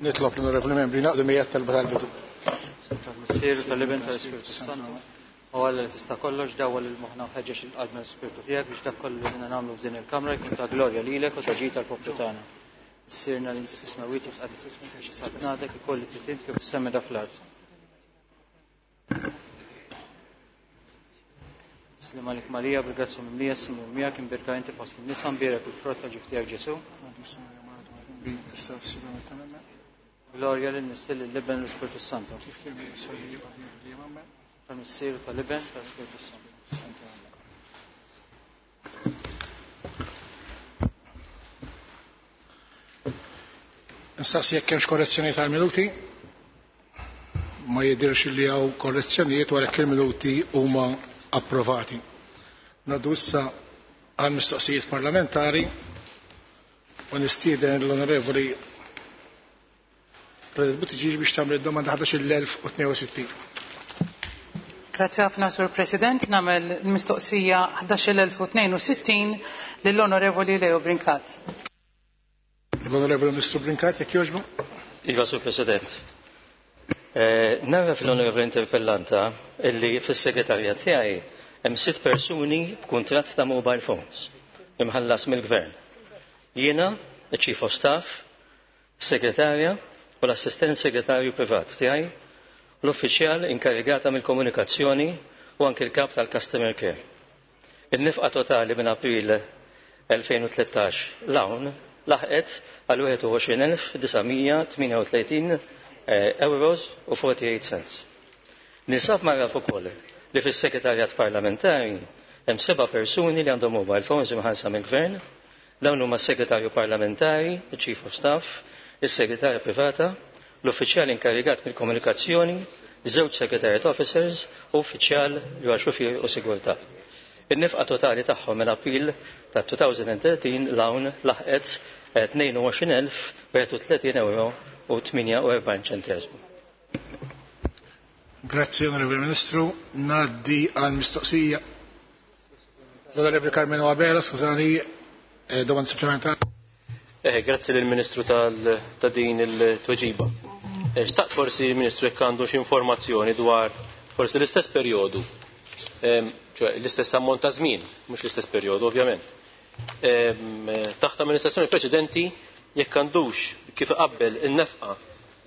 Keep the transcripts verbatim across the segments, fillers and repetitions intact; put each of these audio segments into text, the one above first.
Nitlob l-onorevoli membri naqdu miegħi talba tal-bidu. Tal-Missier, tal-Iben, tal-Ispirtu Santu. U Alla li tista' kollox dawwal il-moħħna u ħeġġeġ il-qalb mill-Ispirtu tiegħek biex dak kollu li aħna nagħmlu f'din il-kamra jkun ta' glorja lilek u ta' ġid tal-poplu tagħna. Missierna li fis-smewwiet jitqaddes ismek biex saltnatek ikoll li trid int kif fis-sema da fl-art. Sliem għalik Marija, bil-grazzja mimlija, Sinjur miegħek, imbierka inti fost in-nisa, mbierek il-frott tal-ġuf tiegħek Ġesu. Glorja lil Missier lill-Iben u l-Ispirtu Santu. Tal-Missier tal-Iben tal-Ispirtu Santu. Nistaqsi jekk hemmx korrezzjoni tal-minuti. Ma jidhirx li hawn korrezzjonijiet wara il-minuti huma approvati. Ngħaddu issa għal mistoqsijiet parlamentari u nistieden l-Onorevoli President Buttigieg biex tagħmel id-domanda ħdax il-elf u tnejn u sittin. Grazie ħafna, Sur President. Nagħmel il-mistoqsija ħdax il-elf u tnejn u sittin lill-Onorevoli Leo Brincat. L-Onorevoli Ministru Brincat, jekk jogħġbu? Iva, Sur President. Eh, Nara fil-Onorevoli Interpellanta illi fis-segretarja tiegħi hemm sitt persuni b'kuntratt ta' mobile phones imħallas mill-Gvern. Jiena, il-Chief of Staff, segretarja u l-assistent segretarju privat tiegħi, l-uffiċjal inkarigata mill-komunikazzjoni u anke l-kap tal-Customer Care. Il-nifqa totali minn April elfejn u tlettax l-hawn laħqet għal wieħed u għoxrin elf disa' mija tmienja u tletin, eh, euros u forty-eight cents. Ninsab marraf ukoll li fis-segretarjat parlamentari hemm seba' persuni li għandhom mobile phones imħallsa mill-Gvern. Dawn huma s-segretarju parlamentari, il-Chief of Staff, is-segretarja privata, l-uffiċjal inkarigat mill-komunikazzjoni, żewġ secretariat officers u uffiċjal li huwa xufier u sigurtà. In-nifqa totali tagħhom minn April ta' two thousand and thirteen l-hawn laħqet tnejn u għoxrin elf wieħed u tletin euro u tmienja u erbgħin ċenteżmu. Grazie, Onorevole Ministru. Ngħaddi għal mistoqsija. L-Onorevole Carmelo Abela, skużani, eh, domanda supplementari. Eh, grazzi lill-Ministru tal-, ta' din il-tweġiba. Eh, xtaqt forsi il-Ministru jekk għandu xi informazzjoni dwar forsi l-istess perjodu, ehm, ċoè l-istess ammont ta' żmien, mhux l-istess perjodu ovvjament. Ehm, taħt amministrazzjoni preċedenti jekk għandux kif iqabbel in-nefqa,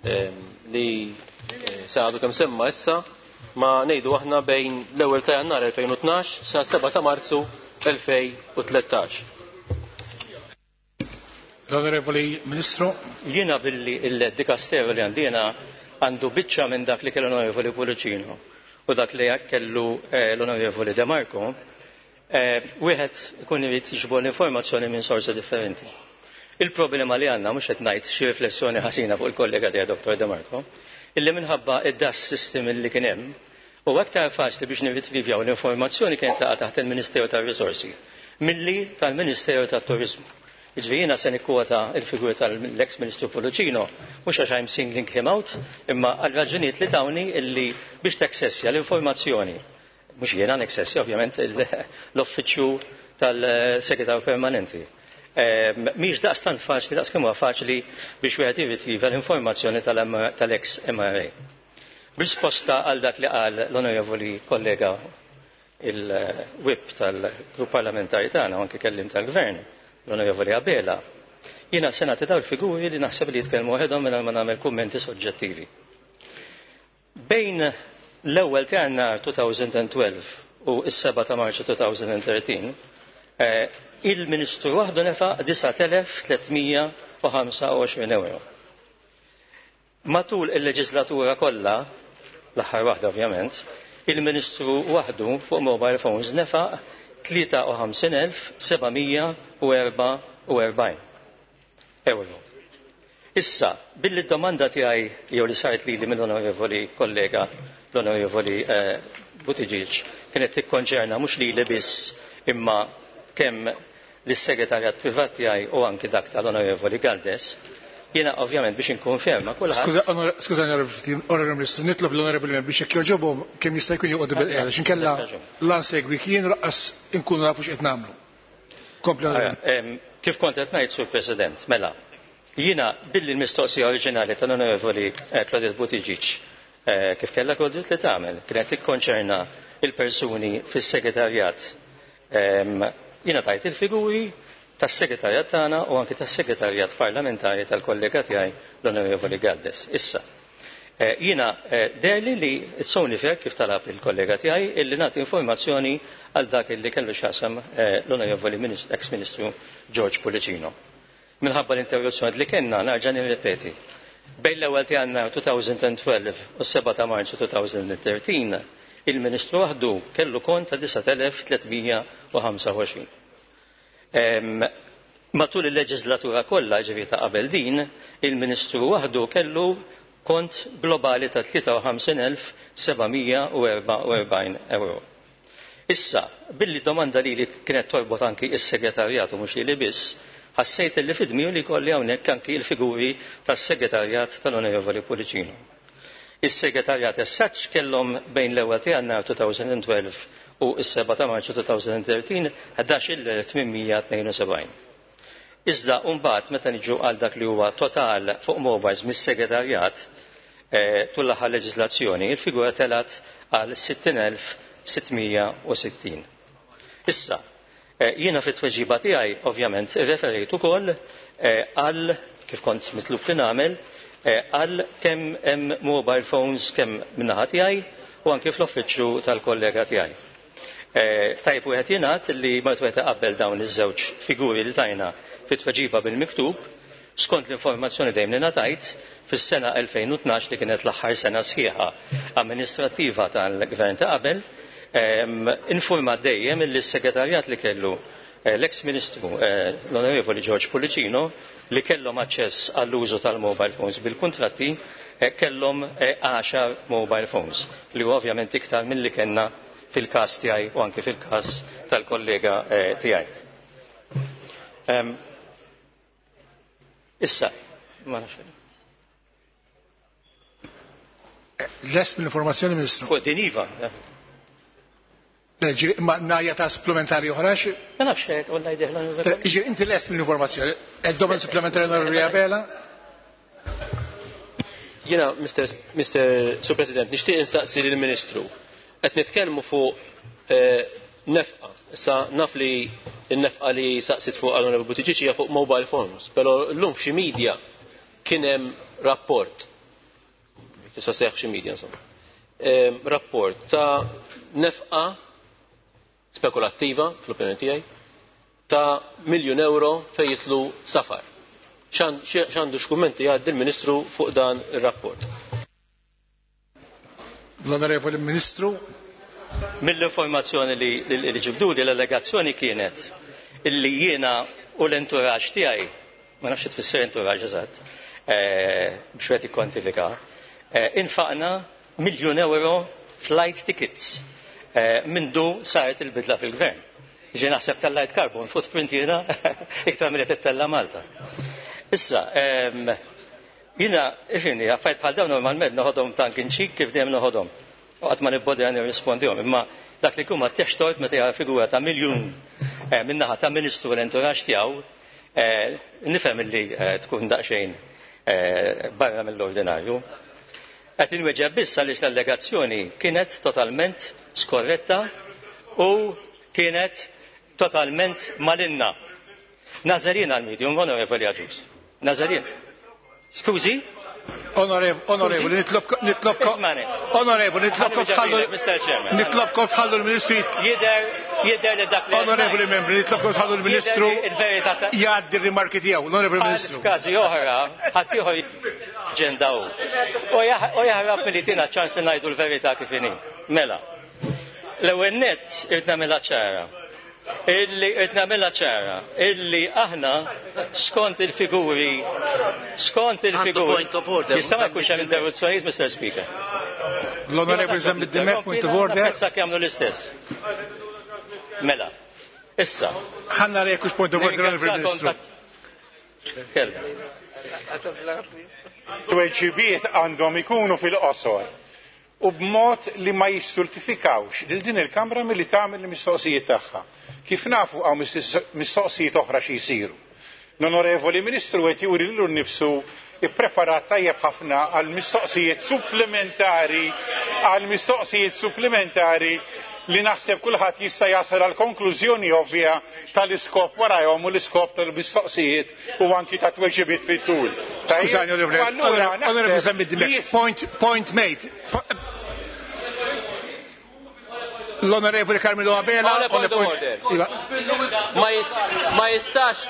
ehm, li, eh, se għadu kemm semma issa ma ngħidu aħna bejn l-ewwel ta' Jannar elfejn u tnax sa seba' ta' Marzu elfejn u tlettax. L-Onorevoli Ministru. Jiena billi il-dikasteru li għandina għandu biċċa minn dak li kellu l-Onorevoli Pullicino u dak li kellu, eh, l-Onorevoli De Marco, eh, wieħed ikun irid jiġbor l-informazzjoni minn sorsi differenti. Il-problema li għandna mhux qed ngħid xi riflessjoni ħażina fuq il-kollega tiegħi Doktor De Marco, illi minħabba id-D A S system illi kien hemm, u aktar faċli biex nirritrivjaw l-informazzjoni kienet taqa' taħt il-Ministeru tar-Risorsi milli tal-Ministeru tat-Turizmu. Jiġifieri jiena se nikkwota l-figura tal-ex Ministru Pullicino, mhux għax I'm singling him out, imma għal raġunijiet li tawni illi biex taksessja l-informazzjoni. Mhux jiena neksessja ovvjament il-, l-uffiċċju tal-segretarju permanenti. Ehm, mhix daqstant faċli, daqs kemm huwa faċli biex wieħed jirritriva l-informazzjoni tal-M-, tal-ex M R A. Risposta għal dak li qal l-onorevoli kollega il-whip tal-grupp parlamentari tagħna u anke kellim tal-gvern, l-onorevoli Abela, jiena se nagħti dawn il-figuri li naħseb li jitkellmu waħedhom mingħajr ma nagħmel kummenti soġġettivi. Bejn l-ewwel ta' Jannar two thousand and twelve u s-seba' ta' Marzu two thousand and thirteen, eh, il-Ministru waħdu nefaq disat elef tliet mija u ħamsa u għoxrin euro. Matul il-leġislatura kollha, l-aħħar waħda ovvjament, il-Ministru waħdu fuq mobile phones nefaq tlieta u ħamsin elf seba' mija u erba' u erbgħin euro. Issa, billi d-domanda tiegħi jew li saret lili mill-onorevoli kollega l-onorevoli, eh, Buttigieg kienet tikkonċerna mhux lili biss imma kemm lis-segretarjat privat tiegħi u anki dak tal-onorevoli Galdes, jiena ovvjament biex inkun ferma kulħadd. Skuża, onor-, skuża, onorevoli, onorevoli Ministru, nitlob l-onorevoli membri biex jekk jogħġobhom kemm jista' jkun joqogħdu bil-qiegħda, għax inkella la nsegwi kien raqqas inkunu nafu x'qed nagħmlu. Kompli, onorevoli. Ara, em, kif kont qed ngħid, Sur President, mela, Jiena billi l-mistoqsija oriġinali tal-Onorevoli Claudette Buttigieg kif kellha Claudette li tagħmel kienet tikkonċerna il-persuni fis-segretarjat. Jiena tajt il-figuri tas-segretarjat tagħna u anki tas-segretarjat parlamentari tal-kollega tiegħi l-Onorevoli Galdes. Issa, jiena derli li it's only fair kif talab il-kollega tiegħi illi nagħti informazzjoni għal dak illi kellu x'jaqsam l-Onorevoli ex-Ministru George Pullicino. Minħabba l-interruzzjoni li kellna nerġa' nirrepeti. Bejn l-ewwel ta' Jannar elfejn u tnax u s-sebgħa ta' Marzu elfejn u tlettax il-Ministru waħdu kellu kont ta' disat elef tliet mija u ħamsa u għoxrin. Matul il-leġislatura kollha, ġifieri ta' qabel din, il-Ministru waħdu kellu kont globali ta' tlieta u ħamsin elf seba' mija u erba' u erbgħin euro. Issa, billi domanda li li kienet torbot anki is-segretarjat u mhux li biss, ħassejt li fidmiju li kolli hawnhekk anki l-figuri tas-segretarjat tal-Onorevoli Pullicino. Is-segretarjat as-saċ kellhom bejn l-ewwel ta' Jannar elfejn u tnax u s-sebgħa ta' Marzu elfejn u tlettax ħdax il tmien mija tnejn u sebgħin. Iżda mbagħad meta niġu għal dak li huwa total fuq mobiles mis-segretarjat, eh, tul l-aħħar leġislazzjoni, il-figura telat għal sittin elf sitt mija u sittin. Issa, eh, jiena fit-tweġiba tiegħi ovvjament irreferejt ukoll, eh, għal kif kont mitlub li nagħmel, eh, għal kemm hemm mobile phones kemm min-naħa tiegħi u anke fl-uffiċċju tal-kollega tiegħi. Eh, tajb wieħed jingħad li meta wieħed iqabbel dawn iż-żewġ figuri li tajna fit-tweġiba bil-miktub, skont l-informazzjoni dejjem li ngħatajt, fis-sena elfejn u tnax li kienet l-aħħar sena sħiħa amministrattiva tal-gvern ta' qabel, ehm, informat dejjem li s-segretarjat li kellu, eh, l-ex-ministru, eh, l-Onorevoli George Pullicino li kellhom aċċess għall-użu tal-mobile phones bil-kuntratti, eh, kellhom, eh, għaxar mobile phones li huwa ovvjament iktar milli kellna fil-każ tiegħi u anke fil-każ tal-kollega, eh, tiegħi. Ehm, issa, ma nafx. Lest mill-informazzjoni, Ministru? Fuq din iva. Le, ġiri, ma najja ta' supplementari oħra xi? Ma nafx hekk, walla jdieħla l-università. Ġiri, inti lest mill-informazzjoni. Ed-domanda supplementari Onorevoli Abela? Jiena, Mister Mister Sur President, nixtieq insaqsi lill-Ministru. Qed nitkellmu fuq, eh, nefqa. Issa naf li n-nefqa li saqsit fuq għal-Onorevoli Buttigieg hija fuq mobile phones, però llum f'xi media kien hemm rapport. Tista' seħħ f'xi media insomma. Ehm, rapport ta' nefqa spekulattiva fl-opinjoni tiegħi ta' miljun euro fejn jitlu safar. X'għandu x'kummenti jgħaddi l-Ministru fuq dan ir-rapport? L-Onorevoli Ministru. Mill-informazzjoni li, li, li ġibduli l-allegazzjoni kienet illi jiena u l-entourage tiegħi, ma nafx tfisser entourage eżatt, eh, biex wieħed jikkwantifika, eh, infaqna miljun euro flight tickets, eh, mindu saret il-bidla fil-gvern. Ġi naħseb tal-light carbon footprint jiena iktar milli tittella Malta. Issa, ehm, jiena, ifini, affarijiet bħal dawn normalment noħodhom tank inċik kif dejjem noħodhom. U qatt ma nibbodi għan nirrispondihom, imma dak li jkun ma tieħx tort meta jara figura ta' miljun, eh, min-naħa ta' ministru l-entourage tiegħu, eh, nifhem illi, eh, tkun daqsxejn, eh, barra mill-ordinarju. Qed inweġġeb biss għaliex l-allegazzjoni kienet totalment skorretta u kienet totalment malinna. Nazarin għal-medium, Onorevoli Agius. Nazarin. Skużi? Onorev-, onorevoli, nitlobkom, nitlobkom, Ismani. onorevoli, nitlobkom Ħalli tħallu ġabina, Mister Chairman. Nitlobkom tħallu l-Ministru Jider, jider li dak li Onorevoli ngħid. membri, nitlobkom tħallu l-Ministru Jider li il-verità ta' jgħaddi r-rimarki tiegħu, onorevoli Bħal Ministru. F'każi oħra, ħaddieħor ġendaw. U jaħ-, u jaħrab milli tina ċans li ngħidu l-verità kif inhi. Mela, l-ewwel nett irid nagħmilha ċara. Illi irid nagħmilha ċara, illi aħna skont il-figuri, skont il-figuri. Point of order. Jista' ma jkunx hemm interruzzjonijiet, Mister Speaker. L-Onorevoli Zammit Dimech, point of order. Napprezza jagħmlu l-istess. Mela, issa. Ħanna rejek hux point of order, Onorevoli Ministru. Kelma. Tweġibiet għandhom ikunu fil-qosor u b'mod li ma jistultifikawx lil din il-Kamra milli tagħmel il-mistoqsijiet tagħha. Kif nafu hawn mistoqsijiet oħra xi jsiru. L-Onorevoli Ministru qed juri lilu nnifsu ippreparat tajjeb ħafna għal mistoqsijiet supplementari għal mistoqsijiet supplementari li naħseb kulħadd jista' jasal għal konklużjoni ovvja tal-iskop warajhom u l-iskop tal-mistoqsijiet u anki ta' tweġibiet fit-tul. Skużani, Onorevoli Zammit Dimech, point, point made. L-Onorevoli Carmelo Abela. Ma jistax,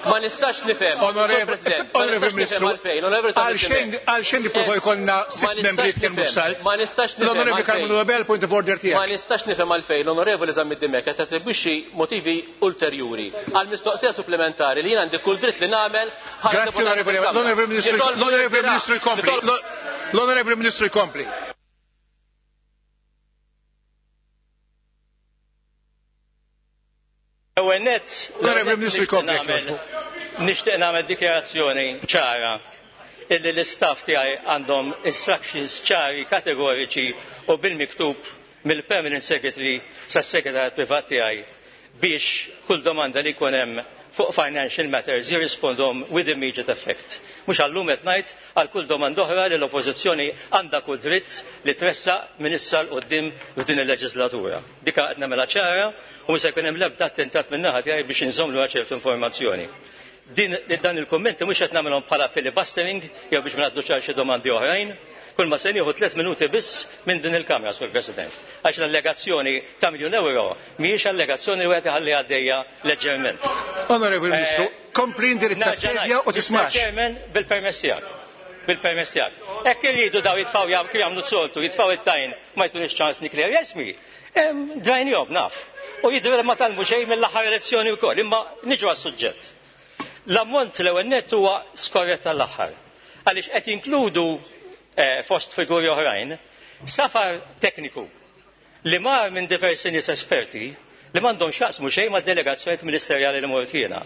ma nistax nifhem. Onorevoli Ministru, għalxejn nipprova jkollna sitt membri jitkellmu salt. Ma nistax nifhem. L-Onorevoli Carmelo Abela, point of order tiegħek. Ma nistax nifhem għalfejn l-Onorevoli Zammit Dimech qed tattribwixxi motivi ulterjuri għal mistoqsija supplementari li jien għandi kull dritt li nagħmel. Grazzi Onorevoli, l-Onorevoli Ministru, l-Onorevoli Ministru jkompli. L-Onorevoli Ministru jkompli. Ewwel nett, l-Onorevoli Ministru jkompli. Nixtieq nagħmel dikjarazzjoni ċara illi l-istaff tiegħi għandhom instructions ċari kategoriċi u bil-miktub mill-Permanent Secretary sas-Segretarju Privat tiegħi biex kull domanda li jkun hemm fuq financial matters jirrispondhom with immediate effect. Mhux għallum qed ngħid għal kull domanda oħra li l-Oppożizzjoni għandha kull dritt li tressaq minn issa l quddiem f'din il-leġislatura. Dika qed nagħmilha ċara u mhux se jkun hemm l-ebda attentat min-naħa tiegħi biex inżommlu ċertu informazzjoni. Din dan il-kummenti mhux qed nagħmilhom bħala filibustering jew biex ma ngħaddux għal xi domandi oħrajn. Kull ma se nieħu tliet minuti biss minn din il-Kamra, Sur President. Għax l-allegazzjoni ta' miljun euro mhijiex allegazzjoni li wieħed iħalli għaddejja leġġerment. Onorevoli Ministru, kompli indirizza s-sedja u tismax. Chairman, bil-permess tiegħek. Bil-permess tiegħek. Hekk iridu daw jitfgħu jagħmlu soltu, jitfgħu it-tajn ma jtunix ċans nikler jesmi. Drajnihom naf. U jidhru ma talmu xejn mill-aħħar elezzjoni wkoll, imma niġu għas-suġġett. L-ammont l-ewwel nett huwa skorrett tal-aħħar. Għaliex qed jinkludu fost figuri oħrajn, safar tekniku li mar minn diversi nies esperti li m'għandhom x'jaqsmu xejn mad-delegazzjonijiet ministerjali li mort jiena.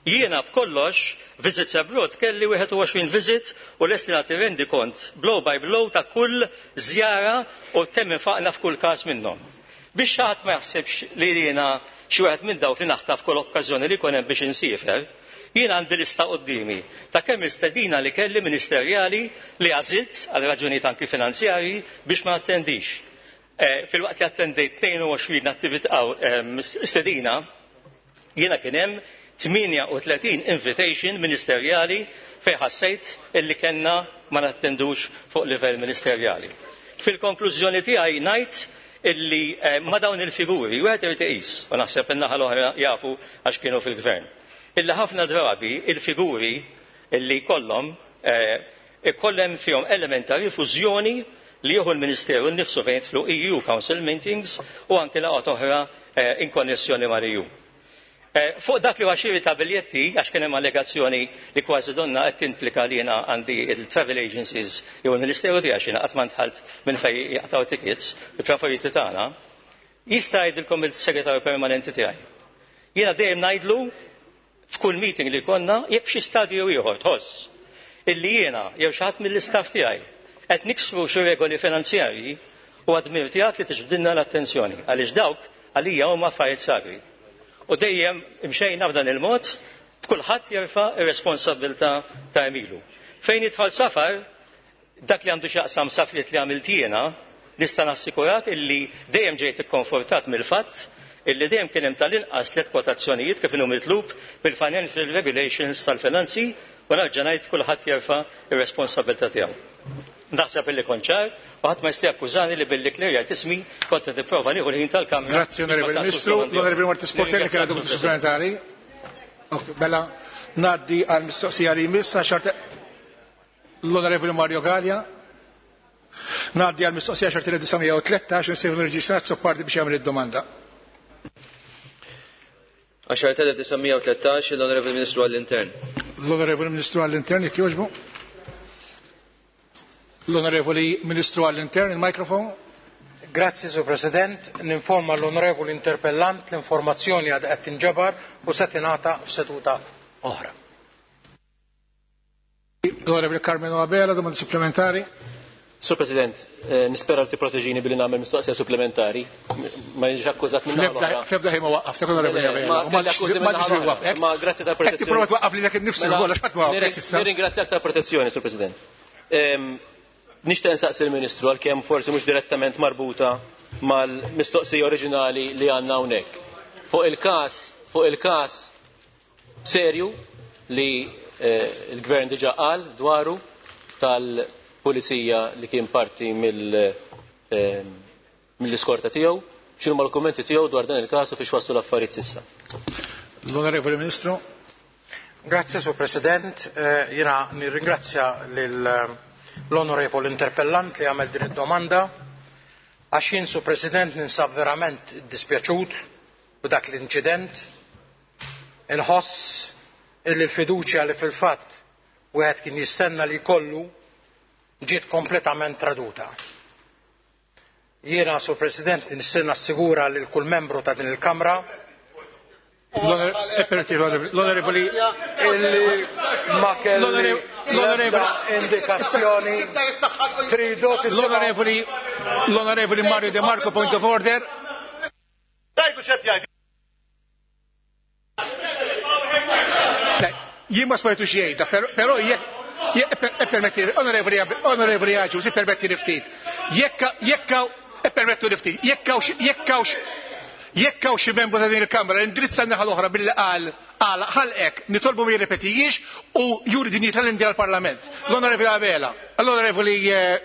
Jiena b'kollox visits abroad kelli wieħed u għoxrin visit u lest li nagħti rendi kont blow by blow ta' kull żjara u kemm infaqna f'kull każ minnhom. Biex xi ħadd ma jaħsibx li jiena xi wieħed minn dawk li naħtaf kull okkażjoni li jkun hemm biex insiefer, jien għandi lista qoddimi ta' kemm istedina li kelli ministerjali li għażilt għal raġunijiet anki finanzjarji biex ma attendix. Fil-waqt li attendejt tnejn u għoxrin attività stedina, jiena kien hemm tmienja u tletin invitation ministerjali fejn ħassejt illi kellna ma nattendux fuq livell ministerjali. Fil-konklużjoni tiegħi ngħid illi ma dawn il-figuri wieħed irid iqis, u naħseb in-naħa l-oħra jafu għax kienu fil-gvern. Illi ħafna drabi il-figuri illi kollhom ikollhom fihom element ta' rifużjoni li jieħu l-Ministeru nnifsu fejn jidħlu E U Council meetings u anke laqgħat oħra in konnessjoni mal-E U. Fuq dak li huwa xiri ta' biljetti, għax kien hemm allegazzjoni li kważi donna qed timplika li jiena għandi il-travel agencies jew il-Ministeru tiegħi għax jiena qatt ma ndħalt minn fejn jaqtgħu tickets, il-preferiti tagħna, jista' jgħidilkom il-segretarju permanenti tiegħi. Jiena dejjem ngħidlu f'kull meeting li konna jekk xi stadju ieħor tħoss illi jiena jew xi ħadd mill-istaff tiegħi qed niksru xi regoli finanzjarji u għadmir tiegħek li tiġbdilna l-attenzjoni għaliex dawk għalija huma affarijiet sagri. U dejjem imxejna f'dan il-mod b'kulħadd jerfa' ir-responsabilità ta' emilu. Fejn jidħol safar, dak li għandu x'jaqsam safriet li għamilt jiena, nista' nassikurak illi dejjem ġejt ikkonfortat mill-fatt illi dejjem kien hemm tal-inqas tliet kwotazzjonijiet kif inhu mitlub bil-financial regulations tal-finanzi u nerġa' ngħid kulħadd jerfa' ir-responsabilità tiegħu. Naħseb illi kont ċar u ħadd ma jista' jakkużani li billi klerjajt ismi kont qed nipprova nieħu l-ħin tal-Kamra. Grazzi Onorevoli Ministru, l-Onorevoli Marti Sportelli kien għadu supplementari. Bella ngħaddi għal mistoqsija li jmiss għaxar l-Onorevoli Mario Gallia. Ngħaddi għal mistoqsija għaxar tliet disa' u tlettax insejħu l-Reġistrat Soppardi biex jagħmel id-domanda. għaxar telef disa' u tlettax l-Onorevoli Ministru għall-Intern. L-Onorevoli Ministru għall-Intern, jekk jogħġbu. L-Onorevoli Ministru għall-Intern, il-mikrofon. Grazzi, Sur President. Ninforma l-Onorevoli Interpellant l-informazzjoni għad qed tinġabar u se tingħata f'seduta oħra. L-Onorevoli Carmelo Abela, domanda supplementari. Sur President, nispera li tipproteġini billi nagħmel mistoqsija supplementari. Ma jiġix akkużat minn naħa. Fl-ebda ħin ma waqqaftek, Onorevoli Abela. Ma tiġi waqqafek. Ma grazzi tal-protezzjoni. Qed tipprova twaqqaf lilek innifsek ukoll għax ħadd ma waqqafek s'issa. Nirringrazzjak tal-protezzjoni, Sur President. Nixtieq nsaqsi l-Ministru għalkemm forsi mhux direttament marbuta mal-mistoqsija oriġinali li għandna hawnhekk. Fuq il-każ, fuq il-każ serju li l-Gvern diġà qal dwaru tal-pulizija li kien parti mill-iskorta tiegħu, x'inhuma l-kummenti tiegħu dwar dan il-każ u fiex waslu l-affarijiet s'issa. L-Onorevoli Ministru. Grazie, Sur President. Jiena nirringrazzja l-Onorevoli Interpellant li għamel din id-domanda għax jien, Sur President, ninsab verament dispjaċut b'dak l-inċident. Inħoss illi l-fiduċja li fil-fatt wieħed kien jistenna li jkollu ġiet kompletament traduta. Jiena, Sur President, nistenna assigura lil kull membru ta' din il-Kamra l-Onorevoli illi ma kelli l-ebda indikazzjoni tridu l-Onorevoli l-Onorevoli Mario De Marco, point of order. Jien ma smajtu xejn, però jekk permetti, onorevoli onorevoli Agius, permetti ftit. Jekk jekk permettu ftit, jekk jekk jekk hawn xi membru ta' din il-Kamra indirizza n-naħa l-oħra billi qal qal ħalqek nitolbu ma jirrepetijiex u juri dinjità l-indi għall-Parlament. L-Onorevoli Abela, l-Onorevoli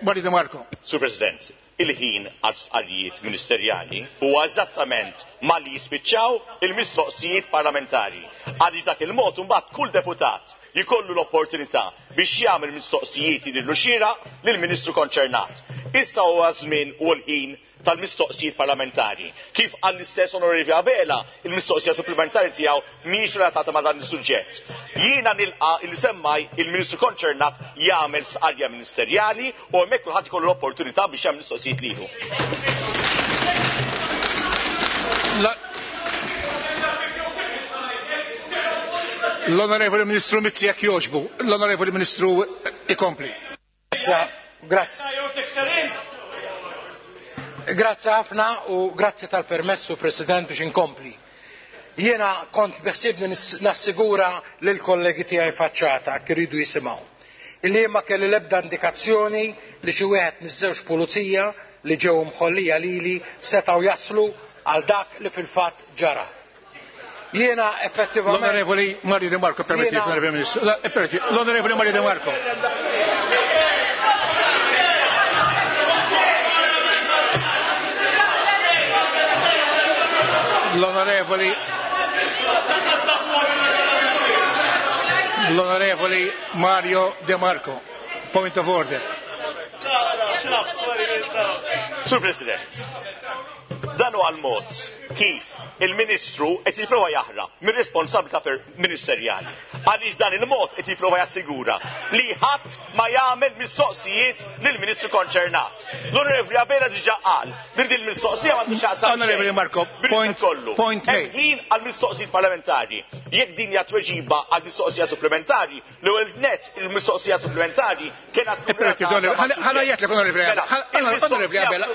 Mario De Marco. Sur President, il-ħin għal stqarrijiet ministerjali huwa eżattament malli jispiċċaw il-mistoqsijiet parlamentari. Għaliex dak il-mod imbagħad kull deputat jkollu l-opportunità biex jagħmel mistoqsijiet jidhirlu xieraq lill-Ministru konċernat. Issa huwa żmien u l-ħin tal-mistoqsijiet parlamentari. Kif qal l-istess Onorevoli Abela, il-mistoqsija supplementari tiegħu mhijiex relatata ma' dan is-suġġett. Jiena nilqa' li semmaj il-Ministru konċernat jagħmel stqarrija ministerjali u hemmhekk kulħadd ikollu l-opportunità biex jagħmel mistoqsijiet lilu. L-Onorevoli Ministru Mizzi jekk jogħġbu, l-Onorevoli Ministru ikompli. Grazie. Grazie ħafna u grazie tal-permessu, President, biex inkompli. Jiena kont beħsibni nassigura lil kollegi tiegħi faċċata kif iridu jisimgħu. Illi ma kelli l-ebda indikazzjoni li xi wieħed miż-żewġ pulizija li ġew mħollija lili setgħu jaslu għal dak li fil-fatt ġara. Jiena effettivament L-Onorevoli Mario De Marco, permetti, Onorevoli Ministru. L-Onorevoli Mario De Marco. L-Onorevoli L-Onorevoli Mario De Marco, point of order. Sur President, dan huwa l-mod kif il-Ministru qed jipprova jaħrab mir-responsabilità ministerjali. Għaliex dan il-mod qed jipprova jassigura li ħadd ma jagħmel mistoqsijiet lill-Ministru konċernat. L-Onorevoli Abela diġà qal li din il-mistoqsija m'għandux x'jaqsam. Onorevoli Marco, point point made. Ħin għall-mistoqsijiet parlamentari. Jekk din hija tweġiba għall-mistoqsija supplementari, l-ewwel net il-mistoqsija supplementari kienet Ħa ngħidlek Onorevoli Abela. Onorevoli Abela.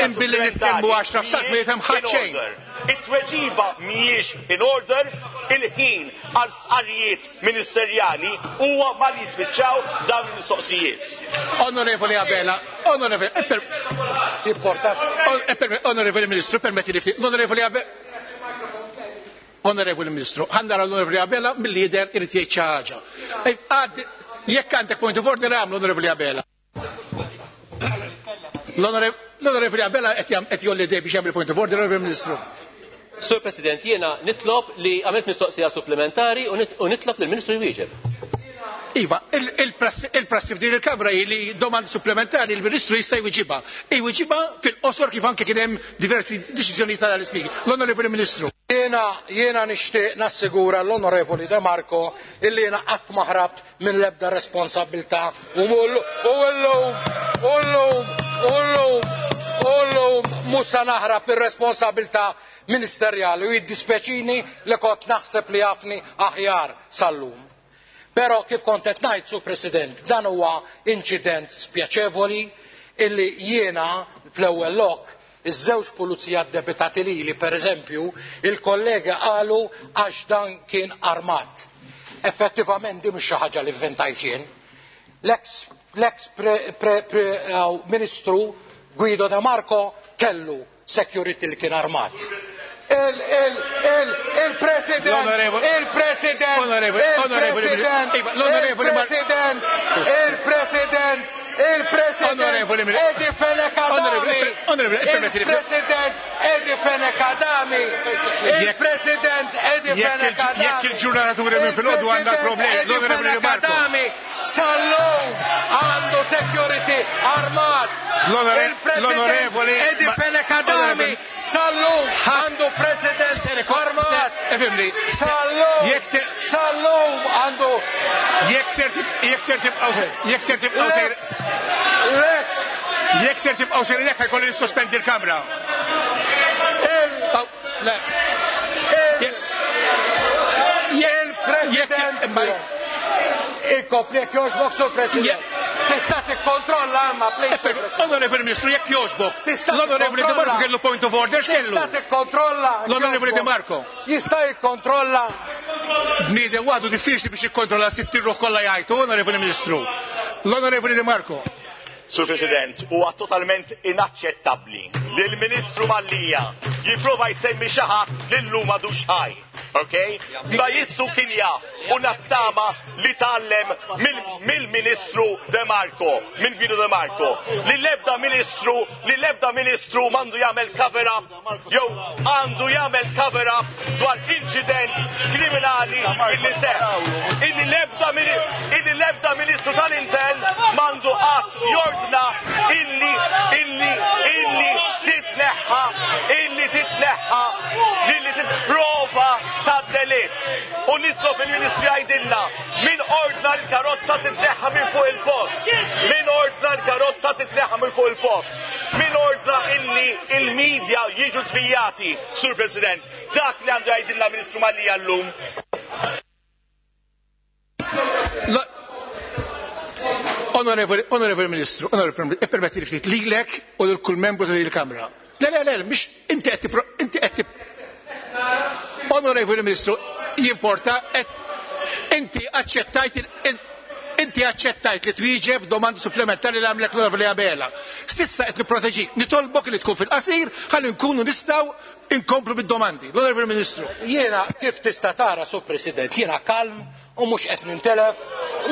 Imbilli nitkellmu għaxra f'sak ma jifhem ħadd xejn. It-tweġiba mhijiex in order, il-ħin għal stqarrijiet ministerjali huwa ma li jispiċċaw dawn il-mistoqsijiet. Onorevoli Abela, onorevoli, onorevoli Ministru, permetti li ftit, l-Onorevoli Abela, Onorevoli Ministru, ħa nara l-Onorevoli Abela mill-lider irid jgħid xi ħaġa. Jekk għandek point of order għamlu Onorevoli Abela. L-Onorevoli Abela qed jolli dej biex jagħmel point of order, Onorevoli Ministru. Sur President, jiena nitlob li għamilt mistoqsija supplementari u nitlob lill-Ministru jwieġeb. Iva, il-prassi f'din il-Kamra hi li domandi supplementari il-Ministru jista' jwiġibha. Jwiġibha fil-qosor kif anke kien hemm diversi deċiżjonijiet tal-Ispeaker. L-Onorevoli Ministru. Jiena jiena nixtieq nassigura l-Onorevoli De Marco illi jiena qatt ma ħrabt minn l-ebda responsabilità u llum u llum u llum u llum mhux se naħrab ir-responsabilità ministerjali u jiddispeċini li kont naħseb li jafni aħjar sal-lum. Però kif kont qed ngħid, Sur President, dan huwa inċident spjaċevoli illi jiena fl-ewwel lok iż-żewġ pulizija ddebitati lili, pereżempju, il-kollega qalu għax dan kien armat. Effettivament din mhux xi ħaġa li vventajt jien. L-ex ministru Guido De Marco kellu security li kien armat. Il-President, il-President, il-President, il-President, il-President, il-President Eddie Fenech Adami, il-President Eddie Fenech Adami, il-President Eddie Fenech Adami. Jekk il-ġurnaturi minn filgħodu għandha problemi, l-Onorevoli Marco. Sal-lum għandu security armat. Il-President Eddie Fenech Adami sal-lum għandu President armat. Sal-lum, sal-lum għandu. Jekk ser tibqgħu jekk ser tibqgħu sejr. Lex. Jekk ser tibqgħu sejrin hekk ħajkolli nissospendi l-kamra. Il-President. Ikopli jekk jogħġbok, Sur President. Tista' tikkontrolla imma please. Onorevoli Ministru, jekk jogħġbok. L-Onorevoli De Marco kellu point of order, x'kellu? Tista' tikkontrolla. L-Onorevoli De Marco. Jista' jikkontrolla. Bniedem waħdu diffiċli biex jikkontrolla sittin ruħ kollha jgħajtu, Onorevoli Ministru. L-Onorevoli De Marco. Sur President, huwa totalment inaċċettabbli li l-Ministru Mallia jipprova jsemmi xi ħadd li llum m'għadux ħaj. Okay? Ma jissu kien jaf u nattama li tgħallem mill-Ministru De Marco, minn Guido De Marco, li l-ebda ministru, li l-ebda ministru m'għandu jagħmel cover up jew għandu jagħmel cover up dwar inċident kriminali illi seħħ. Illi l-ebda illi l-ebda ministru tal-Intern m'għandu qatt jordna illi illi illi titneħħa illi titneħħa illi titprova ta' delitt. U nitlob il-Ministru jgħidilna min ordna l-karozza titneħħa minn fuq il-post. Min ordna l-karozza titneħħa minn fuq il-post. Min ordna illi il-medja jiġu żvijati, Sur President. Dak li għandu jgħidilna Ministru Mallia llum. Onorevoli, onorevoli Ministru, onorevoli, ippermetti li ftit lilek u lil kull membru ta' din il-Kamra. Le, le, le, mhix inti qed inti qed Onorevoli Ministru, jimporta qed inti aċċettajt inti aċċettajt li twieġeb domandi supplementari li għamlek l-Onorevoli Abela. Sissa qed nipproteġik, nitolbok li tkun fil-qasir ħalli nkunu nistgħu inkomplu bid-domandi. L-Onorevoli Ministru. Jiena kif tista' tara, Sur President, jiena kalm u mhux qed nintelef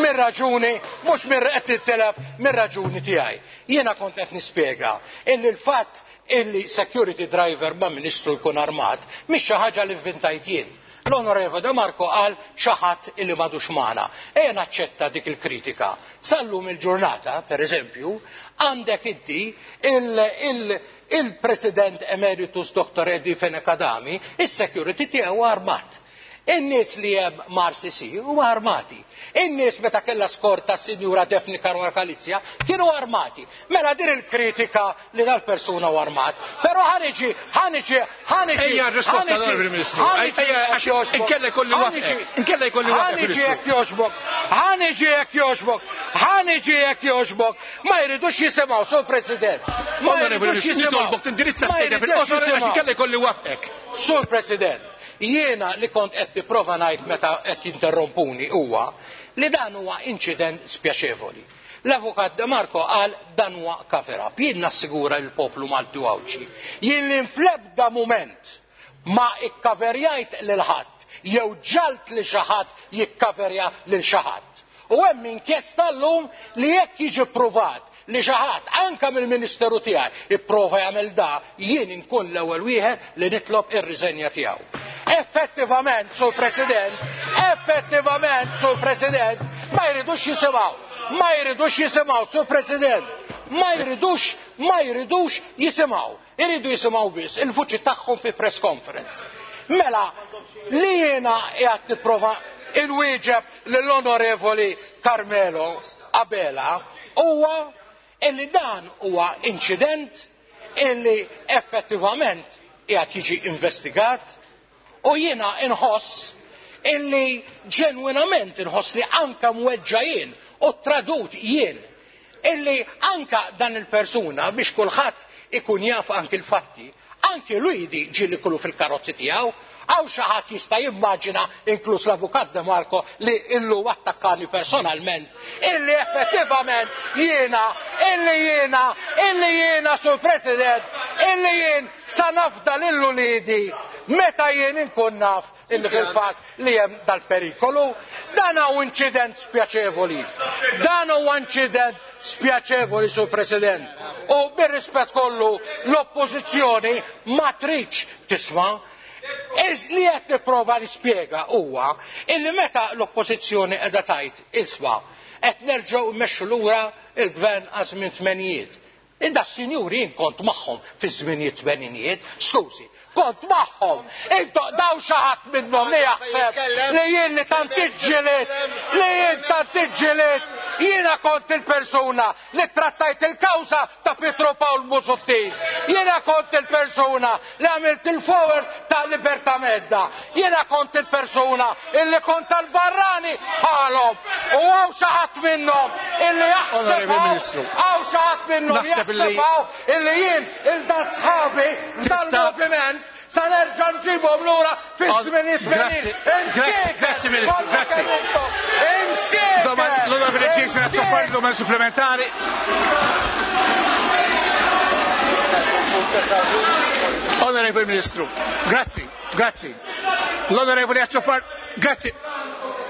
mir-raġuni, mhux mir qed nintelef mir-raġuni tiegħi. Jiena kont qed nispjega illi l-fatt illi security driver ma' ministru jkun armat mhix xi ħaġa li vvintajt jien. L-Onorevole De Marco qal xi ħadd illi m'għadux magħna. Ejja naċċetta dik il-kritika. Sal-lum il-ġurnata, per eżempju, għandek inti il-President Emeritus Doctor Eddie Fenech Adami, is-security tiegħu armat. In-nies li hemm mar C C huma armati. In-nies meta kellha skorta s-Sinjura Daphne Caruana Galizia kienu armati. Mela din il-kritika li dal-persuna huwa armat. Però ħaniġi, ħaniġi, ħaniġi. Ejja r-risposta l-Onorevoli Ministru. Ejja, għax inkella jkolli waqfek. Inkella jkolli waqfek. Ħaniġi jekk jogħġbok. Ħaniġi jekk jogħġbok. Ħaniġi jekk jogħġbok. Ma jridux jisimgħu, Sur President. Ma jridux jisimgħu. Nitolbok tindirizza s-sejda fil-qosor għax inkella jkolli waqfek. Sur President, jiena li kont qed nipprova ngħid meta qed jinterrompuni huwa li dan huwa inċident spjaċevoli. L-Avukat De Marco qal dan huwa cover up. Jien nassigura l-poplu Malti u Għawdxi. Jien li fl-ebda mument ma ikkaverjajt lil ħadd jew ġalt li xi ħadd jikkaverja lil xi ħadd. U hemm inkjesta llum li jekk jiġi ppruvat li xi ħadd anke mill-Ministeru tiegħi ipprova jagħmel da, jien inkun l-ewwel wieħed li nitlob ir-riżenja tiegħu. Effettivament, Sur President, effettivament, Sur President, ma jridux jisimgħu, ma jridux jisimgħu, Sur President, ma jridux, ma jridux jisimgħu. Iridu jisimgħu biss il-vuċi tagħhom fi press conference. Mela, li jiena qiegħed nipprova inwieġeb lill-Onorevoli Carmelo Abela huwa illi dan huwa inċident illi effettivament qiegħed jiġi investigat u jiena inħoss illi ġenwinament inħossni anka mweġġa jien u tradut jien illi anka dan il-persuna biex kulħadd ikun jaf anki l-fatti, anki Luigi ġieli kullu fil-karozzi tiegħu, hawn xi ħadd jista' jimmaġina inkluż l-Avukat De Marco li illum attakkani personalment, illi effettivament jiena, illi jiena, illi jiena Sur President, illi jien sa nafda lil uliedi meta jien inkun naf illi fil-fatt li hemm dal-perikolu. Dan huwa inċident spjaċevoli. Dan huwa inċident spjaċevoli, Sur President. U bir-rispett kollu l-oppożizzjoni ma tridx tisma'. Li qed nipprova nispjega huwa illi meta l-oppożizzjoni qiegħda tgħid isma' qed nerġgħu mmexxu lura il-gvern għal żmien tmenijiet. Inda s-sinjuri jien kont magħhom fi żminijiet tmeninijiet, skużi, kont magħhom. Intu daw xi ħadd minnhom li jaħseb li jien li tant iġġieliet, li jien tant iġġieliet, jiena kont il-persuna li trattajt il-kawża ta' Pietro Pawl Busuttil. Jiena kont il-persuna li għamilt il-forward ta' Libertà Medda. Jiena kont il-persuna illi kont tal-barrani bħalhom. U hawn xi ħadd minnhom illi jaħseb hawn xi ħadd minnhom jaħseb illi jien il-dat sħabi dal-moviment sa nerġa' nġibhom lura fi żminijiet. Grazzi, grazzi Ministru, grazzi. L-Onorevole Jason Azzopardi, domanda supplementari. Onorevole Ministru, grazzi, grazzi. L-Onorevole Azzopardi, grazzi,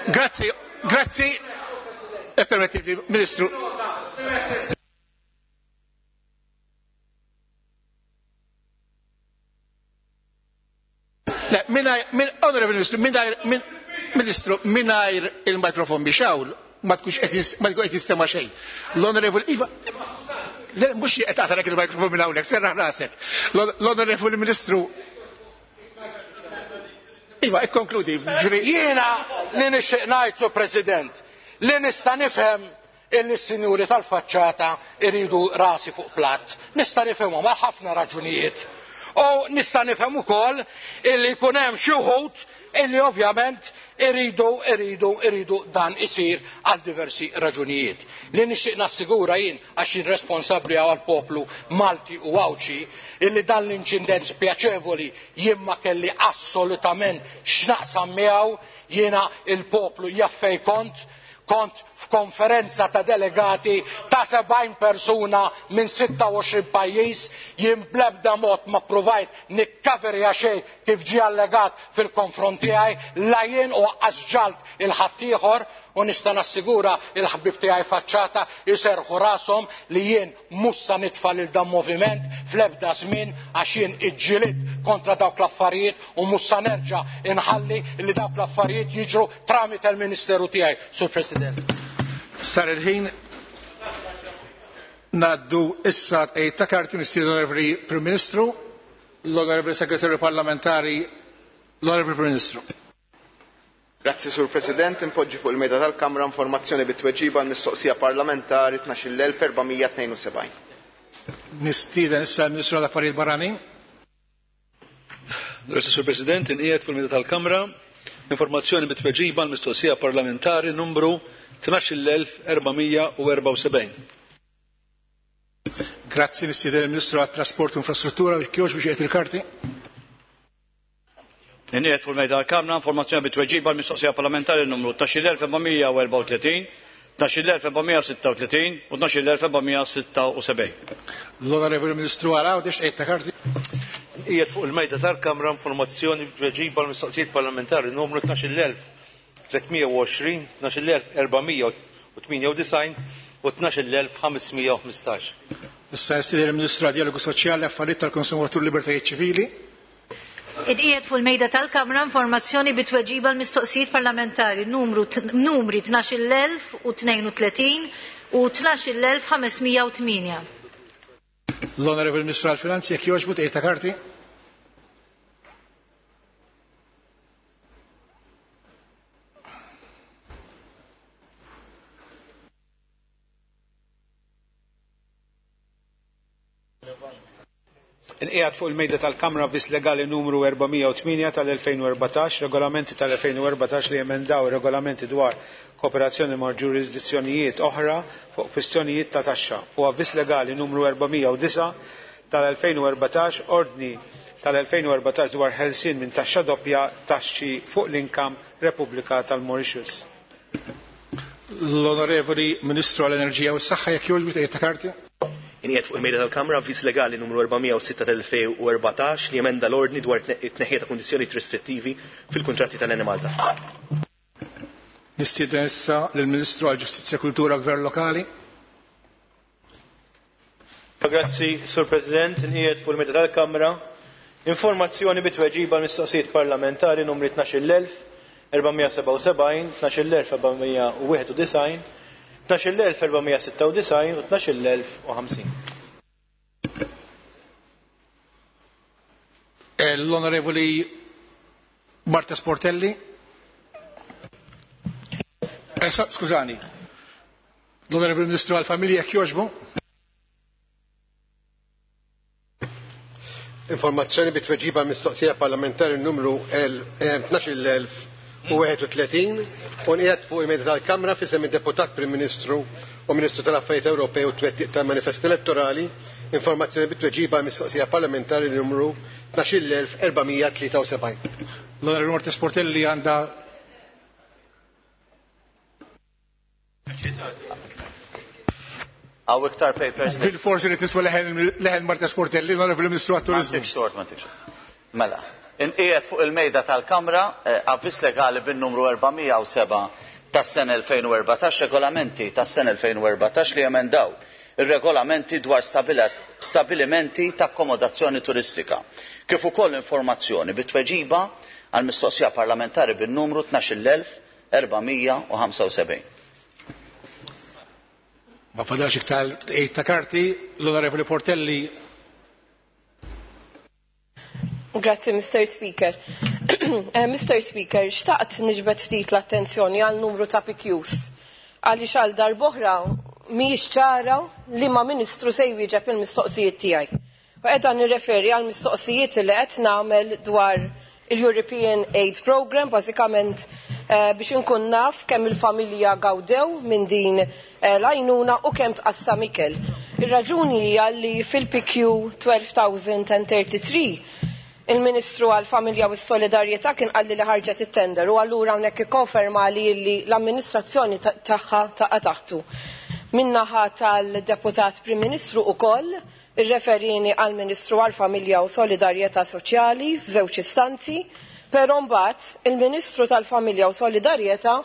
grazzi, grazzi. E permettiti, Ministru. Le, mingħajr, Onorevole Ministru, mingħajr, Ministru, mingħajr il-mikrofon biex hawn, ma tkunx qed jistema' xejn. L-Onorevole Iva, le, mhux qed tagħtalek il-mikrofon minn hawnhekk, serraħ rasek. L-Onorevole Ministru, Iva, ikkonkludi. Jiena li nixtieq ngħid, Sur President, li nista' nifhem illi s-sinjuri tal-faċċata iridu rasi fuq platt. Nista' nifhemhom għal ħafna raġunijiet. U nista' nifhem ukoll illi jkun hemm xi wħud illi ovvjament iridu iridu iridu dan isir għal diversi raġunijiet. Li nixtieq nassigura jien għax jien responsabbli għal poplu Malti u Għawdxi illi dan l-inċident spjaċevoli jien ma kelli assolutament x'naqsam miegħu, jiena il-poplu jaf fejn kont, kont f'konferenza ta' delegati ta' sebgħin persuna minn sitta u għoxrin pajjiż, jien bl-ebda mod ma provajt nikkaverja xejn kif ġie allegat fil-konfront tiegħi, la jien u lanqas ġalt il-ħaddieħor, u nista' nassigura il-ħbib tiegħi faċċata jserħu rashom li jien mhux sa nitfa' lil dan moviment fl-ebda żmien għax jien iġġielidt kontra dawk l-affarijiet u mhux sa nerġa' inħalli li dawk l-affarijiet jiġru tramite l-Ministeru tiegħi, Sur President. Sar il-ħin ngħaddu issa tqegħid ta' karti mistieden l-Onorevoli Prim Ministru, l-Onorevoli Segretarju Parlamentari, l-Onorevoli Prim Ministru. Grazzi Sur President, impoġġi fuq il-mejda tal-Kamra informazzjoni bit-tweġiba għall-mistoqsija parlamentari tnax-il elf erba' mija tnejn u sebgħin. Nistieden issa l-Ministru għall-Affarijiet Barranin. Grazzi Sur President, inqiegħed fuq il-mejda tal-Kamra informazzjoni bit-tweġiba għall-mistoqsija parlamentari numru tnax-il elf erba' mija u erba' u sebgħin. Grazzi, nistieden il-Ministru għat-Trasport u Infrastruttura biex kjoġ biex jgħid il-karti. Inqiegħed fuq il-mejda tal-Kamra informazzjoni bit-tweġiba għall-mistoqsija parlamentari numru tnax-il elf erba' mija u erba' u tletin, tnax-il elf erba' mija u sitta u tletin u tnax-il elf erba' mija u sitta u sebgħin. L-Onorevoli Ministru għal Għawdex tqegħid ta' karti. Qiegħed fuq il-mejda tal-Kamra informazzjoni bit-tweġiba għall-mistoqsijiet parlamentari numru tnax-il elf tliet mija u għoxrin, tnax-il elf erba' mija u tmienja u disgħin u tnax-il elf ħames mija u ħmistax. Issa nistieden il-Ministru għad-Dialogu Soċjali, Affarijiet tal-Konsumatur, Libertajiet Ċivili. Inqiegħed fuq il-mejda tal-Kamra informazzjoni bit-tweġiba l-mistoqsijiet parlamentari numru numri tnax-il elf u tnejn u tletin u tnax-il elf ħames mija u tmienja. L-Onorevoli Ministru għall-Finanzi, jekk jogħġbu tqegħid ta' karti. Inqiegħed fuq il-mejda tal-Kamra avviż legali numru erba' mija u tmienja tal-elfejn u erbatax, regolamenti tal-elfejn u erbatax li emendaw regolamenti dwar kooperazzjoni ma' ġurisdizzjonijiet oħra fuq kwistjonijiet ta' taxxa, u avviż legali numru erba' mija u disgħa tal-elfejn u erbatax, ordni tal-elfejn u erbatax dwar ħelsien minn taxxa doppja, taxxi fuq l-income, Repubblika tal-Mauritius. L-Onorevoli Ministru għall-Enerġija u s-Saħħa, jekk jogħġbu, tgħid ta' karti. Inqiegħed fuq il-mejda tal-Kamra avviż legali numru erba' mija u sitta tal-elfejn u erbatax li emenda l-ordni dwar it-tneħħija ta' kundizzjonijiet restrittivi fil-kuntratti tal-Enemalta. Nistieden issa lill-Ministru għall-Ġustizzja, Kultura u Gvern Lokali. Grazzi, Sur President. Inqiegħed fuq il-mejda tal-Kamra informazzjoni bi tweġiba mistoqsijiet parlamentari numri tnax-il elf erba' mija sebgħa u sebgħin, tnax-il elf erba' mija wieħed u disgħin, tnax-il elf erba' mija sitta u disgħin u tnax-il elf u ħamsin. L-Onorevoli Marta Sportelli. Eh, skużani. L-Onorevoli Ministru għal-Familja, jekk jogħġbu. Informazzjoni bi tweġiba mistoqsija parlamentari numru tnax-il elf u wieħed u tletin u nqiegħed fuq il-mejda tal-Kamra f'isem id-Deputat Prim Ministru u Ministru tal-Affarijiet Ewropej u twettiq tal-Manifest Elettorali informazzjoni bi tweġiba mistoqsija parlamentari numru tnax-il elf erba' mija tlieta u sebgħin. L-Onorevoli Marta Sportelli għandha Hawn iktar papers. Bil-forsi li tisma' leħen Marta Sportelli, l-Onorevoli Ministru għat-Turizmu. Ma xort, ma Mela, inqiegħed fuq il-mejda tal-Kamra eh, avviż legali bin-numru erba' mija u sebgħa tas-sena elfejn u erbatax, regolamenti tas-sena elfejn u erbatax li emendaw ir-regolamenti dwar stabilimenti ta' akkomodazzjoni turistika, kif ukoll informazzjoni bi tweġiba għal mistoqsija parlamentari bin-numru tnax-il elf erba' mija ħamsa u sebgħin. Ma fadalx iktar tgħid ta' karti, l-Onorevoli Portelli. Grazzi, Mister Speaker. Eh, Mister Speaker, xtaqt niġbed ftit l-attenzjoni għal numru ta' P Qs. Għaliex għal darb'oħra mhijiex ċara li ma ministru se jwieġeb il-mistoqsijiet tiegħi. U qiegħda nirreferi għal mistoqsijiet li qed nagħmel dwar il-European Aid Program, bażikament eh, biex inkun naf kemm il-familja gawdew minn din eh, l-għajnuna u kemm tqassam ikel. Ir-raġuni hija li fil-P Q tnax-il elf tlieta u tletin il-Ministru għal-Familja u s-Solidarjetà kien qalli li ħarġet it-tender u allura hawnhekk ikkonferma li l-amministrazzjoni tagħha taqa' taħtu. Min-naħa tal-Deputat Prim Ministru ukoll irreferini għal Ministru għal-Familja u Solidarjetà Soċjali f'żewġ istanzi, però mbagħad il-Ministru tal-Familja u Solidarjetà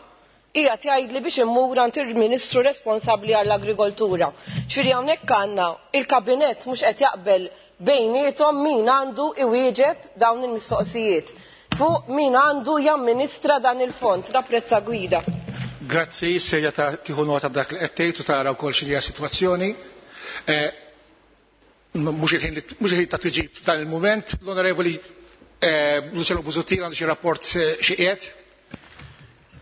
qiegħed jgħidli biex immur għand il-Ministru responsabbli għall-Agrikoltura. Ġifieri hawnhekk għandna il-Kabinett mhux qed jaqbel bejniethom min għandu iwieġeb dawn il-mistoqsijiet fuq min għandu jamministra dan il-fond. Napprezza gwida. Grazzi, sejja ta' tieħu nota b'dak li qed tgħid u tara wkoll x'inhi sitwazzjoni. Eh, mhux il-ħin ta' tweġib f'dan il-mument, l-Onorevoli eh, Luciano Busuttil għandu xi rapport eh, xi qiegħed.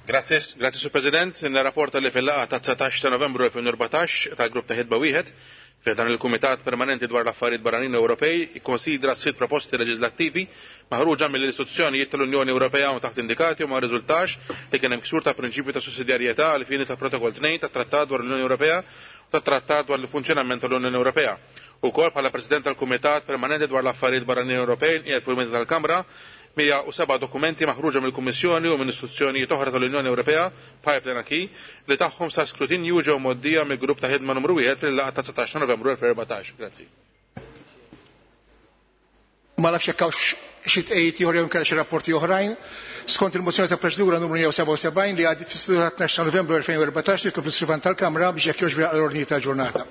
Grazie, grazie, Sur President. Nirrapporta li fil-laqgħa ta' dsatax ta' Novembru elfejn u erbatax tal-grupp ta' ħidba wieħed fi dan il-Kumitat Permanenti dwar l-Affarijiet Barranin Ewropej ikkonsidra sitt proposti leġislattivi maħruġa mill-istituzzjonijiet tal-Unjoni Ewropea u taħt indikati u ma rriżultax li kien hemm ksur ta' prinċipju ta' sussidjarjetà għal fini ta' Protokoll tnejn tat Trattat dwar l-Unjoni Ewropea u tat-Trattat dwar il-Funzjonament tal-Unjoni Ewropea. Ukoll bħala President tal-Kumitat Permanenti dwar l-Affarijiet Barranin Ewropej qiegħed fuq il tal-Kamra mija u seba' dokumenti maħruġa mill-Kummissjoni u minn istituzzjonijiet oħra tal-Unjoni Ewropea, pipeline acquis, li tagħhom sa skrutinju ġew mgħoddija mill-grupp ta' ħidma numru wieħed fil-laqgħa ta' dsatax ta' Novembru elfejn u erbatax. Grazzi. Ma nafx jekk hawnx xi tqejjid ieħor jew inkella xi rapporti oħrajn. Skont il-mozzjoni ta' proċedura numru mija u sebgħa u sebgħin li għaddiet fis-seduta tnax ta' Novembru elfejn u erbatax, nitlob l-iskrivan tal-Kamra biex jekk jogħġbu jaqra l-ordni tal-ġurnata.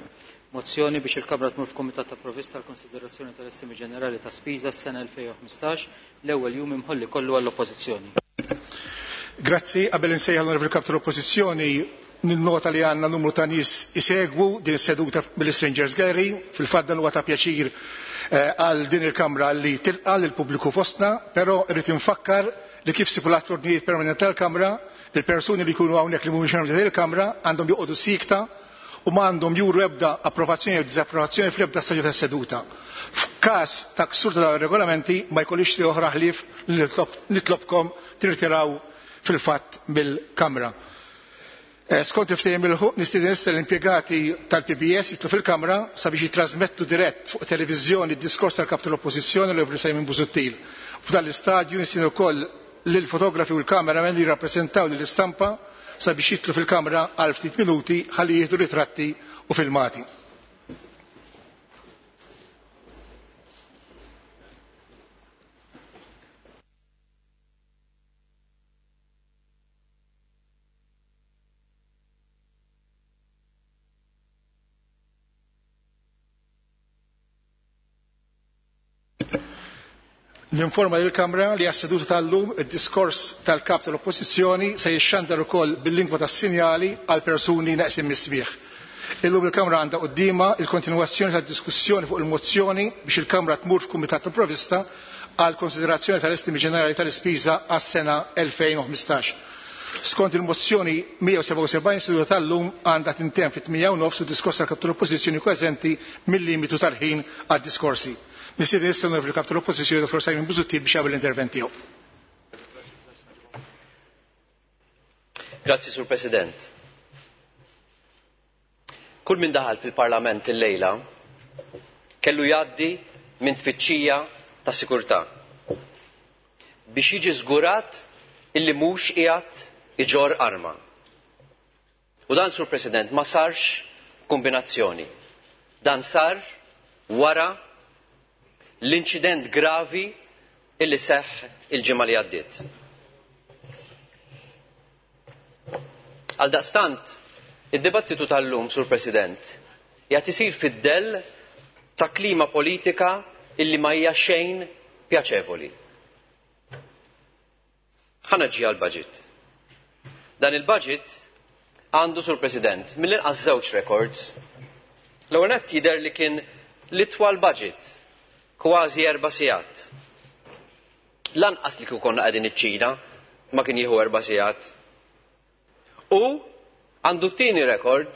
Mozzjoni biex il-Kamra tmur f'Kumitat ta' Provvista għal konsiderazzjoni tal-estimi ġenerali ta' spiża s-sena elfejn u ħmistax, l-ewwel jum imħolli kollu għall-Oppożizzjoni. Grazzi, qabel insejjaħ l-Onorevoli Kap tal-Oppożizzjoni, ninnota li għandna numru ta' nies isegwu din seduta mill-Strangers Gallery. Fil-fatt dan huwa ta' pjaċir eh, għal din il-Kamra li tilqa' lill-pubbliku fostna, però irrid infakkar li kif stipulat l-ordnijiet permanenti tal-Kamra, il-persuni li jkunu hawnhekk li mhumiex membri il-Kamra għandhom joqogħdu sikta u ma għandhom juru ebda approvazzjoni jew diżapprovazzjoni fl-ebda stadju tas-seduta. F'każ ta' ksur ta' dawn ir-regolamenti ma jkollix li oħra ħlief li nitlobkom tirtiraw fil-fatt mill-Kamra. Skont il-ftehim il-ħuq nistieden issa l-impjegati tal-P B S jitlu fil-Kamra sabiex jitrasmettu dirett fuq televiżjoni d-diskors tal-Kap tal-Oppożizzjoni l Simon Busuttil. F'dan l-istadju nistieden ukoll lill-fotografi u l-kameramen li jirrappreżentaw lill-istampa sabiex jitlu fil-Kamra għal ftit minuti ħalli jieħdu ritratti u filmati. Ninforma lill-Kamra li għas-seduta tal-lum id-diskors tal-Kap tal-Oppożizzjoni se jixxandar ukoll bil-lingwa tas-sinjali għal persuni neqsin mis-smigħ. Illum il-Kamra għandha quddiemha il-kontinwazzjoni tad-diskussjoni fuq il-mozzjoni biex il-Kamra tmur f'Kumitat tal-Provvista għal konsiderazzjoni tal-estimi ġenerali tal-ispiża għas-sena elfejn u ħmistax. Skont il-mozzjoni mija u sebgħa u sebgħin, seduta tal-lum għandha tintemm fit-tmienja u nofs u diskors tal-Kap tal-Oppożizzjoni eżenti mill-limitu tal-ħin għad-diskorsi. Nistieden issa l-Kap tal-Oppożizzjoni Dottor Simon Busuttil biex jagħmel l-intervent tiegħu. Grazzi, Sur President. Kull min daħal fil-Parlament illejla kellu jgħaddi minn tfittxija ta' sikurtà biex jiġi żgurat illi mhux qiegħed iġorr arma. U dan, Sur President, ma sarx kombinazzjoni. Dan sar wara l-inċident gravi illi seħħ il-ġimgħa li għaddiet. Għaldaqstant, id-dibattitu tal-lum, Sur President, jgħat isir fid-dell ta' klima politika illi ma hija xejn pjaċevoli. Ħa niġi għal-budget. Dan il-budget għandu, Sur President, mill-inqas żewġ records. L-ewwel nett jidher li kien l-itwal budget, kważi erba' sigħat. Lanqas li kieku konna qegħdin iċ-Ċina ma kien jieħu erba' sigħat. U għandu t-tieni rekord,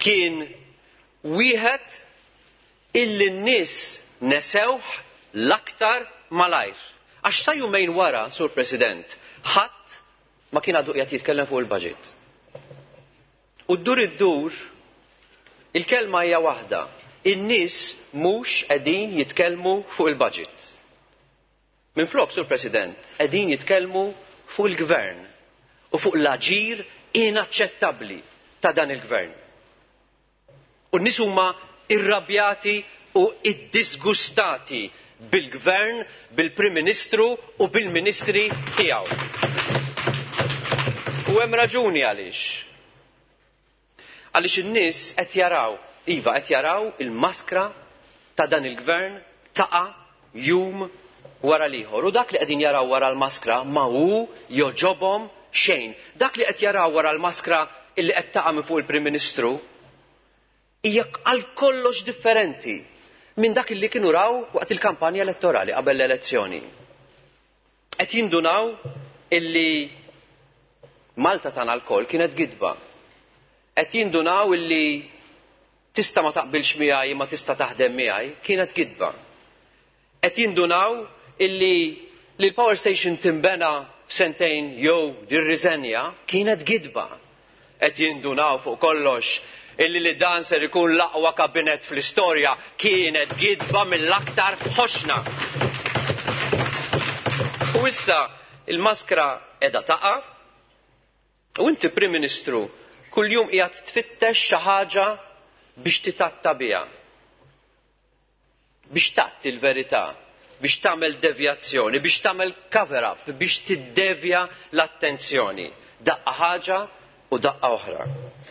kien wieħed illi n-nies nesewh l-aktar malajr. Għax sa jumejn wara, Sur President, ħadd ma kien għadu qiegħed jitkellem fuq il-budget. U ddur id-dur, il-kelma hija waħda. In-nies mhux qegħdin jitkellmu fuq il-budget. Minflok, Sur President, qegħdin jitkellmu fuq il-gvern u fuq l-aġir inaċċettabbli ta' dan il-gvern. U n-nies huma irrabjati u iddisgustati bil-gvern, bil-Prim Ministru u bil-Ministri tiegħu. U hemm raġuni għaliex. Għaliex in-nies qed jaraw, iva, qed jaraw il-maskra ta' dan il-gvern taqa' jum wara l-ieħor. U dak li qegħdin jaraw wara l-maskra ma hu joġobhom xejn. Dak li qed jaraw wara l-maskra illi qed taqa' minn fuq il-Prim Ministru hija għal kollox differenti minn dak li kienu raw waqt il-kampanja elettorali qabel l-elezzjoni. Qed jindunaw illi Malta tagħna lkoll kienet gidba. Qed jindunaw illi tista' ma taqbilx miegħi ma tista' taħdem miegħi kienet gidba. Qed jindunaw illi li l-power station timbena f'sentejn jew dirriżenja kienet gidba. Qed jindunaw fuq kollox illi li dan ser ikun l-aqwa kabinet fl-istorja kienet gidba mill-aktar ħoxna. U issa il-maskra qiegħda taqa' u inti, Prim Ministru, kuljum qiegħed tfittex xi ħaġa biex titatta biha. Biex tatti l-verità, biex tagħmel devjazzjoni, biex tagħmel cover-up, biex tiddevja l-attenzjoni. Daqqa ħaġa u daqqa oħra.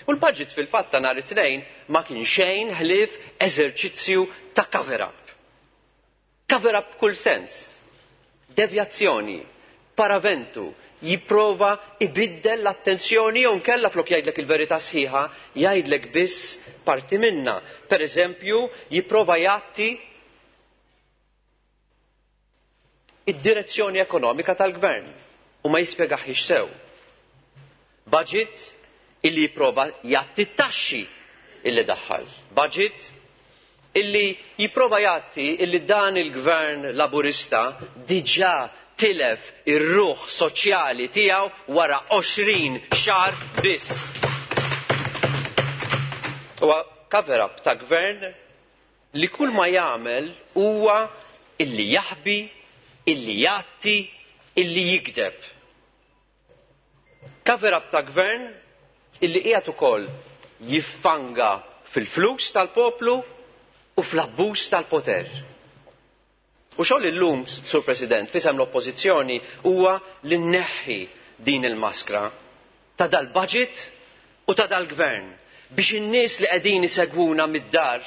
U l-budget fil-fatt ta' nhar it-Tnejn ma kien xejn ħlief eżerċizzju ta' cover-up. Cover-up kull sens. Devjazzjoni, paraventu, jipprova ibiddel l-attenzjoni jew nkella flok jgħidlek il-verità sħiħa, jgħidlek biss parti minna. Per eżempju, jipprova jgħatti id-direzzjoni ekonomika tal-gvern u ma jispjegaħiex sew. Budget illi jipprova jgħatti t-taxxi illi daħħal. Budget illi jipprova jgħatti illi dan il-gvern laburista diġà tilef ir-ruħ soċjali tiegħu wara għoxrin xahar biss. Huwa cover-up ta' gvern li kull ma jagħmel huwa illi jaħbi, illi jgħatti, illi jikdeb. Cover-up ta' gvern illi qiegħed ukoll jiffanga fil-flus tal-poplu u fl-abbuż tal-poter. U xogħol illum, Sur President, fisem l-Oppożizzjoni huwa li nneħħi din il-maskra ta' dal-budget u ta' dal-gvern biex in-nies li qegħdin isegwuna mid-dar,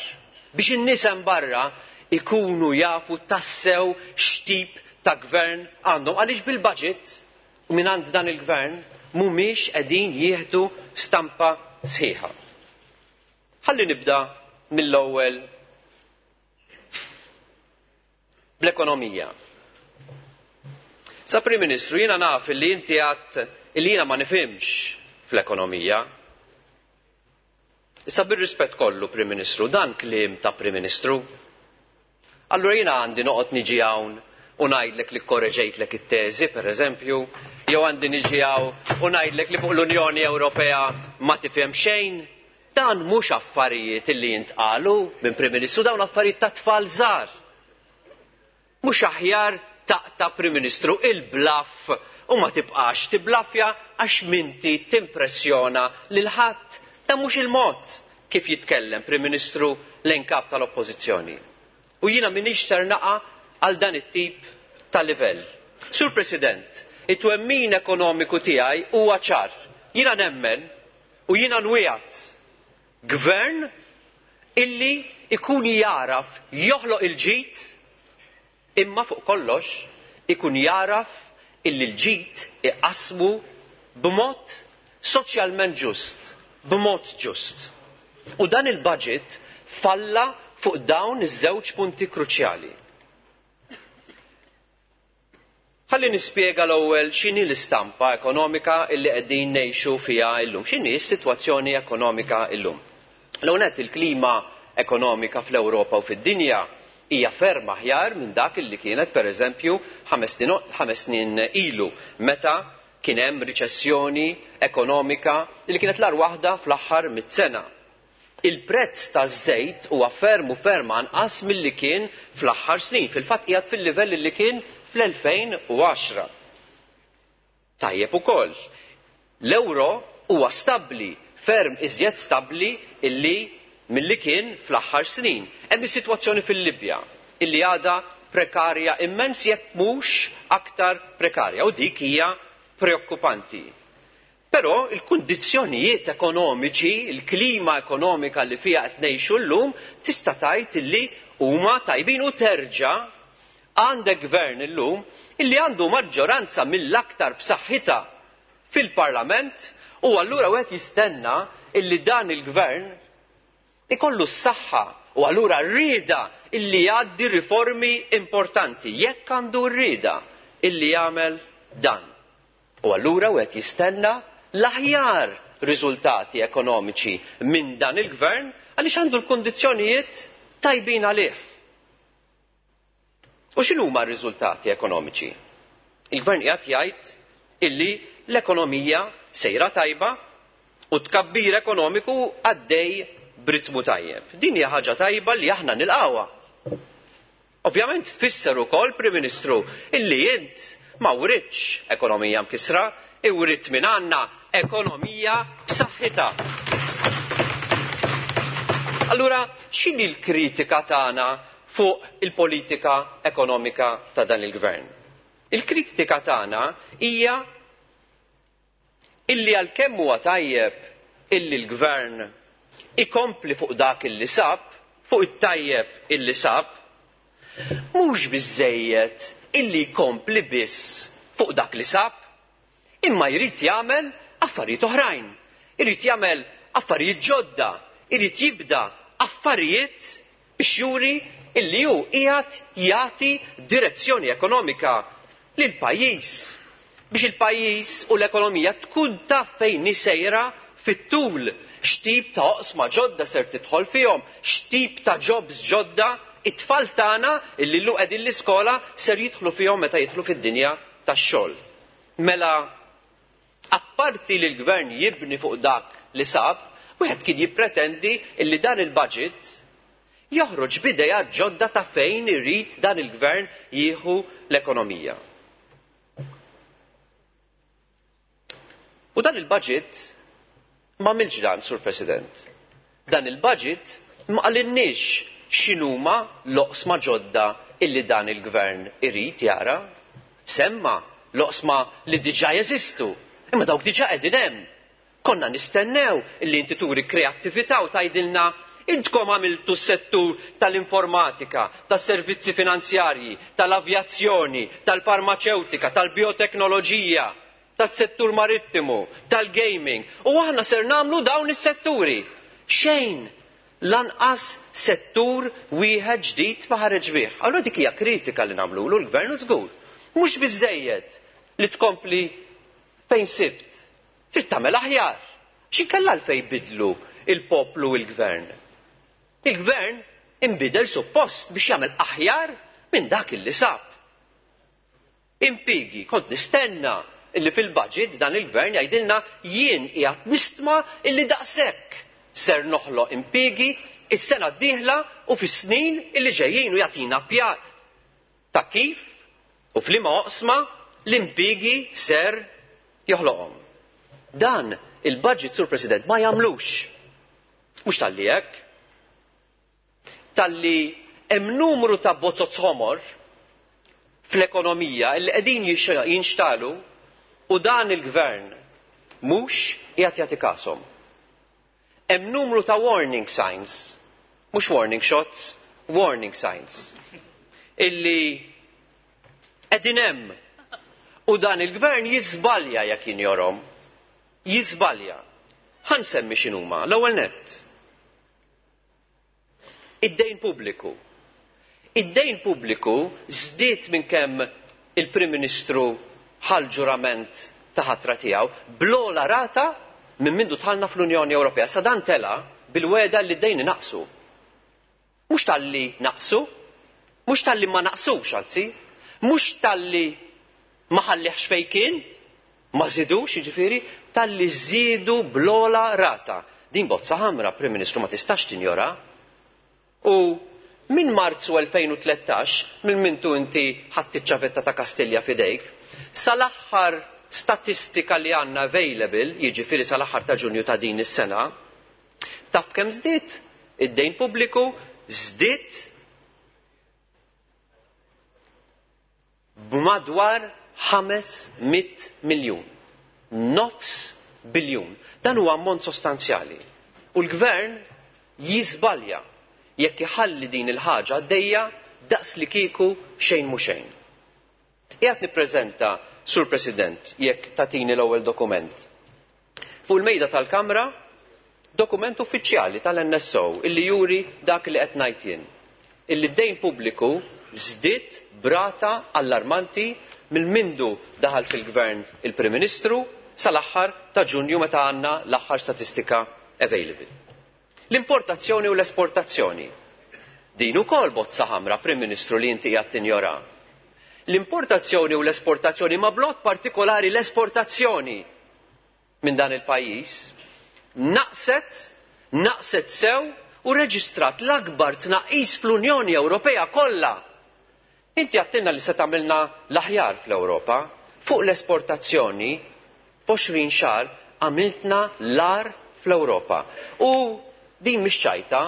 biex in-nies hemm barra ikunu jafu tassew x'tip ta' gvern għandhom. Għaliex bil-budget u minn għand dan il-gvern mhumiex qegħdin jieħdu stampa sħiħa. Ħalli nibda mill-ewwel bl-ekonomija. Sa Prim Ministru, jiena naf li inti għadt li jiena ma nifhimx fl-ekonomija. Issa bir-rispett kollu, Prim Ministru, dan kliem ta' Prim Ministru. Allura jiena għandi noqgħod niġi hawn u ngħidlek li korreġejtlek it-teżi, pereżempju, jew għandi niġi hawn u ngħidlek li fuq l-Unjoni Ewropea ma tifhem xejn. Dan mhux affarijiet li jintqalu minn Prim Ministru, dawn affarijiet ta' tfal żgħar. Mhux aħjar taqta' Prim Ministru il-blaff u ma tibqax tiblaffja għax minti timpressjona lil ħadd. Dan mhux il-mod kif jitkellem Prim Ministru lejn kap tal-Oppożizzjoni. U jiena m'iniex ser naqa' għal dan it-tip ta' livell. Sur President, it-twemmin ekonomiku tiegħi huwa ċar. Jiena nemmen u jiena nwiegħed gvern illi ikun jaraf joħloq il-ġid, imma fuq kollox ikun jaraf illi l-ġid iqasmu b'mod soċjalment ġust, b'mod ġust. U dan il-budget falla fuq dawn iż-żewġ punti kruċjali. Ħalli nispjega l-ewwel x'inhi l-istampa ekonomika illi qegħdin ngħixu fiha llum, x'inhi s-sitwazzjoni ekonomika llum. L-ewwel nett il-klima ekonomika fl-Ewropa u fid-dinja hija ferm aħjar minn dak illi kienet pereżempju ħames snin ilu meta kien hemm riċessjoni ekonomika li kienet l-agħar waħda fl-aħħar mitt sena. Il-prezz taż-żejt huwa ferm u ferm anqas milli kien fl-aħħar snin, fil-fatt qiegħed fil-livell li kien fl-elfejn u għaxra. Tajjeb ukoll, l-euro huwa stabbli, ferm iżjed stabbli illi milli kien fl-aħħar snin. Hemm is-sitwazzjoni fil-Libja illi għadha prekarja immens jekk mhux aktar prekarja u dik hija preokkupanti. Però il-kundizzjonijiet ekonomiċi, il-klima ekonomika li fiha qed ngħixu llum tista' tgħid illi huma tajbin u terġa' għandek gvern illum illi għandu maġġoranza mill-aktar b'saħħitha fil-Parlament u allura wieħed jistenna illi dan il-gvern ikollu s-saħħa u allura rrieda illi jgħaddi riformi importanti, jekk għandu rrieda illi jagħmel dan. U allura wieħed jistenna l-aħjar riżultati ekonomiċi minn dan il-gvern għaliex għandu l-kondizzjonijiet tajbin għalih. U x'inhuma r-riżultati ekonomiċi? Il-gvern qiegħed jgħid illi l-ekonomija sejra tajba u tkabbir ekonomiku għaddej b'ritmu tajjeb. Din hija ħaġa tajba li aħna nilqawha. Ovvjament tfisser ukoll, Prim Ministru, illi int ma writx ekonomija mkisra, iwrit minn għandna ekonomija b'saħħitha. Allura, x'inhi l-kritika tagħna fuq il-politika ekonomika ta' dan il-gvern? Il-kritika tagħna hija illi għalkemm huwa tajjeb illi l-gvern ikompli fuq dak illi sab, fuq it-tajjeb illi sab, mhux biżżejjed illi jkompli biss fuq dak li sab, imma jrid jagħmel affarijiet oħrajn, irid jagħmel affarijiet ġodda, irid jibda affarijiet biex juri illi hu qiegħed jagħti direzzjoni ekonomika lil pajjiż biex il-pajjiż u l-ekonomija tkun taf fejn hi sejra Fit-tul, x'tip ta' oqsma ġodda ser tidħol fihom, x'tip ta' jobs ġodda it-tfal tagħna illi llum qegħdin l-iskola ser jidħlu fihom meta jidħlu fid-dinja tax-xogħol. Mela, apparti li l-gvern jibni fuq dak li sab, wieħed kien jippretendi illi dan il-budget joħroġ b'idea ġodda ta' fejn irid dan il-gvern jieħu l-ekonomija. U dan il-budget ma għamilx dan, Sur President. Dan il-budget ma qalinniex x'inhuma l-oqsma ġodda illi dan il-gvern irid jara. Semma l-oqsma li diġà jeżistu, imma dawk diġà qegħdin hemm. Konna nistennew illi inti turi kreattività u tgħidilna intkom għamiltu s-settur tal-informatika, tas-servizzi finanzjarji, tal-avjazzjoni, tal-farmaceutika, tal-bioteknoloġija, tas-settur marittimu, tal-gaming, u aħna ser nagħmlu dawn is-setturi. Xejn, lanqas settur wieħed ġdid ma ħareġ bih. Allura dik hija kritika li nagħmlulu l-gvern żgur. Mhux biżejjed li tkompli fejn sibt. Trid tagħmel aħjar. X'inkella għalfejn bidlu il-poplu u l-gvern? Il-gvern inbidel suppost biex jagħmel aħjar minn dak illi sab. Impigi, kont nistenna illi fil-budget dan il-gvern jgħidilna jien qiegħed nistma illi daqshekk ser noħloq impigi is-sena d-dieħla u fis-snin illi ġejjin u jagħtina pjan ta' kif u f'liema oqsma l-impigi ser joħloqhom. Dan il-budget, Sur President, ma jagħmlux. Mhux talli hekk. Talli hemm numru ta' bozoz ħomor fl-ekonomija illi qegħdin jinxtalu u dan il-gvern mhux qiegħed jagħti kashom. Hemm numru ta' warning signs, mhux warning shots, warning signs, illi qegħdin hemm u dan il-gvern jiżbalja jekk jinjorhom. Jiżbalja. Ħa nsemmi x'inhuma. L-ewwel nett. Id-dejn pubbliku. Id-dejn pubbliku żdied minn kemm il-Prim Ministru ħal ġurament ta' ħatra tiegħu bl-ogħla rata minn mindu dħalna fl-Unjoni Ewropea. Sa dan tela bil-weda li d-dejn naqsu. Mhux talli naqsu, mhux talli ma naqsux anzi, mhux talli ma ħallihx fejn kien, ma żidux jiġifieri, talli żiedu bl-ogħla rata. Din bozza ħamra, Prim Ministru, ma tistax tinjora. U minn Marzu elfejn u tlettax, minn mintu inti ħadd iċ-ċavetta ta' Kastilja f'idejk, sal-aħħar statistika li għandna available, jiġifieri sal-aħħar ta' Ġunju ta' din is-sena, taf kemm żdied? Id-dejn pubbliku żdied b'madwar ħames mitt miljun. Nofs biljun. Dan huwa ammont sostanzjali. U l-gvern jiżbalja jekk iħalli din il-ħaġa għaddejja daqs li kieku xejn mhu xejn. Qiegħed nippreżenta, Sur President, jekk tagħtini l-ewwel dokument. Fuq il-mejda tal-Kamra, dokument uffiċjali tal-N S O illi juri dak li qed ngħid jien. Illi d-dejn pubbliku żdied brata allarmanti minn mindu daħal fil-gvern il-Prim Ministru sal-aħħar ta' Ġunju meta għandna l-aħħar statistika available. L-importazzjoni u l-esportazzjoni. Din ukoll bozza ħamra, Prim Ministru, li inti qiegħed tinjora. L-importazzjoni u l-esportazzjoni, ma blot partikolari l-esportazzjoni minn dan il-pajjiż, naqset, naqset sew u reġistrat l-akbar tnaqqis fl-Unjoni Ewropea kollha. Inti għattilna li se tagħmilna l-aħjar fl-Ewropa, fuq l-esportazzjoni f'għoxrin xahar għamiltna l-ar fl-Ewropa. U din mhix ċajta,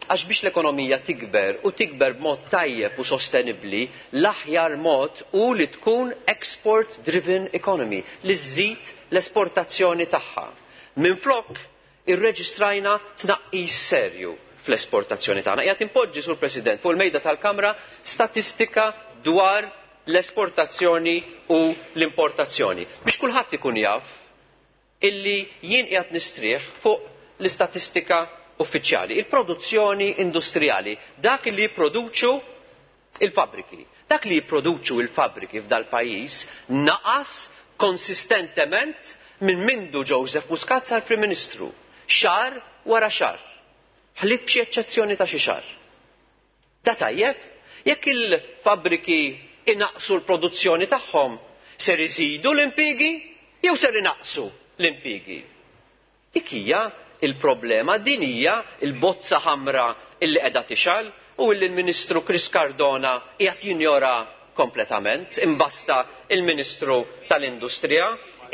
għax biex l-ekonomija tikber u tikber b'mod tajjeb u sostenibbli, l-aħjar mod hu li tkun export driven economy, li żżid l-esportazzjoni tagħha. Minflok irreġistrajna tnaqqis serju fl-esportazzjoni tagħna. Qiegħed impoġġi, Sur President, fuq il-mejda tal-Kamra statistika dwar l-esportazzjoni u l-importazzjoni. Biex kulħadd ikun jaf illi jien qiegħed nistrieħ fuq l-istatistika uffiċjali, il-produzzjoni industrijali, dak li jipproduċu il-fabbriki. Dak li jipproduċu il-fabbriki f'dal pajjiż naqas konsistentement minn mindu Joseph Muscat sar Prim Ministru, xahar wara xahar. Ħlief b'xi eċċezzjoni ta' xi xahar. Da tajjeb, jekk il-fabbriki inaqsu l-produzzjoni tagħhom, ser iżidu l-impjiegi jew ser inaqsu l-impjiegi? Dik hija il-problema, din hija l-bozza ħamra illi qiegħda tixgħal u illi l-Ministru Chris Cardona qiegħed jinjora kompletament, imbasta il-Ministru tal-Industrija,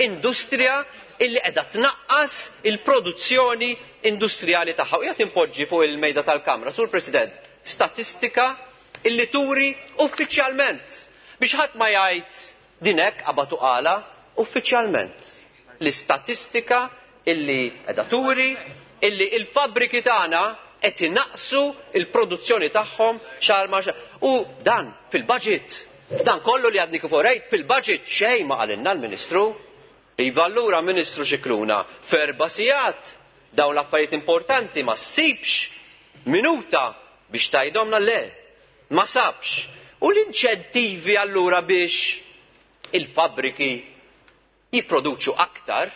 industrija illi qiegħda tnaqqas il-produzzjoni industrijali tagħha. U qiegħed impoġġi fuq il-mejda tal-Kamra, Sur President, statistika illi turi uffiċjalment biex ħadd ma jgħid din hekk qabad u qala, uffiċjalment l-istatistika illi qiegħda turi illi il-fabbriki tagħna qed inaqqsu l-produzzjoni tagħhom xahar ma xahar. U dan fil-budget, dan kollu li għadni kif orejt fil-budget xejn ma qalilna l-Ministru. Iva allura Ministru Scicluna f'erba' sigħat dawn l-affarijiet importanti ma ssibx minuta biex tgħidhomna le, ma sabx. U l-inċentivi allura biex il-fabbriki jipproduċu aktar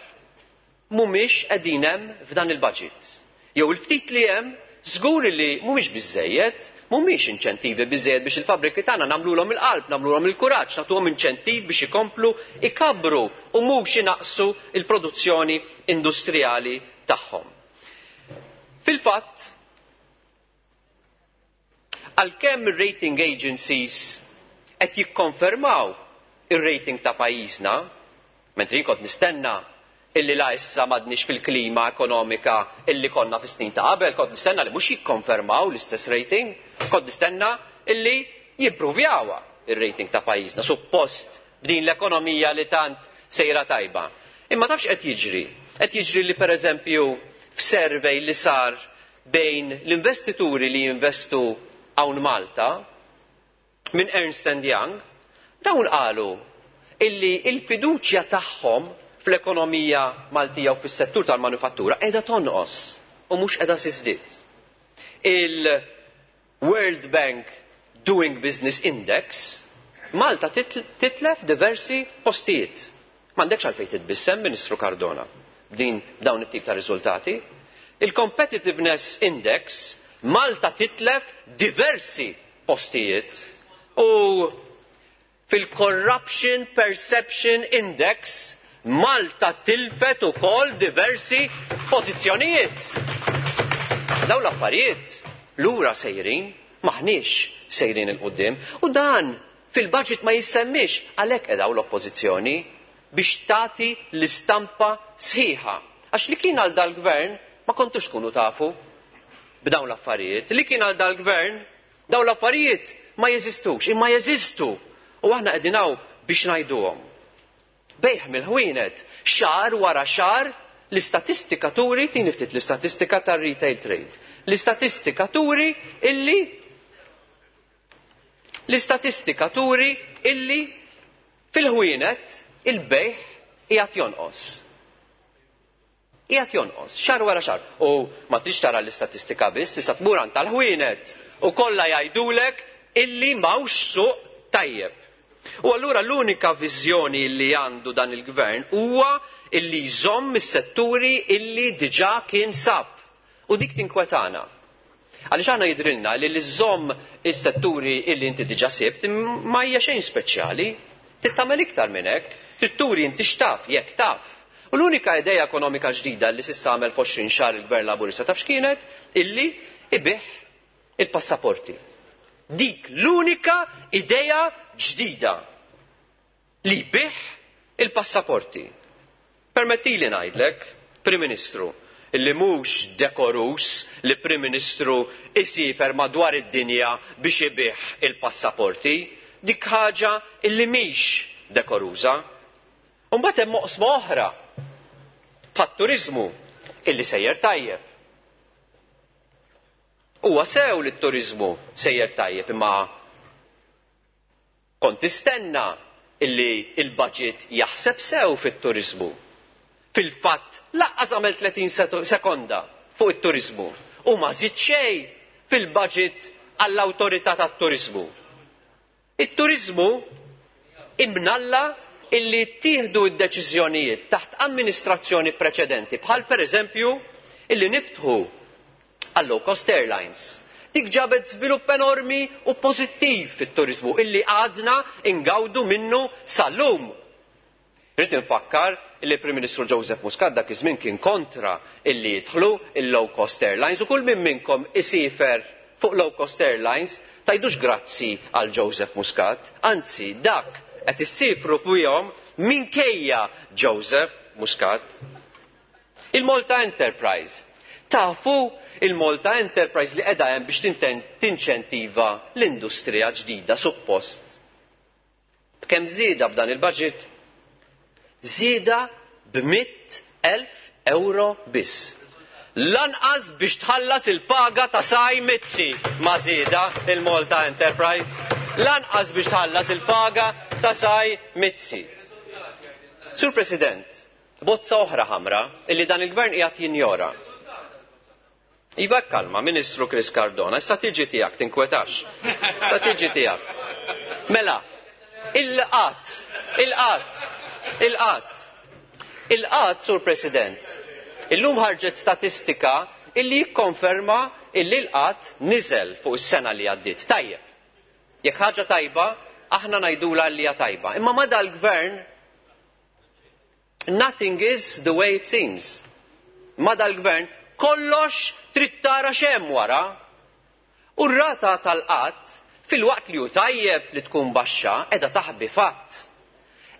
mhumiex qegħdin hemm f'dan il-budget. Jew il-ftit li hemm żgur li mhumiex biżżejjed, mhumiex inċentivi biżżejjed biex il-fabbriki tagħna nagħmluhom il-qalb, nagħmluhom il-kuraġġ, nagħtuhom inċentiv biex ikomplu ikabbru u mhux inaqqsu l-produzzjoni industrijali tagħhom. Fil-fatt, għalkemm ir-rating agencies qed jikkonfermaw ir-rating ta' pajjiżna, mentri jien kont nistenna illi la issa m'għadniex fil-klima ekonomika illi konna fis-snin ta' qabel, kont nistenna li mhux jikkonfermaw l-istess rating, kont nistenna illi jimpruvjawha ir-rating ta' pajjiżna, suppost b'din l-ekonomija li tant sejra tajba. Imma tafx qed jiġri? Qed jiġri li pereżempju f'survey li sar bejn l-investituri li jinvestu hawn Malta minn Ernst and Young, dawn qalu illi il-fiduċja tagħhom fl-ekonomija Maltija u fis-settur tal-manufattura qiegħda tonqos u mhux qiegħda tiżdied. Il-World Bank Doing Business Index Malta titlef diversi postijiet. M'għandekx għalfejn titbissem, Ministru Cardona, b'din dawn it-tip ta' riżultati. Il-Competitiveness Index Malta titlef diversi postijiet u fil-Corruption Perception Index Malta tilfet ukoll diversi pożizzjonijiet. Dawn l-affarijiet lura sejrin, maħniex sejrin il-qudiem u dan fil-budget ma jissemmix għalhekk qegħdaw l-oppożizzjoni biex tagħti l-istampa sħiħa. Għax li kien għal dal-gvern ma kontux tkunu tafu b'dawn l-affarijiet. Li kien għal dal-gvern dawn l-affarijiet ma jeżistux, imma jeżistu u aħna qegħdin hawn biex ngħiduhom. Bejħ mill-ħwienet, xahar wara xahar, l-istatistika turi, tini ftit l-istatistika tar-retail trade. L-istatistika turi illi l-istatistika turi illi fil-ħwienet il-bejħ qiegħed jonqos. Qiegħed jonqos, xahar wara xahar. U ma tridx tara l-istatistika biss, tista' tmur għand tal-ħwienet u kollha jgħidulek illi m'hawnx suq tajjeb. U allura l-unika viżjoni li għandu dan il-gvern huwa illi jżomm is-setturi illi diġà kien sab. U dik tinkwetana. Għaliex aħna jidrilna li li żżomm is-setturi illi inti diġà sibt ma hija xejn speċjali. Trid tagħmel iktar minn hekk, trid turi inti x'taf jekk taf. U l-unika idea ekonomika ġdida li s'issa għamel f'għoxrin xahar il-Gvern Laburista taf x'kienet? Illi ibih il-passaporti. Dik l-unika idea ġdida li jbih il-passaporti. Permettili ngħidlek, Prim Ministru, illi mhux dekorus li Prim Ministru isifer madwar id-dinja biex ibih il-passaporti, dik ħaġa illi mhix dekoruża. U mbagħad hemm oqsma oħra bħat-turiżmu illi sejjer tajjeb. Huwa sew li t-turiżmu sejjer tajjeb, imma kont tistenna illi il-budget jaħseb sew fit-turiżmu. Fil-fatt laqqas għamel tletin sekonda fuq it-turiżmu u ma żid xejn fil-budget għall-awtorità tat-turiżmu. It-turiżmu imnalla illi ttieħdu d-deċiżjonijiet taħt amministrazzjoni preċedenti, bħal pereżempju illi niftħu għal low cost airlines. Dik ġabet żvilupp enormi u pożittiv fit-turiżmu illi għadna ingawdu minnu sal-lum. Rrid infakkar illi Prim Ministru Joseph Muscat dak iż-żmien kien kontra illi jidħlu il-low cost airlines u kull min minnkom isiefer fuq low cost airlines tgħidux grazzi għal Joseph Muscat, anzi dak qed issifru fuqhom minkejja Joseph Muscat. Il-Malta Enterprise. Tafu il-Malta Enterprise li qiegħda hemm biex tinċentiva l-industrija ġdida suppost. B'kemm żieda b'dan il-budget? Żieda b'mitt elf euro biss. Lanqas biex tħallas il-paga ta' Saj Mizzi ma żieda il-Malta Enterprise. Lanqas biex tħallas il-paga ta' Saj Mizzi. Sur President, bozza oħra ħamra illi dan il-gvern qiegħed jinjora. Iva kalma, Ministru Chris Cardona, issa tiġi tiegħek tinkwetax. Issa tiġi tiegħek. Mela, il-qatt, il-qatt, il-qatt. Il-qatt, Sur President, illum ħarġet statistika illi jikkonferma illi l-qatt niżel fuq is-sena li għaddiet. Tajjeb. Jekk ħaġa tajba, aħna ngħidulha li hija tajba. Imma ma dal-gvern nothing is the way it seems. Ma dal-gvern kollox trid tara x'hemm wara. U r-rata tal-qatt fil-waqt li hu tajjeb li tkun baxxa qiegħda taħbi fatt.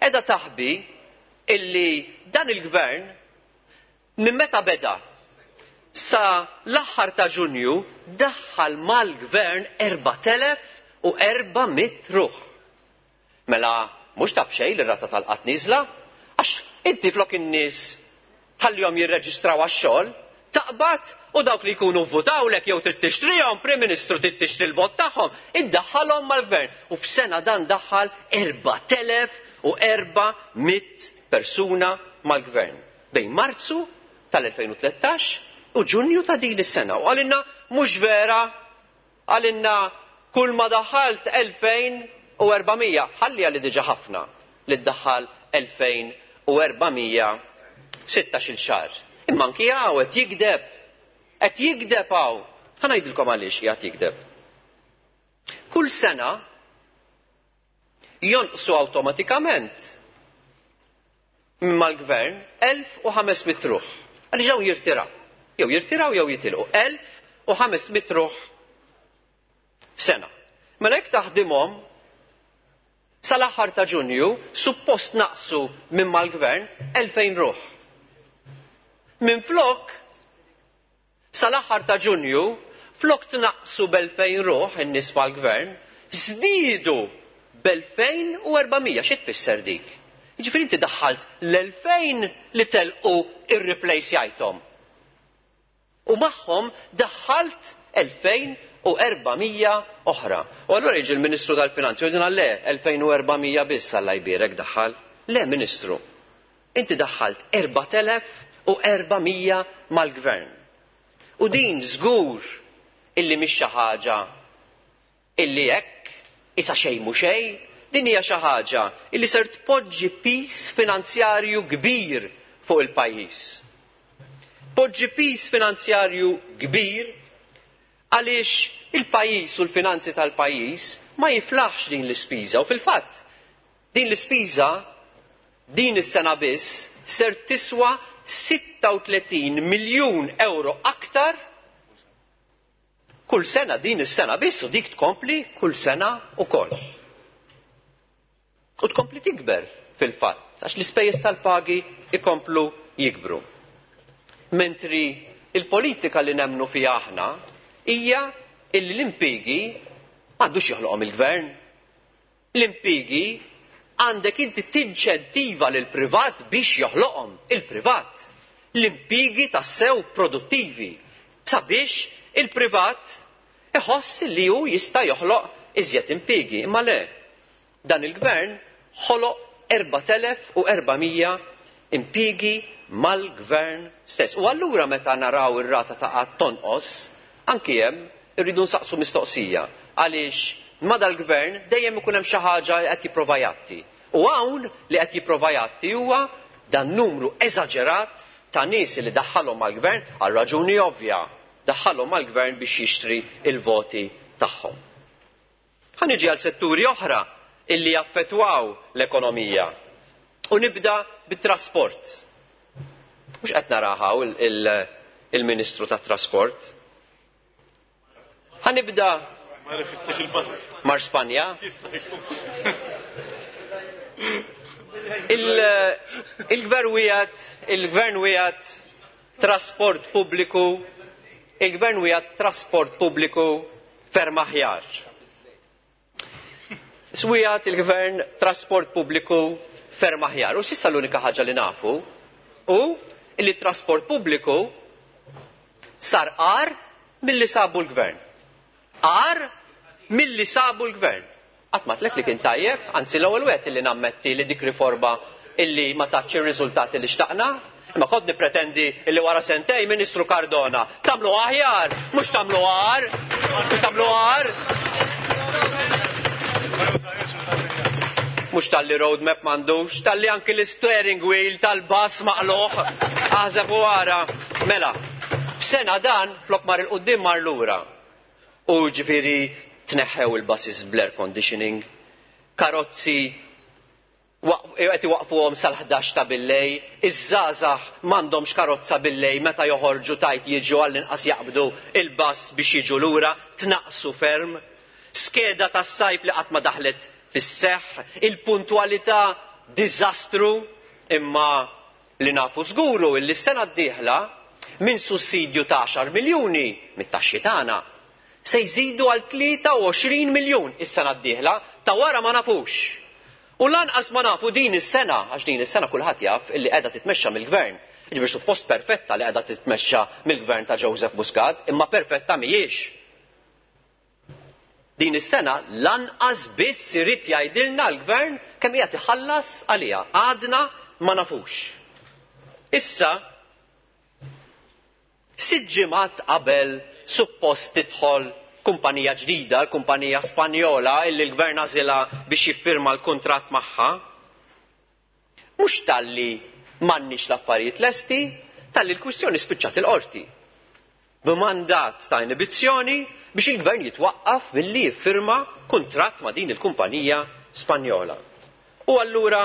Qiegħda taħbi illi dan il-gvern minn meta beda sa l-aħħar ta' Ġunju daħħal mal-gvern erbat elef u erba' mitt ruħ. Mela mhux ta' b'xejn li r-rata tal-qatt nieżla, għax inti flok in-nies tħallihom jirreġistraw għax-xogħol, taqbad u dawk li jkunu vvutawlek jew trid tixtrihom, Prim Ministru trid tixtri l-vot tagħhom, iddaħħalhom mal-gvern. U f'sena dan daħħal erbat elef u erba' mitt persuna mal-gvern. Bejn Marzu tal-elfejn u tlettax u Ġunju ta' din is-sena. U għalinna mhux vera, għalinna kull ma daħħalt elfejn u erbamija, ħalli għalli diġà ħafna li ddaħħal elfejn u erbamija f'sittax-il xahar. Imma anki hawn qed jikdeb, qed jikdeb hawn. Ħa ngħidilkom għaliex qiegħed jikdeb. Kull sena jonqsu awtomatikament minn mal-gvern elf u ħames mitt ruħ. Għaliex hawn jirtiraw. Jew jirtiraw jew jitilqu. Elf u ħames mitt ruħ f'sena. Mela jekk taħdimhom sal-aħħar ta' Ġunju suppost naqsu minn mal-gvern elfejn ruħ. Minflok sal-aħħar ta' Ġunju flok tnaqsu b'elfejn ruħ in-nies mal-gvern, żdiedu b'elfejn u erbamija. Xi tfisser dik? Jiġifieri inti daħħalt l-elfejn li telqu irreplace-jajthom. U magħhom daħħalt elfejn u erbamija oħra. U allura jiġi l-Ministru tal-Finanzi u jgħidilna le, elfejn u erbamija biss Alla jbierek daħħal. Le, Ministru, inti daħħalt erbat elef u erbamija mal-gvern. U din żgur illi mhix xi ħaġa illi hekk isa xejn mhu xejn, din hija xi ħaġa illi ser tpoġġi pis finanzjarju kbir fuq il-pajjiż. Poġġi pis finanzjarju kbir għaliex il-pajjiż u l-finanzi tal-pajjiż ma jiflaħx din l-ispiża u fil-fatt din l-ispiża din is-sena biss ser tiswa sitta u tletin miljun euro aktar kull sena din is-sena biss u dik tkompli kull sena ukoll. U tkompli tikber fil-fatt għax l-ispejjeż tal-pagi ikomplu jikbru. Mentri il-politika li nemmnu fiha aħna hija illi l-impjiegi m'għandux joħloqhom il-gvern. L-impjiegi għandek inti tinċentiva lil privat biex joħloqhom il-privat. L-impjiegi tassew produttivi sabiex il-privat iħoss li hu jista' joħloq iżjed impjiegi. Imma le, dan il-gvern ħoloq erbat elef u erbamija impjiegi mal-gvern stess. U allura meta naraw ir-rata ta' qatt tonqos, anki hemm irridu nsaqsu mistoqsija għaliex ma dal-gvern dejjem ikun hemm xi ħaġa li qed jipprova jgħatti. U hawn li qed jipprova jgħatti huwa dan numru eżaġerat ta' nies li daħħalhom mal-gvern għal raġuni ovvja, daħħalhom mal-gvern biex jixtri il-voti tagħhom. Ħa niġi għal setturi oħra illi jaffettwaw l-ekonomija. U nibda bit-trasport. Mhux qed naraħaw il-Ministru tat-Trasport. Ħa nibda mar Spanja. Il-gvern wiegħed, il-gvern wiegħed trasport pubbliku, il-gvern wiegħed trasport pubbliku ferm aħjar. Swijat il-gvern trasport pubbliku ferm aħjar. U s'issa l-unika ħaġa li nafu u li trasport pubbliku sar qar milli sabu l-gvern. Qar milli sabu l-gvern. Qatt ma tlek li kien tajjeb, anzi l-ewwel wieħed illi nammetti li dik riforma illi ma tatx ir-riżultati li xtaqna, imma kont nippretendi illi wara sentej Ministru Cardona tagħmlu aħjar, mhux tagħmlu agħar, mhux tagħmlu agħar. Mhux talli roadmap m'għandux, talli anki l-steering wheel tal-bus maqluħ, aħseb u ara. Mela, f'sena dan flok mar il-quddiem mar lura. U ġifieri tneħħew il-buses bl-air conditioning, karozzi qed iwaqfuhom sal-ħdax ta' billej, iż-żgħażagħ m'għandhomx karozza billej meta joħorġu tajt jiġu għall-inqas jaqbdu il-bus biex jiġu lura, tnaqsu ferm. Skeda tas-sajf li qatt ma daħlet fis-seħħ, il-puntwalità diżastru, imma li nafu żguru illi s-sena d-dieħla minn sussidju ta' għaxar miljuni mit-taxxi tagħna se jżidu għal tlieta u għoxrin miljun is-sena d-dieħla, ta' wara ma nafux. U lanqas ma nafu din is-sena, għax din is-sena kulħadd jaf illi qiegħda titmexxa mill-gvern. Jiġifieri suppost perfetta li qiegħda titmexxa mill-gvern ta' Joseph Muscat, imma perfetta mhijiex. Din is-sena lanqas biss irid jgħidilna l-gvern kemm qiegħed iħallas għaliha. Għadna ma nafux. Issa, sitt ġimgħat qabel suppost tidħol kumpanija ġdida, l-kumpanija Spanjola illi l-gvern għażilha biex jiffirma l-kuntratt magħha, mhux talli m'għandniex l-affarijiet lesti, talli l-kwistjoni spiċċat il-qorti. B'mandat ta' inibizzjoni biex il-gvern jitwaqqaf milli jiffirma kuntratt ma' din il-kumpanija Spanjola. U allura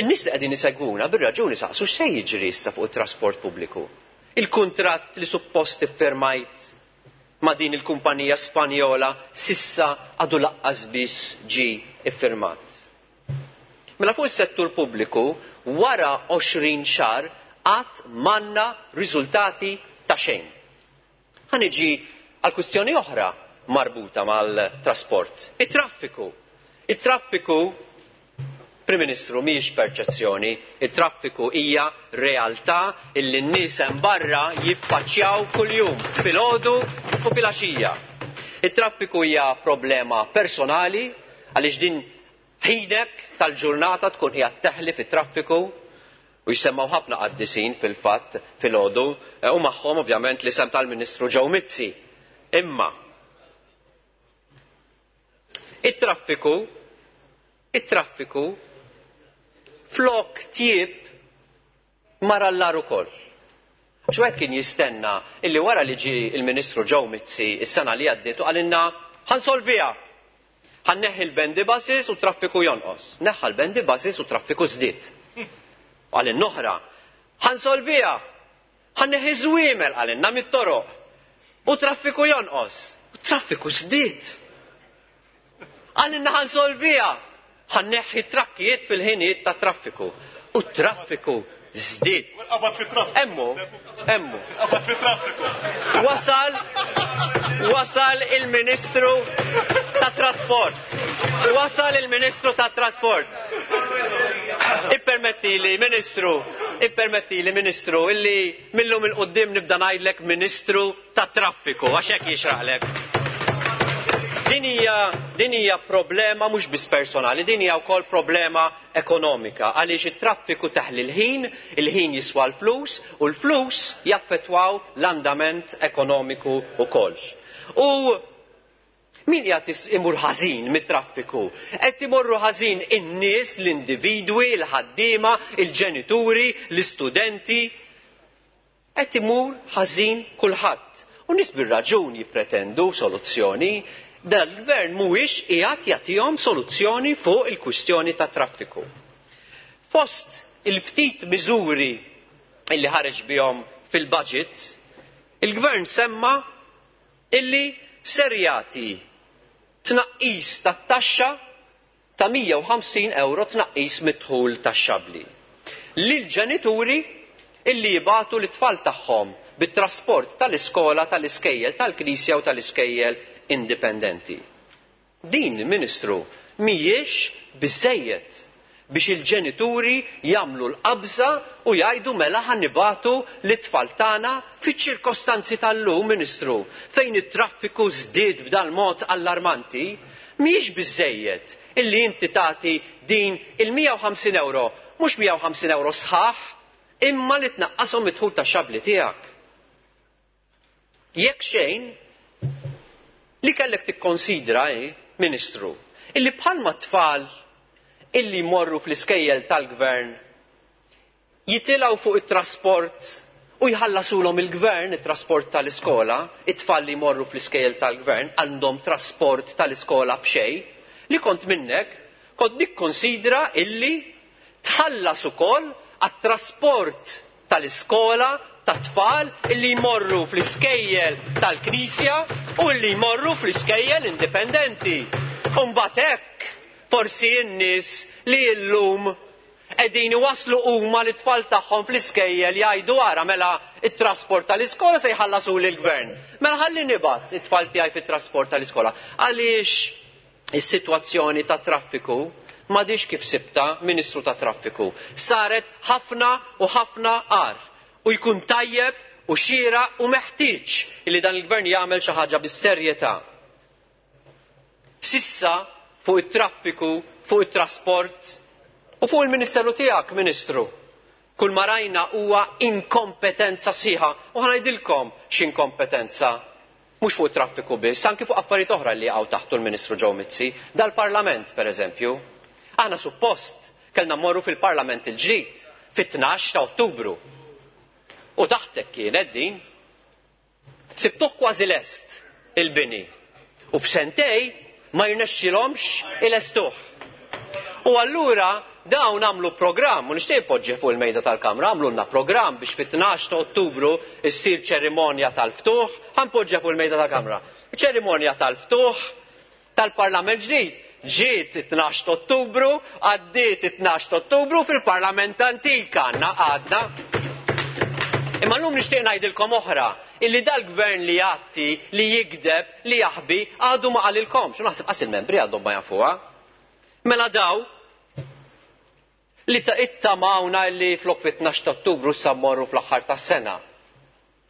in-nies li qegħdin isegwuna bir-raġuni saqsu x'se jiġri issa fuq it-trasport pubbliku. Il-kuntratt li suppost iffirmajt ma' din il-kumpanija Spanjola sissa għadu laqqas biss ġie iffirmat. Mela fuq is-settur pubbliku wara għoxrin xahar qatt m'għandna riżultati ta' xejn. Ħa niġi għal kwistjoni oħra marbuta mal-trasport. It-traffiku. It-traffiku, Prim Ministru, mhijiex perċezzjoni, it-traffiku hija realtà illi n-nies hemm barra jiffaċċjaw kuljum filgħodu u filgħaxija. It-traffiku hija problema personali għaliex din ħinek tal-ġurnata tkun qiegħed teħli fit-traffiku u jsemmaw ħafna qaddisin fil-fatt filgħodu u magħhom ovvjament l-isem tal-Ministru Joe Mizzi. Imma it-traffiku it-traffiku flok tjieb mar allar ukoll. Għax wieħed kien jistenna illi wara li ġie il-Ministru Joe Mizzi is-sena li għaddiet u qalilna ħansolviha. Ħanneħħi l-bendy buses u traffiku jonqos. Neħħa l-bendy buses u traffiku żdied. Qalilna oħra, ħansolviha. Ħanneħħi żwiemel qalilna mit-toroq. U traffiku jonqos. U traffiku żdied. Qalilna ħansolviha. Ħanneħħi trakkijiet fil-ħinijiet ta' traffiku. U traffiku żdied. Emmu, emmu. Wasal, wasal il-Ministru ta' Trasport. Wasal il-Ministru ta' Trasport. Ippermettili, Ministru, ippermettili, Ministru, illi millum il-qoddim nibda ngħidlek Ministru ta' Traffiku, għax hekk jixraqlek. Din hija din hija problema mhux biss personali, din hija wkoll problema ekonomika għaliex it-traffiku taħli l-ħin, il-ħin jiswa l-flus u l-flus jaffettwaw l-andament ekonomiku wkoll. U Min qiegħed imur ħażin mit-traffiku? Qed imorru ħażin in-nies, l-individwi, il-ħaddiema, il-ġenituri, l-istudenti. Qed imur ħażin kulħadd. U nies bir-raġun jippretendu soluzzjoni. Dal-gvern mhuwiex qiegħed jagħtihom soluzzjoni fuq il-kwistjoni tat-traffiku. Fost il-ftit miżuri illi ħareġ bihom fil-budget, il-gvern semma illi ser jagħti tnaqqis tat-taxxa ta' mija u ħamsin euro tnaqqis mid-dħul taxxabbli lill-ġenituri illi jibagħtu l-itfal tagħhom bit-trasport tal-iskola, tal-iskejjel, tal-knisja u tal-iskejjel indipendenti. Din, Ministru, mhijiex biżżejjed biex il-ġenituri jagħmlu l-qabża u jgħidu mela ħa nibagħtu l-itfal tagħna fiċ-ċirkostanzi tal-lum, Ministru, fejn it-traffiku żdied b'dan mod allarmanti, mhijiex biżżejjed illi inti tagħti din il-mija u ħamsin euro, mhux mija u ħamsin euro sħaħ, imma li tnaqqashom id-dħul tax-xabli tiegħek. Jekk xejn, li kellek tikkonsidra, eh, Ministru, illi bħalma tfal illi jmorru fl-iskejjel tal-gvern jitilgħu fuq it-trasport u jħallasulhom il-gvern it-trasport tal-iskola, it-tfal li jmorru fl-iskejjel tal-gvern għandhom trasport tal-iskola b'xejn, li kont minnek kont nikkonsidra illi tħallas ukoll għat-trasport tal-iskola tat-tfal illi jmorru fl-iskejjel tal-knisja u illi jmorru fl-iskejjel indipendenti. U mbagħad hekk forsi n-nies li llum qegħdin iwasslu huma l-itfal tagħhom fl-iskejjel jgħidu ara mela it-trasport tal-iskola se jħallasu lill-gvern. Mela ħalli nibgħat it-tfal tiegħi fit-trasport tal-iskola. Għaliex is-sitwazzjoni tat-traffiku m'għadix kif sibta, Ministru tat-Traffiku. Saret ħafna u ħafna agħar. U jkun tajjeb u xieraq u meħtieġ li dan il-gvern jagħmel xi ħaġa bis-serjetà. Sissa fuq it-traffiku, fuq it-trasport u fuq il-Ministeru tiegħek, Ministru. Kull ma rajna huwa inkompetenza sħiħa. U ħa ngħidilkom x'inkompetenza. Mhux fuq it-traffiku biss, anki fuq affarijiet oħra li jaqgħu taħtu l-Ministru Joe Mizzi, dal-Parlament pereżempju. Aħna suppost kellna mmorru fil-Parlament il-ġdid fit-tnax ta' Ottubru. U taħtek kienet din. Sibtuh kważi lest il-bini. U f'sentej ma jirnexxilhomx ilestuh. U allura dawn għamlu programm, u nixtieq poġġi fuq il-mejda tal-Kamra, għamlulna programm biex fit-tnax ta' Ottubru issir ċerimonja tal-ftuħ, ħanpoġġi fuq il-mejda tal-Kamra. Ċerimonja tal-ftuħ tal-Parlament ġdid. Ġiet it-tnax ta' Ottubru, għaddiet it-tnax ta' Ottubru fil-Parlament antik għandna għadna. Imma llum nixtieq ngħidilkom oħra, illi dal-gvern li jgħatti, li jikdeb, li jaħbi, għadu ma qalilkomx, u naħseb qas il-membri għadhom ma jafuha. Mela daw li ta' ittamawna li flok fit-tnax ta' Ottubru sa mmorru fl-aħħar tas-sena.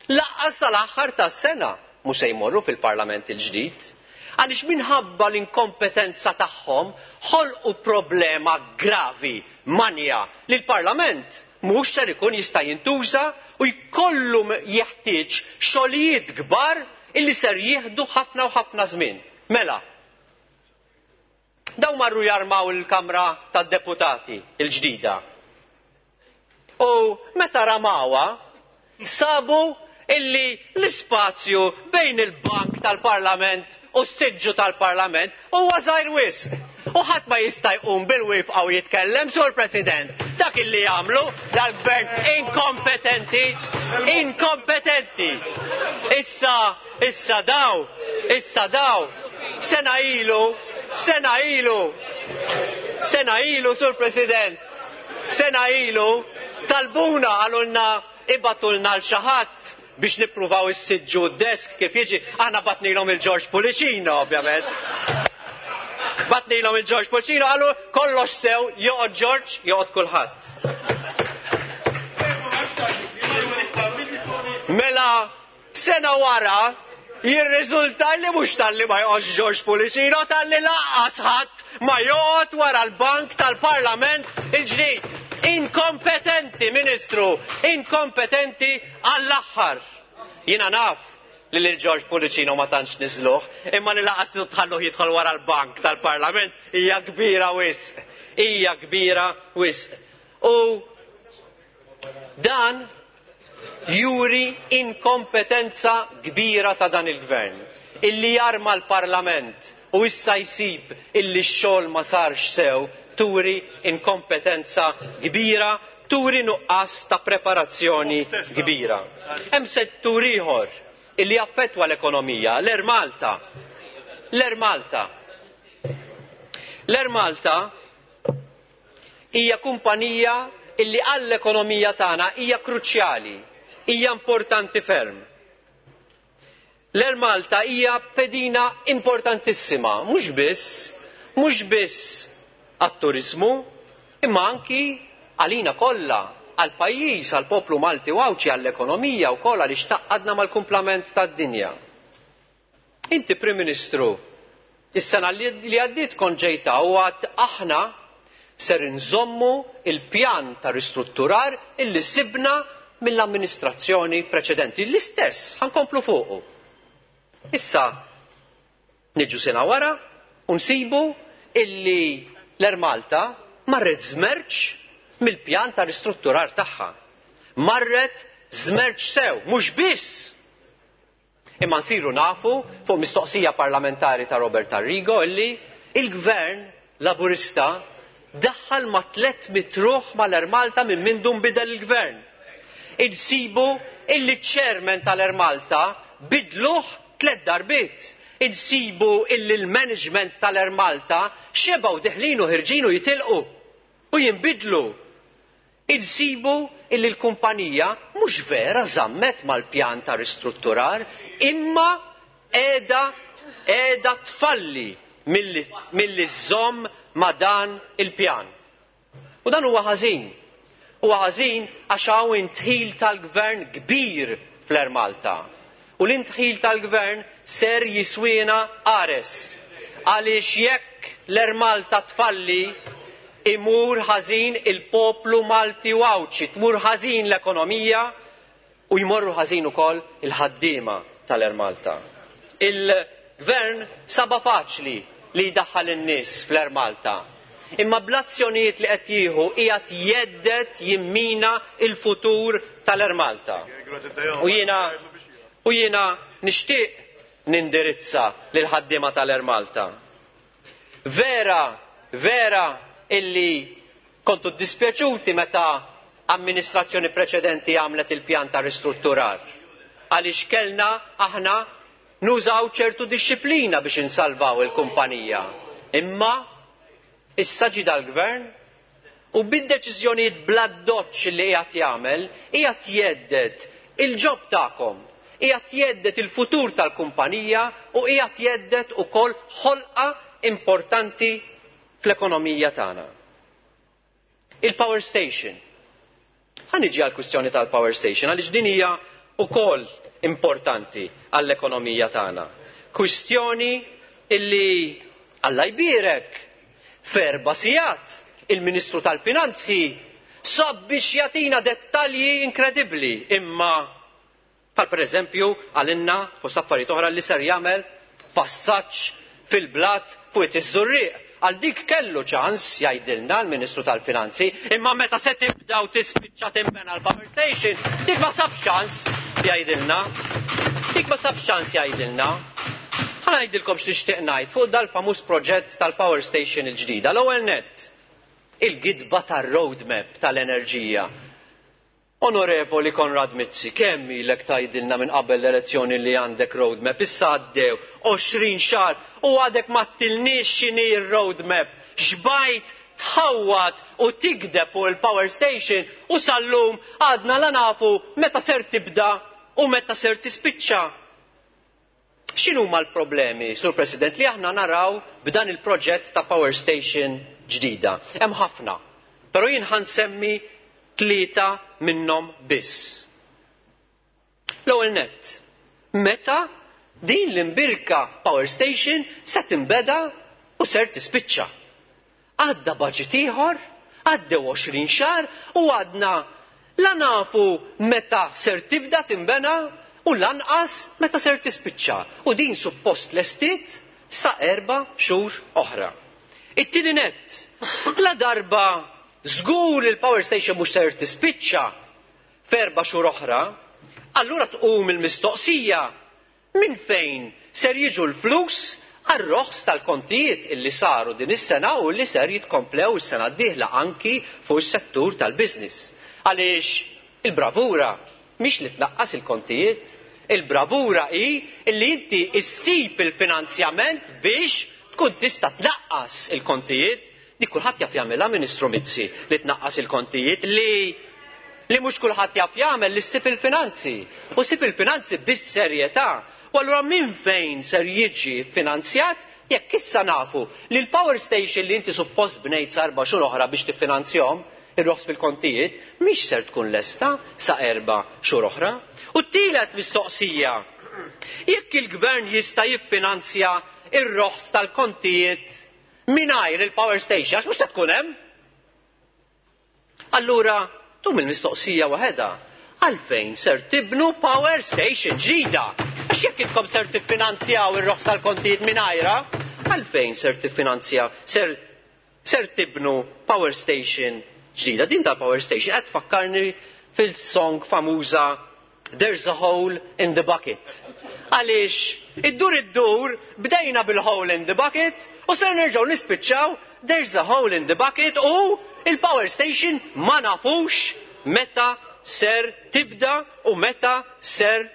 Laqqas sal-aħħar tas-sena mhux se jmorru fil-Parlament il-ġdid. Għaliex minħabba l-inkompetenza tagħhom ħolqu problema gravi, manja, li l-Parlament mhux ser ikun jista' jintuża u jkollu jeħtieġ xogħlijiet kbar illi ser jieħdu ħafna u ħafna żmien. Mela, daw marru jarmaw il-Kamra tad-Deputati il-ġdida. U meta ramawa, sabu illi l-ispazju bejn il-bank tal-Parlament u s-siġġu tal-Parlament huwa żgħir wisq. U ħadd ma jista' jqum bil-wifqa u jitkellem, Sur President. Dak illi jagħmlu dal-gvern inkompetenti, inkompetenti. Issa, issa daw, issa daw, sena ilu, sena ilu, sena ilu, Sur President, sena ilu, talbuna għalulna ibatulna l xi ħadd biex nippruvaw is-siġġu d-desk kif jiġi. Aħna batnilhom il-George Pullicino, ovvjament. Batnilhom il-George Pullicino, qalu kollox sew, joqgħod George, joqgħod kulħadd. Mela, sena wara, jirriżulta li mhux talli ma joqgħodx George Pullicino, talli lanqas ħadd ma joqgħod wara l-bank tal-Parlament il-ġdid. Inkompetenti, Ministru, inkompetenti għall-aħħar. Jiena naf li lil George Pullicino ma tantx niżluh, imma li lanqas tħalluh jidħol wara l-bank tal-Parlament hija kbira wisq. Hija kbira wisq. U dan juri inkompetenza kbira ta' dan il-gvern. Illi jarma l-Parlament u issa jsib illi x-xogħol ma sarx sew turi inkompetenza kbira, turi nuqqas ta' preparazzjoni kbira. Hemm settur ieħor illi affettwa l-ekonomija, l-Air Malta. L-Air Malta. L-Air Malta hija kumpanija illi għall-ekonomija tagħna hija kruċjali, hija importanti ferm. L-Air Malta hija pedina importantissima, mhux biss, mhux biss għat-turizmu, imma anki għalina kollha, għall-pajjiż, għall-poplu Malti u Għawdxi, għall-ekonomija wkoll għaliex tgħaqqadna mal-kumplament tad-dinja. Inti Prim Ministru, is-sena li għaddiet kont ġejta u għad aħna ser inżommu il-pjan ta' ristrutturar illi sibna mill-amministrazzjoni preċedenti. L-istess, ħankomplu fuqu. Issa, niġu sena wara u nsibu illi l-Air Malta marret żmerċ mill-pjan ta' ristrutturar tagħha. Marret żmerċ sew, mhux biss. Imma nsiru nafu fuq mistoqsija parlamentari ta' Robert Arrigo illi il-gvern Laburista daħħal ma' tliet mitt ruħ mal-Air Malta minn mindu nbidel il-gvern. Insibu illi ċ-chairman tal-Air Malta bidluh tliet darbiet. Insibu illi l-management tal-Air Malta xebgħu deħlin u ħirġin u jitilqu u jinbidlu. Insibu illi l-kumpanija mhux vera żammet mal-pjan ta' ristrutturar imma qiegħda qiegħda tfalli milli żżomm ma' dan il-pjan. U dan huwa ħażin. Huwa ħażin għax hawn intħil tal-gvern kbir fl-Air Malta. U l-intħil tal-gvern ser jiswina qares. Għaliex jekk l-Air Malta tfalli imur ħażin il-poplu Malti u Għawdxi, tmur ħażin l-ekonomija u jmorru ħażin ukoll il-ħaddiema tal-Air Malta. Il-gvern saba faċli li jdaħħal in-nies fl-Air Malta. Imma bl-azzjonijiet li qed jieħu qiegħed jgħedded jimmina il-futur tal-Air Malta. U jiena u jiena nixtieq nindirizza lil ħaddiema tal-Air Malta. Vera, vera illi kontu dispjaċuti meta amministrazzjoni preċedenti għamlet il-pjan ta' ristrutturar. Għaliex kellna aħna nużaw ċertu disċiplina biex insalvaw il-kumpanija. Imma issa ġie dal-gvern u bid-deċiżjonijiet bla doċċ li qiegħed jagħmel, qiegħed jgħedded il-ġob tagħkom, qiegħed jgħedded il-futur tal-kumpanija u qiegħed jgħedded ukoll ħolqa importanti fl-ekonomija tagħna. Il-power station. Ħa niġi għall-kwistjoni tal-power station għaliex din hija wkoll importanti għall-ekonomija tagħna. Kwistjoni illi Alla jbierek f'erba' sigħat il-Ministru tal-Finanzi sab biex jagħtina dettalji inkredibbli, imma bħal pereżempju għalinna fost affarijiet oħra li ser jagħmel passaġġ fil-blat fuq iż-Żurrieq. Għal dik kellu ċans jgħidilna l-Ministru tal-Finanzi, imma meta se tibda u tispiċċa timbena l-power station, dik ma sabx ċans jgħidilna. Dik ma sabx ċans jgħidilna. Ħa ngħidilkom x'nixtieq ngħid fuq dal-famuż proġett tal-power station il-ġdida. L-ewwel nett, il-gidba tar-roadmap tal-enerġija. Onorevoli Konrad Mizzi, kemm ilek tgħidilna minn qabel l-elezzjoni li għandek roadmap, issa għaddew għoxrin xahar u għadek ma ttilniex x'inhi r-roadmap. Xbajt tħawwad u tigdeb fuq il-power station u sal-lum għadna la nafu meta ser tibda u meta ser tispiċċa. X'inhuma l-problemi, Sur President, li aħna naraw b'dan il-proġett ta' power station ġdida? Hemm ħafna, però jien ħansemmi tlieta minnhom biss. L-ewwel nett, meta din l-imbirka power station se tinbeda u ser tispiċċa. Għadda budget ieħor, għaddew għoxrin xahar u għadna la nafu meta ser tibda tinbena u lanqas meta ser tispiċċa, u din suppost lestiet sa erba' xhur oħra. It-tieni nett, la darba żgur li l-power station mhux ser tispiċċa f'erba' xhur oħra, allura tqum il-mistoqsija minn fejn ser jiġu l-flus għar-roħs tal-kontijiet illi saru din is-sena u li ser jitkomplew is-sena d-dieħla anki fuq is-settur tal-business. Għaliex il-bravura mhix li tnaqqas il-kontijiet, il-bravura hi illi inti issib il-finanzjament biex tkun tista' tnaqqas il-kontijiet. Dik kulħadd jaf jagħmilha, Ministru Mizzi, li tnaqqas il-kontijiet, li li mhux kulħadd jaf jagħmel li ssib il-finanzi. U ssib il-finanzi bis-serjetà. U allura minn fejn ser jiġi finanzjat jekk issa nafu li l-power station li inti suppost bnejt sa erba' xhur oħra biex tiffinanzjahom ir-roħs fil-kontijiet mhix ser tkun lesta sa erba' xhur oħra. U t-tielet mistoqsija, jekk il-gvern jista' jiffinanzja ir-roħs tal-kontijiet mingħajr il-power station, għax mhux se tkun hemm. Allura tum il-mistoqsija waħedha, għalfejn ser tibnu power station ġdida? Għax jekk intkom ser tiffinanzjaw ir-roħs tal-kontijiet mingħajra, għalfejn ser tiffinanzjaw, ser, ser tibnu power station ġdida? Din tal-power station qed tfakkarni fil-song famuża There's a Hole in the Bucket. Għaliex iddur iddur bdejna bil-hole in the bucket u ser nerġgħu nispiċċaw there's a hole in the bucket, u il-power station ma nafux meta ser tibda u meta ser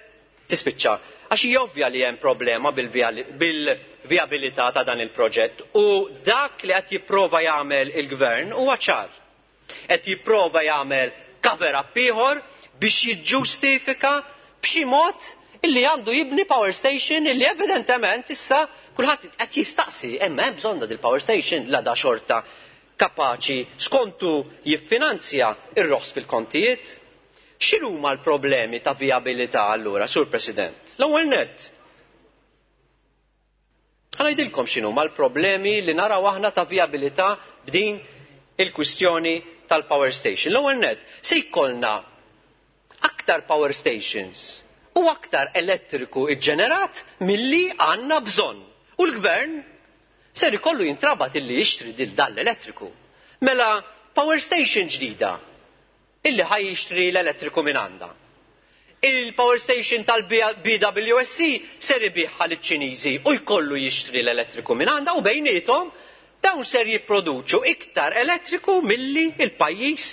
tispiċċa. Għax hija ovvja li hemm problema bil-vijabilità ta' dan il-proġett, u dak li qed jipprova jagħmel il-gvern huwa ċar. Qed jipprova jagħmel cover-up ieħor biex jiġġustifika b'xi mod illi għandu jibni power station illi evidentement issa kulħadd qed jistaqsi hemm hemm bżonn dil-power station la da xorta kapaċi skontu jiffinanzja ir-roħs fil-kontijiet. X'inhuma l-problemi ta' vijabilità allura, Sur President? L-ewwel nett, ħa ngħidilkom x'inhuma l-problemi li naraw aħna ta' vijabilità b'din il-kwistjoni tal-power station. L-ewwel nett, se jkollna aktar power stations u aktar elettriku iġġenerat milli għandna bżonn. U l-gvern ser ikollu jintrabat illi jixtri dil dan l-elettriku. Mela power station ġdida illi ħaj jixtri l-elettriku minn għandha. Il-power station tal-B W S C ser ibiħħa liċ-Ċiniżi u jkollu jixtri l-elettriku minn għandha, u bejniethom dawn ser jipproduċu iktar elettriku milli il-pajjiż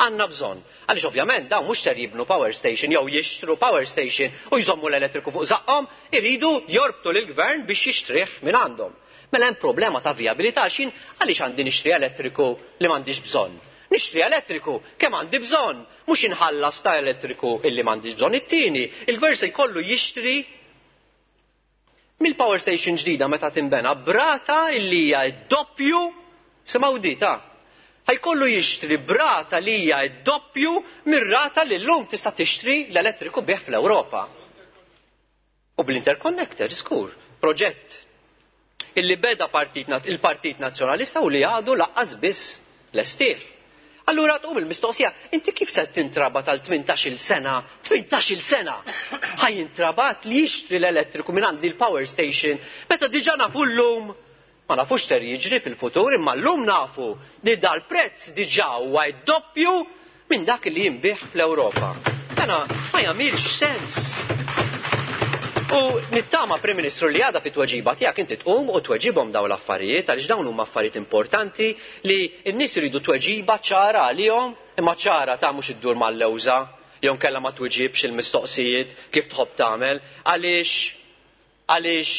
għandna bżonn. Għaliex ovvjament dawn mhux ser jibnu power station jew jixtru power station u jżommu l-elettriku fuq żaqqhom, iridu jorbtu lill-gvern biex jixtrih minn għandhom. Mela hemm problema ta' vijabilità, xin għaliex għandi nixtri elettriku li m'għandix bżonn. Nixtri elettriku kemm għandi bżonn, mhux inħallas ta' elettriku illi m'għandix bżonn. It-tieni, il-gvern se jkollu jixtri mill-power station ġdida meta tinbena brata illi hija d-doppju, simgħu di ta' ħajkollu jixtri brata li hija d-doppju mir-rata li llum tista' tixtri l-elettriku bih fl-Ewropa. U bl-interconnector, skur, proġett illi beda partit nat-, il-Partit Nazzjonalista u li għadu laqqas biss lestih. Allura tqum il-mistoqsija, inti kif se tintrabat għal tmintax-il sena, tmintax-il sena ħaj jintrabat li jixtri l-elettriku minn għandi l-power station, meta diġà nafu llum, ma nafux ser jiġri fil-futur, imma llum nafu li dal-prezz diġà huwa d-doppju minn dak li jinbih fl-Ewropa. Dana ma jagħmilx sens. U nittama, Prim Ministru, li għada fit-tweġiba tiegħek inti tqum u tweġibhom dawn l-affarijiet, għaliex dawn huma affarijiet importanti li n-nies iridu tweġiba ċara għalihom, imma ċara ta' mhux iddur mal-lewża, jew nkella ma tweġibx il-mistoqsijiet kif tħobb tagħmel, għaliex, għaliex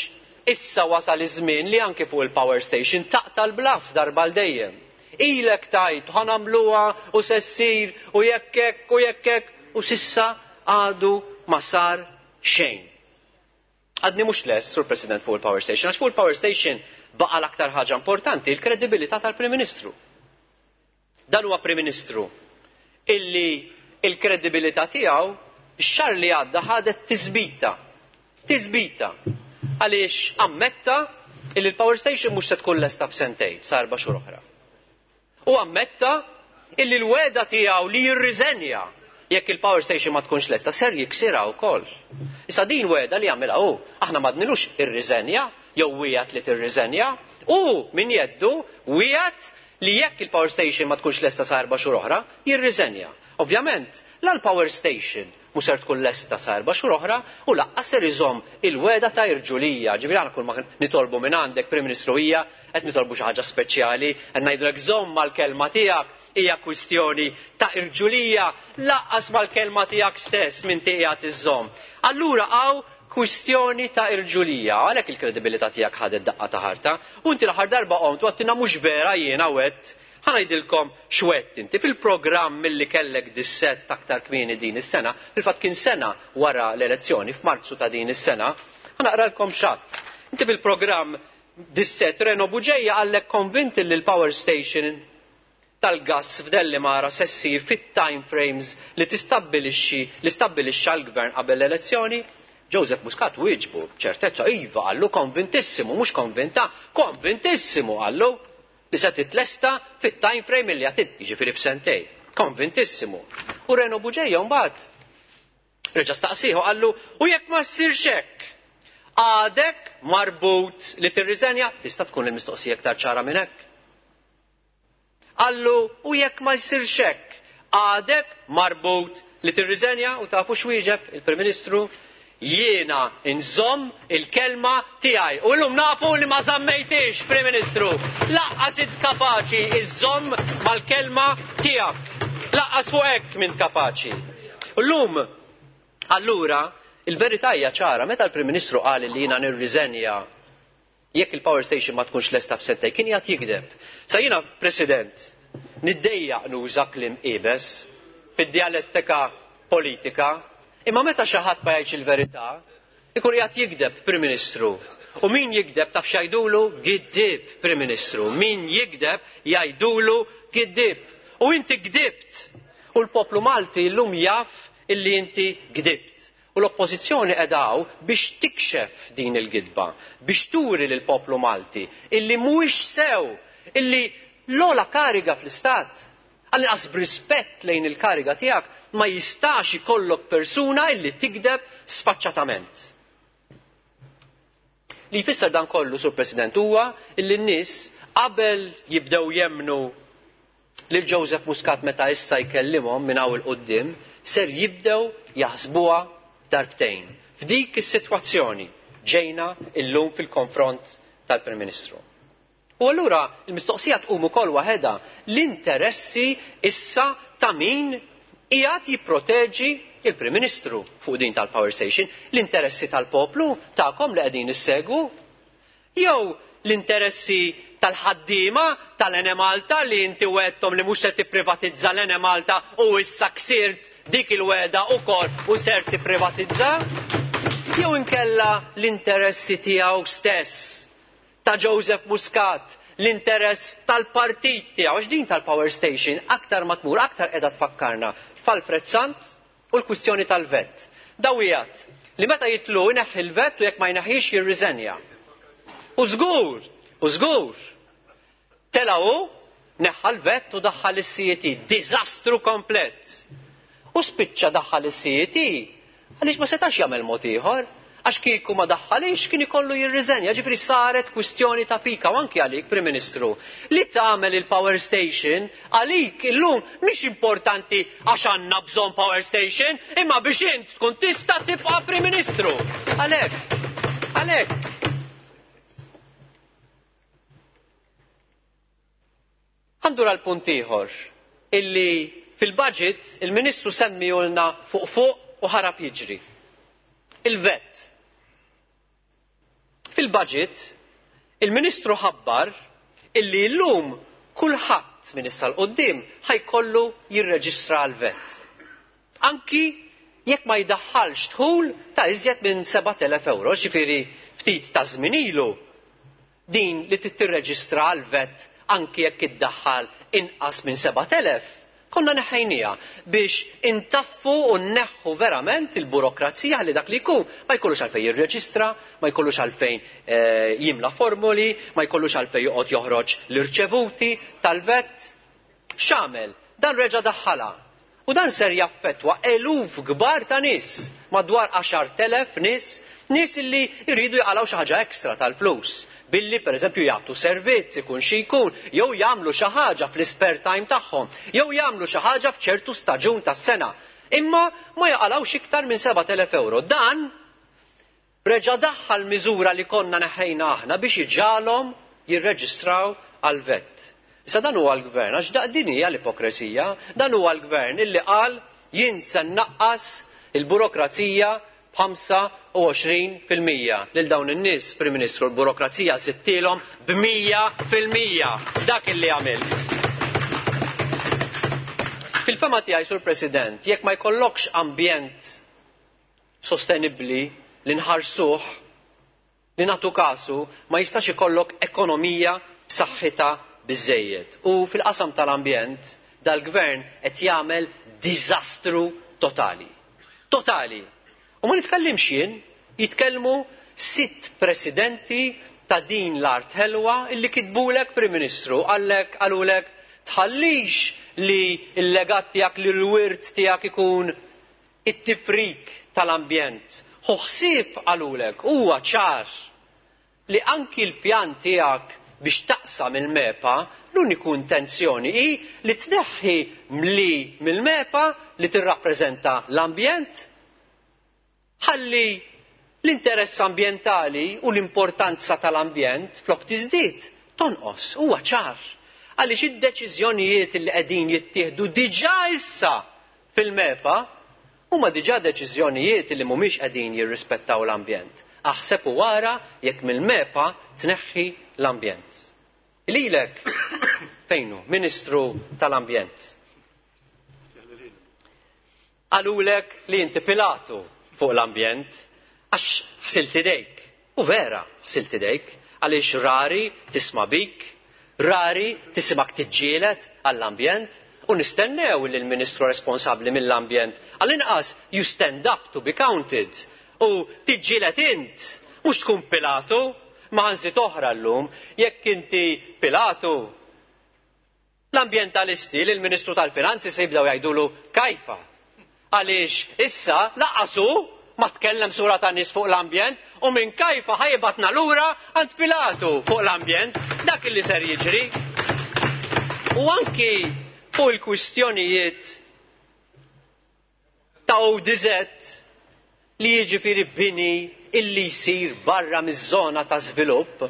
issa wasal iż-żmien li anke fuq il-power station taqta' l-blaf darba l dejjem. Ilek tajt ħanamluha u se ssir u jekk hekk u jekk hekk u sissa għadu ma sar xejn. Għadni mhux lest, Sur President, fuq il-power station, għax fuq il-power station baqa' l-aktar ħaġa importanti, il-kredibilità tal-Prim Ministru. Dan huwa Prim Ministru illi il-kredibilità tiegħu x-xahar li għadda ħadet tisbita. Tisbita. Għaliex ammetta illi l-power station mhux se tkun lesta f'sentejn, sa erba' xhur oħra. U ammetta illi l-weda tiegħu li jirriżenja jekk il-power station ma tkunx lesta ser jiksirha wkoll. Issa din wegħda li jagħmilha hu, aħna ma dnilux irriżenja jew wiegħed li tirriżenja, u min jeddu wiegħed li jekk il-power station ma tkunx lesta sa erba' xhur oħra, jirriżenja. Ovvjament, la l-power station mhux ser tkun lesta sa erba' xhur oħra u lanqas ser iżomm il-wegħda ta' irġulija. Ġifieri aħna kull ma nitolbu minn għandek Prim Ministru hija qed nitolbu xi ħaġa speċjali, qed ngħidulek żomm mal-kelma tiegħek, hija kwistjoni ta' irġulija, lanqas mal-kelma tiegħek stess minn qiegħed iżżomm. Allura hawn kwistjoni ta' irġulija, għalhekk il-kredibilità tiegħek ħadet daqqa ta' ħarta, u inti l-aħħar darba qomt u għedtilna mhux vera jiena wet. Ħa ngħidilkom x'għedt inti fil-programm milli kellek dissett aktar kmieni din is-sena, fil-fatt kien sena wara l-elezzjoni f'Marzu ta' din is-sena, ħa naqralkom x'għedt. Inti fil-programm dissett Reno Bugeja għallek konvinti li l-power station tal-gas f'Dellimara se ssir fit-time frames li tistabbilixxi li stabbilixxa l-gvern qabel l-elezzjoni. Joseph Muscat wieġbu b'ċertezza iva qallu konvintissimu, mhux konvinta, konvintissimu qallu li se titlesta fit-time frame li għatit, jiġifieri f'sentej. Konvintissimu. U Reno Bugeja mbagħad reġa' staqsieħu qallu u jekk ma ssirx hekk, għadek marbut li tirriżenja, tista' tkun il-mistoqsija aktar ċara minn hekk. Qallu u jekk ma jsirx hekk, għadek marbut li tirriżenja, u tafu x'wieġeb il-Prim Ministru? Jiena nżomm il-kelma tiegħi. U llum nafu li ma żammejtix, Prim Ministru. Lanqas int kapaċi iżżomm mal-kelma tiegħek. Lanqas fuq hekk m'int kapaċi. U llum, allura, il-verità hija ċara, meta l-Prim Ministru qal li jiena nirriżenja jekk il-power station ma tkunx lesta f'sentejn, kien qiegħed jigdeb. Sa jiena, President, niddejjaq nuża kliem iebes fid-dialettika politika, imma meta xi ħadd ma jgħidx il-verità, ikun qiegħed jigdeb, Prim Ministru. U min jigdeb taf x'jgħidulu? Giddib, Prim Ministru. Min jigdeb jgħidulu giddib. U inti gdibt. U l-poplu Malti llum jaf illi inti gdibt. U l-oppożizzjoni qiegħda hawn biex tikxef din il-gidba, biex turi lill-poplu Malti illi mhuwiex sew, illi l-ogħla kariga fl-istat, għall-inqas b'rispett lejn il-kariga tiegħek, ma jistax ikollok persuna illi tikdeb sfaċċatament. Li jfisser dan kollu, Sur President, huwa illi n-nies qabel jibdew jemnu lil Joseph Muscat meta issa jkellimhom minn hawn il quddiem, ser jibdew jaħsbuha darbtejn. F'dik is-sitwazzjoni ġejna illum fil-konfront tal-Prim Ministru. U allura l-mistoqsija tqum ukoll waħedha, l-interessi issa ta' min qiegħed jipproteġi il-Prim Ministru fuq din tal-power station, l-interessi tal-poplu tagħkom li qegħdin issegwu, jew l-interessi tal-ħaddiema tal-Enemalta li inti wegħedthom li mhux se tipprivatizza l-Enemalta u issa ksirt dik il-wegħda wkoll u ser tipprivatizza, jew inkella l-interessi tiegħu stess, ta' Joseph Muscat, l-interess tal-partit tiegħu, għax din tal-power station aktar ma tmur, aktar qiegħda tfakkarna f'Alfred Sant u l-kwistjoni tal-vet. Dawijat li meta jitlu jneħħi l-vet u jekk ma jneħħix jirriżenja. U żgur, u żgur, tela hu neħħa l-vet u daħħal is-C E T, diżastru komplet. U spiċċa daħħal is-C E T għaliex ma setax jagħmel mod ieħor, għax kieku ma daħħalix kien ikollu jirriżenja, ġifieri saret kwistjoni ta' pika u anki għalik, Prim Ministru, li tagħmel il-power station għalik illum mhix importanti għax għandna bżonn power station, imma biex int tkun tista' tibqa' Prim Ministru. Għalhekk, għalhekk. Għandur għal punt ieħor illi fil-budget il-Ministru semmijulna fuq fuq u ħarab jiġri. Il-vet. Fil-budget il-Ministru ħabbar illi llum kulħadd minn issa l quddiem ħajkollu jirreġistra għal-vet. Anki jekk ma jdaħħalx dħul ta' iżjed minn sebat elef euro, ġifieri ftit ta' żmien ilu din li tirreġistra għal-vet anki jekk iddaħħal inqas minn sebat elef, konna neħħejnija biex intaffu u nneħħu verament il-burokrazija li dak li jkun ma jkollux għalfejn jirreġistra, ma jkollux għalfejn, eh, jimla formuli, ma jkollux għalfejn joqgħod joħroġ l-irċevuti tal-vet. X'għamel? Dan reġa' daħħalha. U dan ser jaffettwa eluf kbar ta' nies, madwar għaxart elef nies, nies illi jridu jaqalgħu xi ħaġa ekstra tal-flus, billi pereżempju jagħtu servizz ikun xi jkun, jew jagħmlu xi ħaġa fl-spare time tagħhom, jew jagħmlu xi ħaġa f'ċertu staġun tas-sena. Imma ma jaqalgħux iktar minn sebat elef euro. Dan reġa' daħħal miżura li konna neħħejna aħna biex iġalhom jirreġistraw għal vet. Issa dan huwa l-gvern, għax daq din hija l-ipokresija, dan huwa l-gvern illi qal jien se nnaqqas il-burokrazija b'ħamsa u għoxrin fil-mija. Lil dawn in-nies, Prim Ministru, l-burokrazija sittilhom b'mija fil-mija. Dak illi għamilt. Fil-fema tiegħi, Sur President, jekk ma jkollokx ambjent sostenibbli li nħarsuh, li nagħtu kasu, ma jistax ikollok ekonomija b'saħħitha biżejjed. U fil-qasam tal-ambjent, dal-gvern qed jagħmel diżastru totali. Totali. U ma nitkellimx jien, jitkellmu sitt presidenti ta' din l-art ħelwa illi kitbulek Prim Ministru, għallek, qalulek tħallix li l-legat tiegħek, li l-wirt tiegħek ikun it-tifrik tal-ambjent. Ħu ħsieb qalulek, huwa ċar li anki l-pjan tiegħek biex taqsam il-MEPA, l-uniku intenzjoni hi li tneħħi mli mill-MEPA li tirrappreżenta l-ambjent, ħalli l-interess ambjentali u l-importanza tal-ambjent flok tiżdied tonqos, huwa ċar. Għaliex id-deċiżjonijiet li qegħdin jittieħdu diġà issa fil-MEPA huma diġà deċiżjonijiet li mhumiex qegħdin jirrispettaw l-ambjent. Aħseb u wara jekk mill-MEPA tneħħi l-ambjent. Lilek fejnu, Ministru tal-Ambjent. Qalulek li inti Pilatu fuq l-ambjent għax ħsilt idejk. U vera ħsilt idejk għaliex rari tisma' bik, rari tisimak tiġġieled għall-ambjent, u nistennew li l-Ministru responsabbli mill-ambjent għall-inqas you stand up to be counted u tiġġieled int, mhux tkun Pilatu. Ma ħanżit oħra llum, jekk inti Pilatu, l-ambjentalisti li l-Ministru tal-Finanzi se jibdew jgħidulu kajfa. Għaliex issa laqasu ma tkellem sura ta' nies fuq l-ambjent u minn kajfa ħajbatna lura għand Pilatu fuq l-ambjent, dak li ser jiġri. U anki fuq il-kwistjonijiet ta' O D Z li jiġifieri bini illi jsir barra miż-żona ta' żvilupp,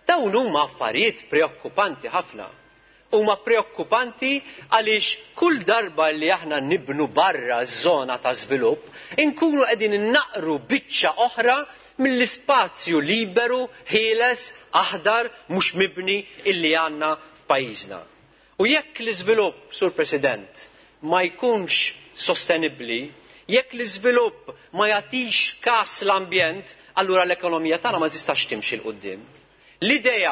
dawn huma affarijiet preokkupanti ħafna. Huma preokkupanti għaliex kull darba li aħna nibnu barra ż-żona ta' żvilupp, inkunu qegħdin innaqru biċċa oħra mill-ispazju liberu, ħieles, aħdar, mhux mibni illi għandna f'pajjiżna. U jekk l-iżvilupp, Sur President, ma jkunx sostenibbli, jekk l-iżvilupp ma jagħtix kas l-ambjent, allura l-ekonomija tagħna ma tistax timxi 'l quddiem. L-idea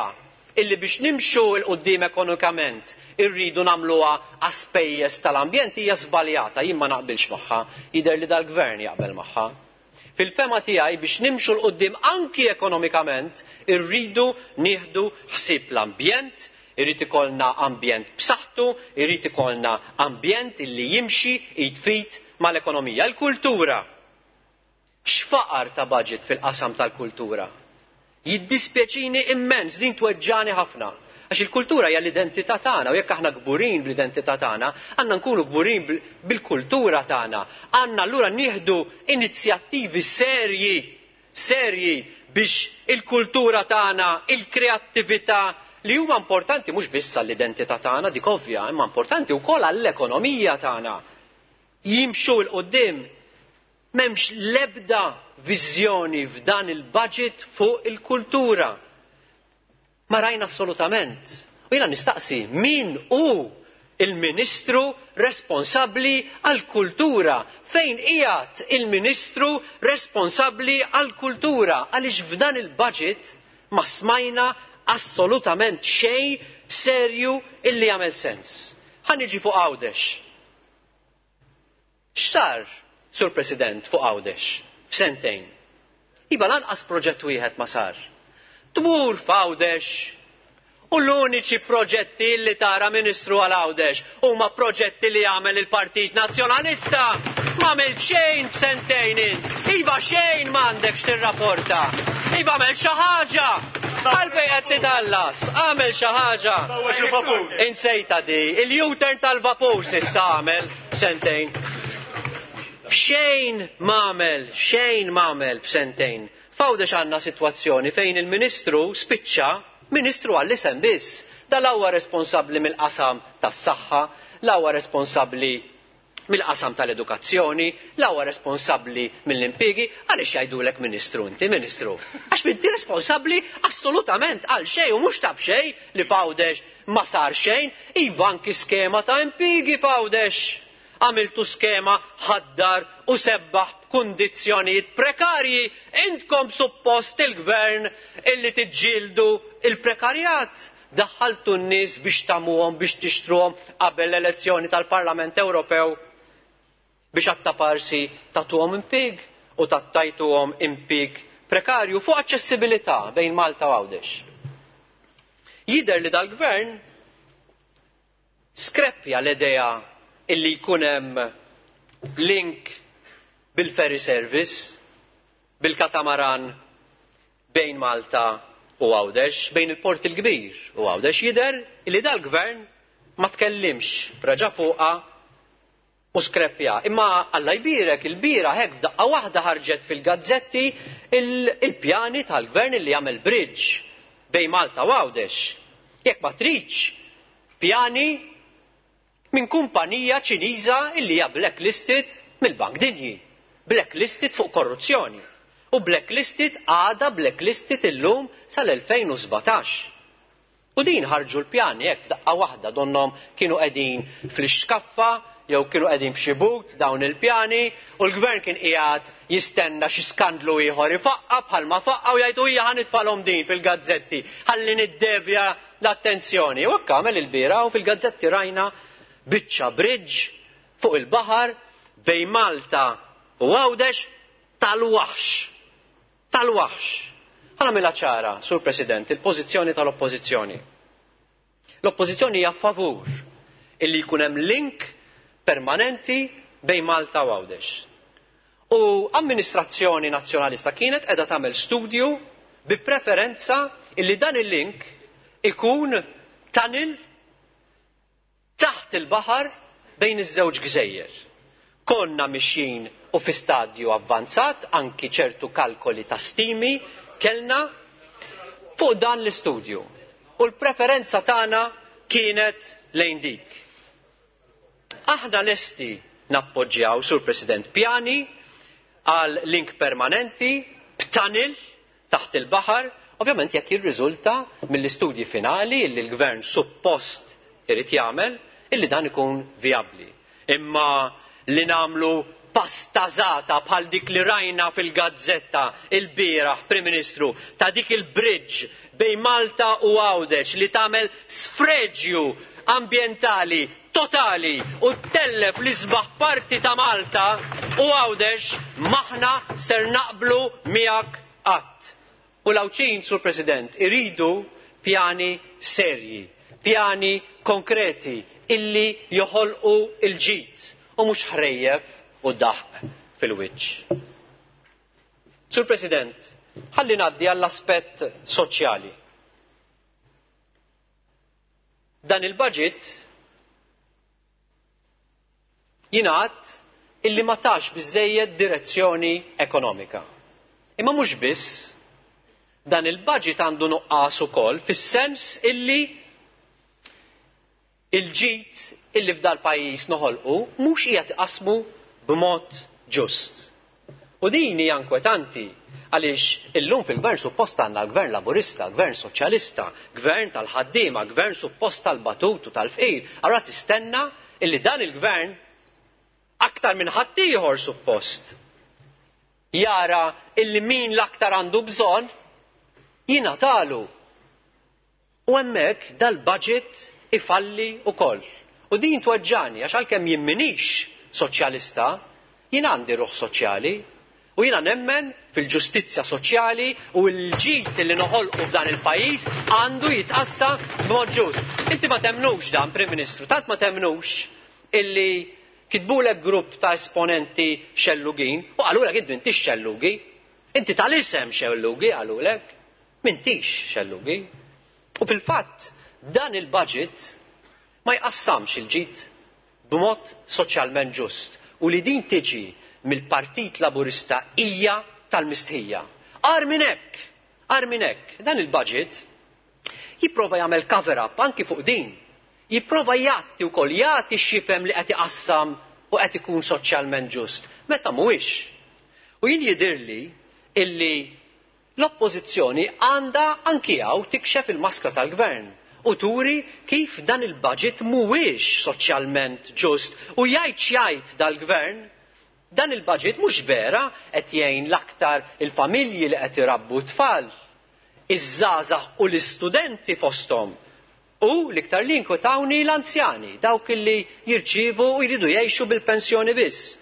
illi biex nimxu 'l quddiem ekonomikament irridu nagħmluha għaspejjeż tal-ambjent hija żbaljata, jien ma naqbilx magħha, jidher li dal-gvern jaqbel magħha. Fil-fema tiegħi biex nimxu 'l quddiem anki ekonomikament irridu nieħdu ħsieb l-ambjent, irrid ikollna ambjent b'saħħtu, irrid ikollna ambjent illi jimxi jitfit mal-ekonomija. Il-kultura. X'faqar ta' budget fil-qasam tal-kultura? Jiddispjaċini immens, din tweġġani ħafna. Għax il-kultura hija l-identità tagħna u jekk aħna kburin bl-identità tagħna, għandna nkunu kburin bil-kultura tagħna. Għandna allura nieħdu inizjattivi serji, serji biex il-kultura tagħna, il-kreattività li huma importanti mhux biss għall-identità tagħna, dik ovvja, imma importanti wkoll għall-ekonomija tagħna. Jimxu 'l quddiem. M'hemmx l-ebda viżjoni f'dan il-budget fuq il-kultura. Ma rajna assolutament. U jiena nistaqsi min hu il-Ministru responsabbli għall-kultura? Fejn qiegħed il-Ministru responsabbli għall-kultura? Għaliex f'dan il-budget ma smajna assolutament xejn serju illi jagħmel sens. Ħa niġi fuq Għawdex. X'sar, Sur President, fuq Għawdex f'sentejn? Iva lanqas proġett wieħed ma sar. Tmur f'Għawdex U l-uniċi proġetti li tara Ministru għal Għawdex huma proġetti li għamel il-Partit Nazzjonalista. M'għamel xejn f'sentejn int. Iva xejn m'għandekx tirrapporta. Iva għamel xi ħaġa. Għalfejn qed titallas, għamel xi ħaġa. Insejta di, il-U-turn tal-vapur s'issa għamel f'sentejn. Xejn m'għamel, xejn m'għamel f'sentejn. F'Għawdex għandna sitwazzjoni fejn il-Ministru spiċċa Ministru għall-isem biss. Da la huwa responsabbli mill-qasam tas-saħħa, la huwa responsabbli mill-qasam tal-edukazzjoni, la huwa responsabbli mill-impjiegi. Għaliex jgħidulek Ministru inti, Ministru? Għax inti responsabbli assolutament għal xejn u mhux ta' b'xejn li f'Għawdex ma sar xejn. Iva anki skema ta' impjiegi f'Għawdex. Għamiltu skema ħaddar u sebbaħ b'kundizzjonijiet prekarji. Intkom suppost il-gvern illi tiġġieldu il-prekarjat. Daħħaltu n-nies biex tamuhom, biex tixtruhom qabel l-elezzjoni tal-Parlament Ewropew biex attaparsi tagħtuhom impjieg u tattajtuhom impjieg prekarju fuq aċċessibilità bejn Malta u Għawdex. Jidher li dal-gvern skreppja l-idea illi jkun hemm link bil-ferry service, bil-katamaran bejn Malta u Għawdex, bejn il-Port il-Kbir u Għawdex. Jidher illi dal-gvern ma tkellimx, raġa fuqha u skreppja. Imma Alla jbierek il-bira hekk f'daqqa waħda ħarġet fil-gazzetti il-pjani tal-gvern illi jagħmel bridge bejn Malta u Għawdex. Jekk ma tridx pjani minn kumpanija Ċiniża illi hija blacklisted mill-Bank Dinji, blacklisted fuq korruzzjoni u blacklisted għada blacklisted illum sal-elfejn u sbatax. U din ħarġu l-pjani hekk f'daqqa waħda, donhom kienu qegħdin fl-ixkaffa jew kienu qegħdin f'xi but dawn il-pjani u l-gvern kien qiegħed jistenna xi skandlu ieħor ifaqqa bħalma faqqa u jgħidu hija ħanitfalhom din fil-gazzetti ħalli niddevja l-attenzjoni. U hekk għamel il-bieraħ u fil-gazzetti rajna biċċa bridge fuq il-baħar bejn Malta u Għawdex tal-waħx. Tal-waħx. Ħa nagħmilha ċara, Sur President, il-pożizzjoni tal-Oppożizzjoni. L-Oppożizzjoni hija favur illi jkun hemm link permanenti bejn Malta u Għawdex. U amministrazzjoni nazzjonalista kienet qiegħda tagħmel studju bi preferenza illi dan il-link ikun tunnel taħt il-baħar bejn iż-żewġ gżejjer. Konna mixjin u fi stadju avvanzat, anki ċertu kalkoli ta' stimi kellna fuq dan l-istudju. U l-preferenza tagħna kienet lejn dik. Aħna lesti nappoġġjaw, Sur President, pjani għal link permanenti b'tunnel taħt il-baħar, ovvjament jekk jirriżulta mill-istudji finali li l-gvern suppost irid jagħmel illi dan ikun vijabbli. Imma li nagħmlu pastażata bħal dik li rajna fil-gazzetta il-bieraħ, Prim Ministru, ta' dik il-bridge bejn Malta u Għawdex li tagħmel sfreġju ambjentali totali u tellef l-isbaħ parti ta' Malta u Għawdex, maħna ser naqblu miegħek qatt. U l-Għawdxin, Sur President, iridu pjani serji, pjani konkreti illi joħolqu il-ġid u mhux ħrejjef u daħq fil-wiċċ. Sur President, ħalli ngħaddi għall-aspett soċjali. Dan il-budget jingħad illi ma tax biżżejjed direzzjoni ekonomika. Imma mhux biss, dan il-budget għandu nuqqas ukoll fis-sens illi il-ġid illi f'dal pajjiż noħolqu mhux qiegħed iqasmu b'mod ġust. U din hija inkwetanti għaliex illum fil-gvern suppost għandna gvern laburista, gvern soċjalista, gvern tal-ħaddiema, gvern suppost tal-batut u tal-fqir. Allura tistenna illi dan il-gvern aktar minn ħaddieħor suppost jara illi min l-aktar għandu bżonn jingħatalu. U hemmhekk dal-budget ifalli wkoll. U din tweġġani għax għalkemm jien m'iniex soċjalista, jien għandi ruħ soċjali U jiena nemmen fil-ġustizzja soċjali u l-ġid li noħolqu f'dan il-pajjiż għandu jitqassam b'mod ġust. Inti ma temnux dan, Prim Ministru, tant ma temnux illi kitbulek grupp ta' esponenti xellugin u qalulek int m'intix xellugi. Inti tal-isem xellugi qalulek, m'intix xellugi. U fil-fatt dan il-budget ma jqassamx il-ġid b'mod soċjalment ġust. U li din tiġi mill-Partit Laburista hija tal-mistħija. Agħar minn hekk, agħar minn hekk, dan il-budget jipprova jagħmel cover-up anki fuq din. Jipprova jgħatti wkoll jagħti x'jifhem li qed iqassam u qed ikun soċjalment ġust. Meta mhuwiex. U jien jidhirli illi l-oppożizzjoni għandha anki hawn tikxef il-maskra tal-gvern u turi kif dan il-budget mhuwiex soċjalment ġust u jgħid x'jgħid dal-gvern. Dan il-budget mhux vera qed jgħin l-aktar il-familji li qed irabbu tfal, iż-żgħażagħ u l-istudenti fosthom. U l-iktar li inkwetawni l-anzjani, dawk li jirċievu u jridu jgħixu bil-pensjoni biss.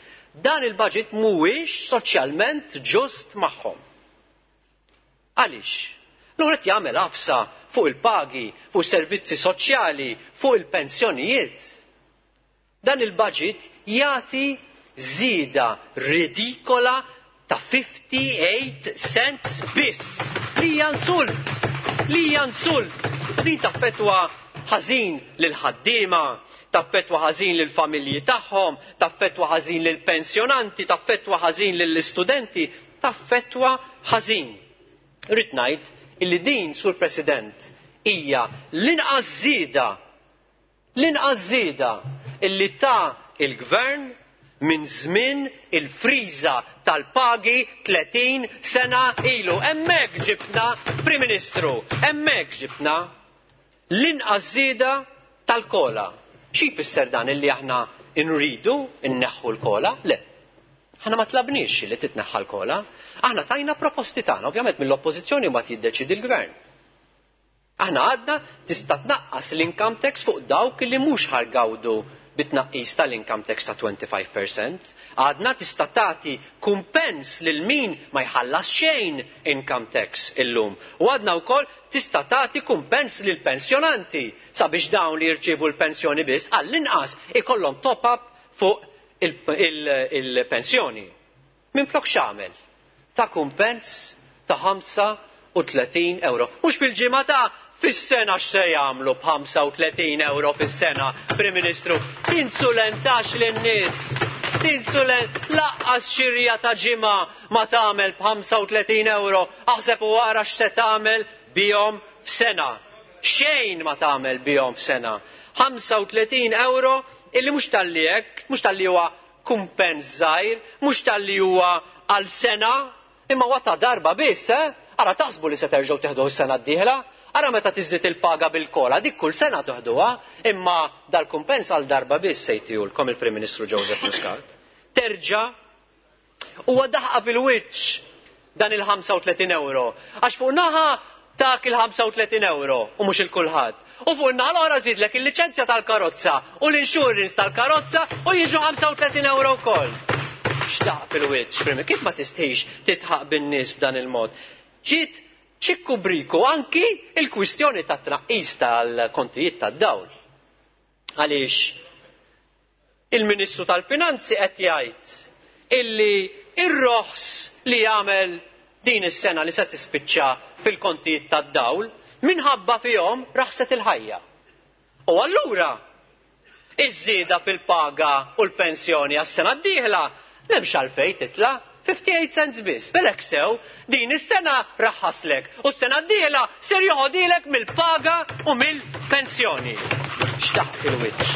Dan il-budget mhuwiex soċjalment ġust magħhom. Għaliex? L-ewwel qed jagħmel għafsa fuq il-pagi, fuq servizzi soċjali, fuq il-pensjonijiet. Dan il-budget jagħti żieda ridikola ta' fifty-eight cents biss. Li hija insult, li hija insult. Din taffettwa ħażin lil ħaddiema, taffettwa ħażin lil familji tagħhom, taffettwa ħażin lil pensjonanti, taffettwa ħażin lill istudenti, taffettwa ħażin. Rrid ngħid illi din, Sur President, hija l-inqas żieda, l-inqas żieda illi ta' il-gvern minn żmien il-friża tal-pagi tletin sena ilu. Hemmhekk ġibna, Prim Ministru, hemmhekk ġibna l-inqas żieda tal-kola. Xi jfisser dan illi aħna nridu nneħħu l-kola? Le. Aħna ma tlabniex li titneħħa l-kola. Aħna tajna proposti tagħna, ovvjament mill-oppożizzjoni mbagħad jiddeċidi l-gvern. Aħna għadna tista' tnaqqas l-income tax fuq dawk li mhux ħargawdu bit-tnaqqis tal-income tax ta' twenty-five percent. Għadna tista' tagħti kumpens lil min ma jħallas xejn income tax illum. U għadna wkoll tista' tagħti kumpens lil pensjonanti sabiex dawn li jirċievu l-pensjoni biss għall-inqas ikollhom top-up fuq il-pensjoni. Minflok x'għamel? Ta' kumpens ta' ħamsa u tletin euro. Mhux fil-ġimgħa ta' fis-sena x'se jagħmlu b'ħamsa u tletin euro fis-sena, Prim Ministru. Tinsulentax lin-nies. Tinsulent laqqas xirja ta' ġimgħa ma tagħmel b'ħamsa u tletin euro. Aħseb u ara x'se tagħmel bihom f'sena. Xejn ma tagħmel bihom f'sena. ħamsa u tletin euro illi mhux talli hekk, mhux talli huwa kumpens żgħir, mhux talli huwa għal sena, imma huwa ta' darba biss, eh? Ara taħsbu li se terġgħu teħduh is-sena d-dieħla? Ara meta tiżdied il-paga bil-kola, dik kull sena toħduha, imma dal-kumpens għal darba biss se jtihulkom il-Prim Ministru Joseph Muscat. Terġa' huwa daħqa fil-wiċċ dan il-ħamsa u tletin euro. Għax fuq naħa tak il-ħamsa u tletin euro u mhux il-kulħadd. U fuq naħa l-oħra żidlek il-liċenzja tal-karozza u l-insurance tal-karozza u jiġu ħamsa u tletin euro wkoll. X'daq fil-wiċċ, Prim, kif ma tistħix titħaq bin-nies b'dan il-mod? Ġiet ċikku briku anki il-kwistjoni ta' tnaqqis tal-kontijiet tad-dawl. Għaliex il-Ministru tal-Finanzi qed jgħid illi ir-roħs li jagħmel din is-sena li se tispiċċa fil-kontijiet tad-dawl minħabba fihom raħset il-ħajja. U allura iż-żieda fil-paga u l-pensjoni għas-sena d-dieħla m'hemmx għalfejn titla' fifty-eight cents biss. Belek sew din is-sena raħħaslek u s-sena d-dieħla ser joħodilek mill-paga u mill-pensjoni. X'taħt fil-wiċċ.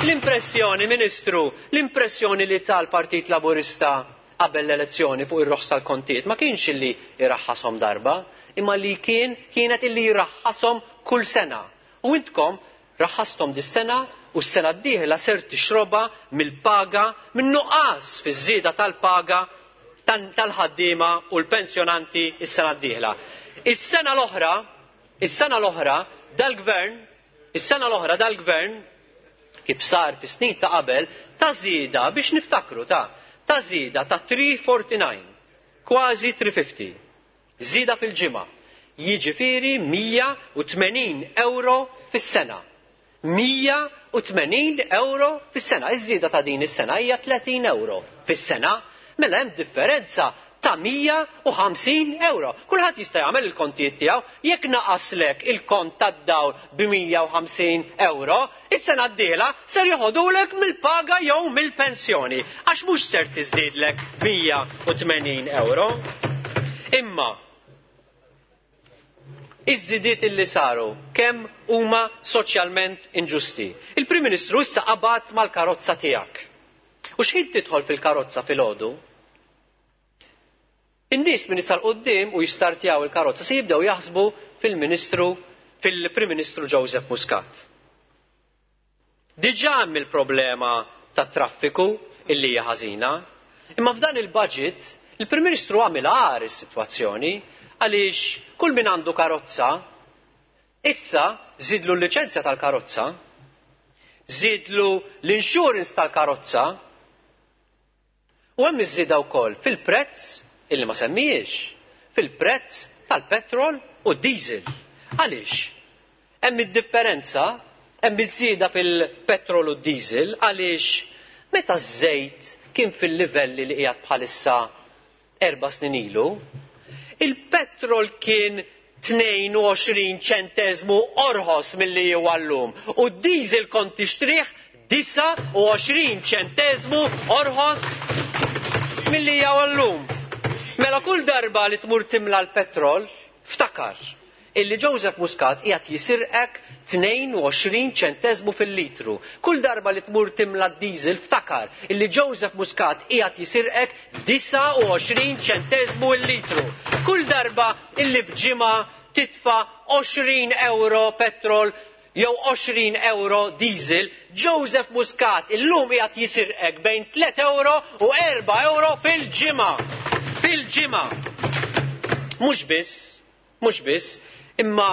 L-impressjoni, Ministru, l-impressjoni li tal-Partit Laburista qabel l-elezzjoni fuq ir-roħs tal-kontijiet ma kienx illi jraħħashom darba, imma li kien kienet illi jraħħashom kull sena. U intkom raħħastom dis-sena u s-sena d-dieħla ser tixroba mill-paga, min-nuqqas fiż-żieda tal-paga tal-ħaddiema u l-pensjonanti s-sena d-dieħla. Is-sena l-oħra, is-sena l-oħra dal-gvern, is-sena l-oħra dal-gvern kif sar fis-snin ta' qabel ta' żieda biex niftakru ta' ta' żieda ta' three forty-nine. Kważi tliet mija u ħamsin. Żieda fil-ġimgħa. Jiġifieri mija u tmenin euro fis-sena. mija u tmenin euro fis-sena. Iż-żieda ta' din is-sena hija tletin euro fis-sena. Mela hemm differenza ta' mija u ħamsin euro. Kulħadd jista' jagħmel il-kontijiet tiegħu. Jekk naqaslek il-kont tad-dawl bi mija u ħamsin euro, is-sena d-dieħla ser joħodulek mill-paga jew mill-pensjoni għax mhux ser tiżdiedlek mija u tmenin euro. Imma iż-żidiet illi saru kemm huma soċjalment inġusti. Il-Prim Ministru issa qabad mal-karozza tiegħek. U x'ħin tidħol fil-karozza filgħodu? In-nies min issa 'l quddiem u jistartjaw il-karozza se jibdew jaħsbu fil-Ministru fil-Prim Ministru Joseph Muscat. Diġà hemm il-problema tat-traffiku illi hija ħażina, imma f'dan il-budget il-Prim Ministru għamel agħar is-sitwazzjoni, għaliex kull min għandu karozza issa żidlu l-liċenzja tal-karozza, żidlu l-insurance tal-karozza, u hemm iż-żieda wkoll fil-prezz illi ma semmijiex, fil-prezz tal-petrol u diesel. Għaliex? Hemm id-differenza, hemm iż-żieda fil-petrol u diesel għaliex meta ż-żejt kien fil-livelli li qiegħed bħalissa erba' snin ilu, il-petrol kien tnejn u għoxrin ċentesmu orħos milli huwa llum u d-diesel kont tixtrih disgħa u għoxrin ċentesmu orħos milli huwa llum. Mela kull darba li tmur timla l-petrol, ftakar illi Joseph Muscat qiegħed jisirqek tnejn u għoxrin ċentesmu fil-litru. Kull darba li tmur timla d-diesel, ftakar illi Joseph Muscat qiegħed jisirqek disgħa u għoxrin ċentesmu l-litru. Kull darba illi b'ġimgħa titfa' għoxrin euro petrol jew għoxrin euro diesel, Joseph Muscat illum qiegħed jisirqek bejn tliet euro u erba' euro fil-ġimgħa. Fil-ġimgħa. Mhux biss, mhux biss, imma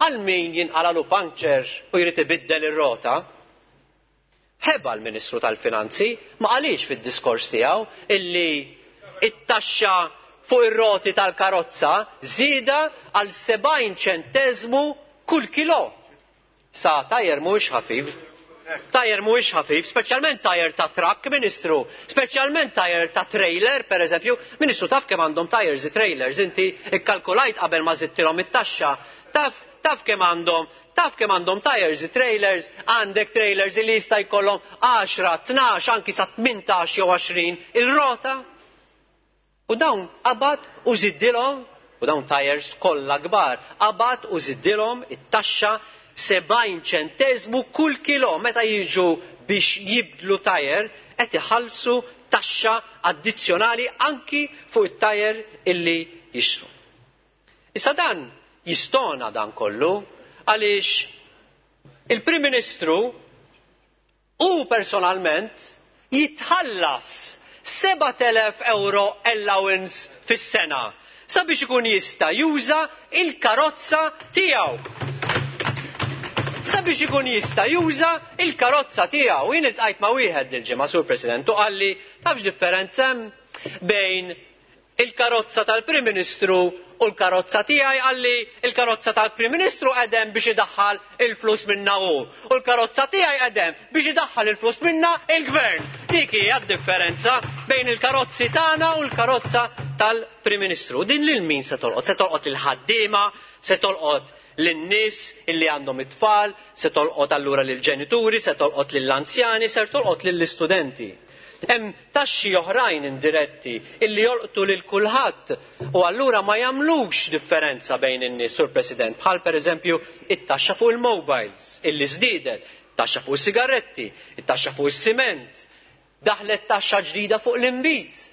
għal min jinqalalu puncture u jrid ibiddel ir-rota, ħeba l-Ministru tal-Finanzi ma qalix fid-diskors tiegħu illi it-taxxa fuq ir-roti tal-karozza żieda għal sebgħin ċentesmu kull kilo. Sa tajer mhuwiex ħafif. Tajer mhuwiex ħafif, speċjalment tajer ta' truck, Ministru, speċjalment tajer ta' trailer, per eżempju. Ministru, taf kemm għandhom tires trailers, inti ikkalkulajt qabel ma żidtilhom it-taxxa. Taf, taf kemm għandhom, taf kemm għandhom tires trailers, għandek trailers li jista' jkollhom għaxra, tnax, anki sa tmintax jew għoxrin il-rota. U dawn qabad u żiddilhom, u dawn tires kollha kbar, qabad u żiddilhom it-taxxa sebgħin ċentesmu kull kilo. Meta jiġu biex jibdlu tajer qed iħallsu taxxa addizzjonali anki fuq it-tajer illi jixtru. Issa dan jistona dan kollu għaliex il-Prim Ministru u personalment jitħallas sebat elef euro allowance fis-sena sabiex ikun jista' juża il-karozza tiegħu. Sabiex ikun jista' juża il-karozza tiegħu. Jien iltqajt ma' wieħed dil-ġimgħa, Sur President, u qalli: "Tafx differenza hemm bejn il-karozza tal-Prim Ministru u l-karozza tiegħi?" Qalli: "Il-karozza tal-Prim Ministru qegħdem biex idaħħal il-flus minna hu u l-karozza tiegħi qegħdem biex idaħħal il-flus minna il-Gvern." Dik hija d-differenza bejn il-karozzi tagħna u l-karozza tal-Prim Ministru. Din lil min se tolqot? Se tolqot il-ħaddiema, se tolqot lin-nies illi għandhom it-tfal, se tolqot allura lill-ġenituri, se tolqot lill-anzjani, se tolqot lill-istudenti. Hemm taxxi oħrajn indiretti illi jolqtu lil kulħadd u allura ma jagħmlux differenza bejn in-nies, Sur President, bħal pereżempju it-taxxa fuq il-mobiles illi żdiedet, taxxa fuq is-sigaretti, it-taxxa fuq is-siment, daħlet taxxa ġdida fuq l-inbid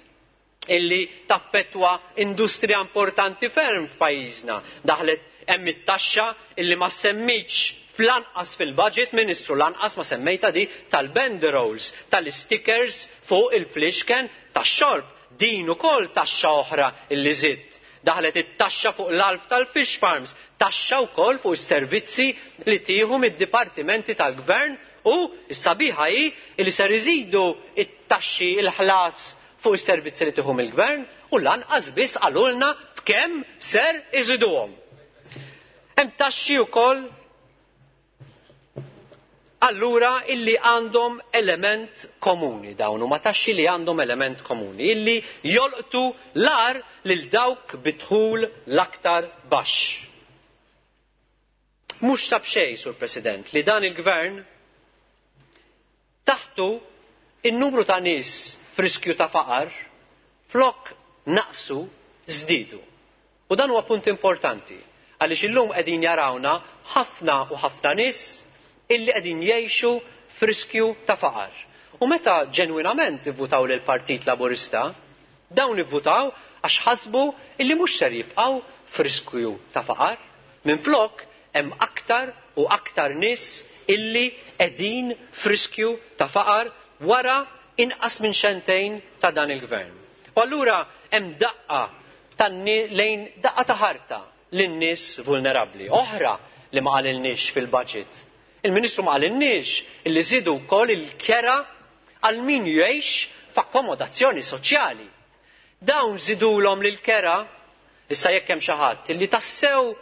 illi taffettwa industrija importanti ferm f'pajjiżna. Daħlet hemm it-taxxa illi ma semmitx fl-anqas fil-budget, Ministru, lanqas ma semmejta di tal-banderoles, tal-stickers fuq il-flixken tax-xorb. Din ukoll taxxa oħra illi żidt. Daħlet it-taxxa fuq l-alf tal-fish farms, taxxa wkoll fuq is-servizzi li tieħu mid-dipartimenti tal-gvern, u s-sabiħa hi li ser iżidu it-taxxi, il-ħlas fuq is-servizzi li tieħu mill-gvern u lanqas biss qalulna b'kemm ser iżiduhom. Hemm taxxi wkoll allura illi għandhom element komuni, dawn huma taxxi li għandhom element komuni illi jolqtu l-agħar lil dawk bi dħul l-aktar baxx. Mhux ta' b'xejn, Sur President, li dan il-gvern taħtu in-numru ta' nies f'riskju ta' faqar flok naqsu żdiedu. U dan huwa punt importanti għaliex illum qegħdin jarawna ħafna u ħafna nies illi qegħdin jgħixu f'riskju ta' faqar. U meta ġenwinament ivvutaw lil Partit Laburista, dawn ivvutaw għax ħasbu illi mhux ser jibqgħu f'riskju ta' faqar. Minflok hemm aktar u aktar nies illi qegħdin f'riskju ta' faqar wara inqas minn xentejn ta' dan il-gvern. U allura hemm daqqa lejn daqqa ta' ħarta lin-nies vulnerabbli. Oħra li ma qalilniex fil-budget. Il-Ministru ma qalilniex illi żidu wkoll il-kera għal min jgħix f'akkomodazzjoni soċjali. Dawn żidulhom lil kera, issa jekk hemm xi ħadd illi tassew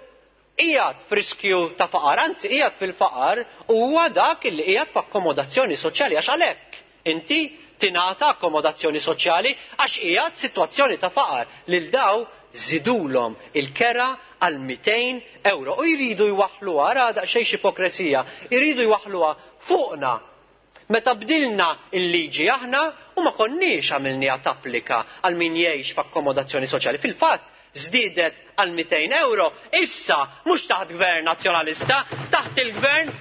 qiegħed f'riskju ta' faqar, anzi qiegħed fil-faqar, huwa dak illi qiegħed f'akkomodazzjoni soċjali, għax għalhekk inti tingħata akkomodazzjoni soċjali għax qiegħed sitwazzjoni ta' faqar. Lil daw żidulhom il-kera għal mitejn euro u jridu jwaħħluha, ara daqsxejn x'ipokresija, jridu jwaħħluha fuqna. Meta bdilna il-liġi aħna u ma konniex għamilniha tapplika għal min jgħix f'akkomodazzjoni soċjali. Fil-fatt żdiedet għal mitejn euro, issa mhux taħt gvern nazzjonalista, taħt il-gvern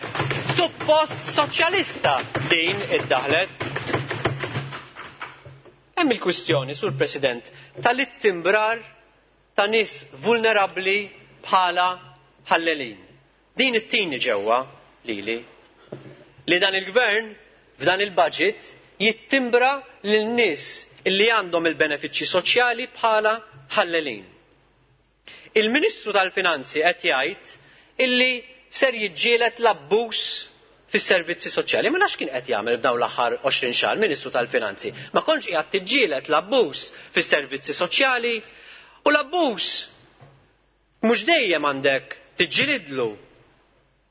suppost soċjalista din iddaħlet. Hemm il-kwistjoni, Sur President, tal-ittimbrar ta' nies vulnerabbli bħala ħallelin. Din it-tini ġewwa lili li dan il-gvern f'dan il-budget jittimbra lil nies illi għandhom il-benefiċċji soċjali bħala ħallelin. Il-Ministru tal-Finanzi qed jgħid illi ser jiġġieled l-abbuż fis-servizzi soċjali. Ma nafx kien qed jagħmel f'dawn l-aħħar għoxrin xahar Ministru tal-Finanzi. Ma kontx qiegħed tiġġieled l-abbuż fis-servizzi soċjali, u l-abbuż mhux dejjem għandek tiġġielidlu.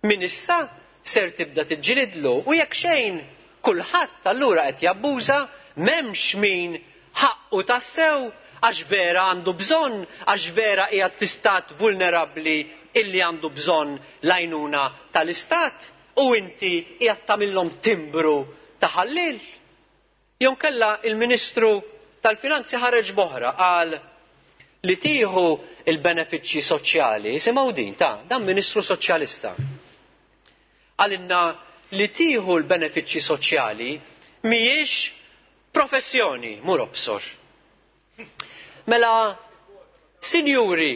Min issa ser tibda tiġġielidlu, u jekk xejn kulħadd allura qed jabbuża, m'hemmx min ħaqqu tassew għax vera għandu bżonn, għax vera qiegħed fi stat vulnerabbli illi għandu bżonn l-għajnuna tal-istat, u inti qiegħed tagħmilhom timbru ta' ħallil. Jew kellha il-Ministru tal-Finanzi ħareġ boħra qal li tieħu il-benefiċċji soċjali, isimgħu din ta' dan Ministru Soċjalista. Għalinna li tieħu l-benefiċċji soċjali mhijiex professjoni, mur obsor. Mela, sinjuri,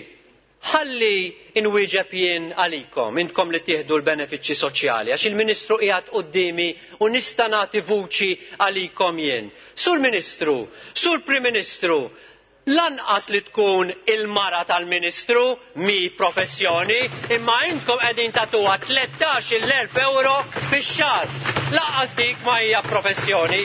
ħalli inwieġeb jien għalikom, intkom li tieħdu l-benefiċċji soċjali, għax il-Ministru qiegħed quddiemi u nista' nagħti vuċi għalikom jien. Sur Ministru, Sur Prim Ministru, lanqas li tkun il-mara tal-Ministru mi professjoni, imma intkom qegħdin tagħtuha tlettax-il elf euro fix-xahar. Lanqas dik ma hija professjoni.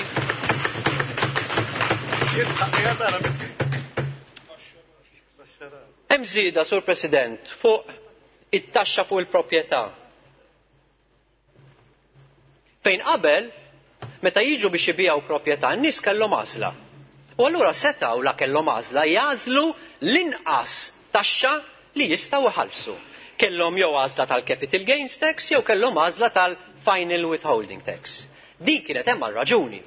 Hemm żieda, Sur President, fuq it-taxxa fuq il-proprjetà. Fejn qabel, meta jiġu biex ibijaw proprjetà, n-nies kellhom għażla. U allura setgħu la kellhom għażla jagħżlu l-inqas taxxa li jistgħu iħallsu. Kellhom jew għażla tal-capital gains tax jew kellhom għażla tal-final withholding tax. Din kienet hemm għal raġuni.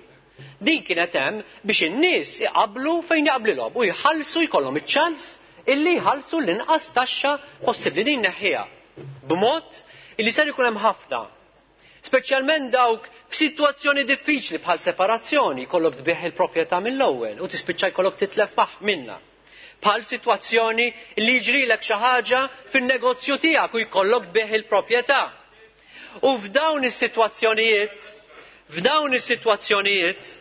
Din kienet hemm biex in-nies iqablu fejn jaqblilhom u jħallsu jkollhom iċ-ċans illi jħallsu l-inqas taxxa possibbli. Din neħħiha b'mod illi ser ikun hemm ħafna, speċjalment dawk f'sitwazzjoni diffiċli bħal separazzjoni, jkollok tbieħ il-proprjetà mill-ewwel u tispiċċa jkollok titlef maħ minnha. Bħal sitwazzjoni li jiġrilek xi ħaġa fin-negozju tiegħek u jkollok tbieħ il-proprjetà. U f'dawn is-sitwazzjonijiet, f'dawn is-sitwazzjonijiet,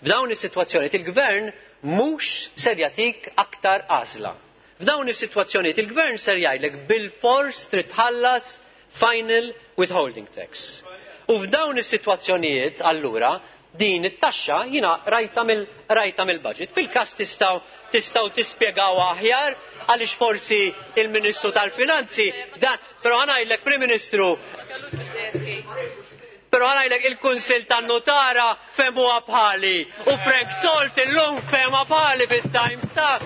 f'dawn is-sitwazzjonijiet il-gvern mhux ser jagħtik aktar għażla. F'dawn is-sitwazzjonijiet il-gvern ser jgħidlek bil-fors trid tħallas final withholding tax. U f'dawn is-sitwazzjonijiet allura Din it-taxxa jiena rajta mill rajta mill-budget. Fil-każ tistgħu tistgħu tispjegaw aħjar għaliex forsi il-Ministru tal-Finanzi dan, però ħa ngħidlek Prim Ministru, però ħa ngħidlek il-Kunsill tan-Nutara fehmuha bħali u Frank Salt illum fehmha bħali fit-Times ta'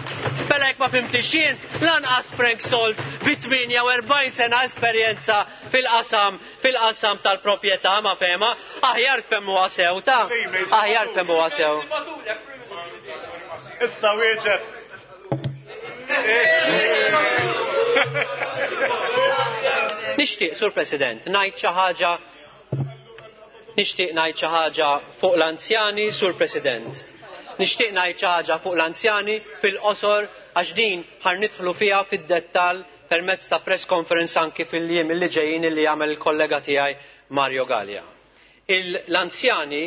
Bella jekk ma fhimtix jien, lanqas Frank Salt bi tmienja u erbgħin sena esperjenza fil-qasam fil-qasam tal-proprjetà ma fehma, aħjar tfehmuha sew ta' aħjar tfehmuha sew. Issa wieġeb. Nixtieq, Sur President, ngħid xi ħaġa nixtieq ngħid xi ħaġa fuq l-anzjani, Sur President. Nixtieq ngħid xi ħaġa fuq l-anzjani fil-qosor għax din ħa nidħlu fiha fid-dettall permezz ta' press conference anki fil-jiem li ġejjin li jagħmel il-kollega tiegħi Mario Galea. L-anzjani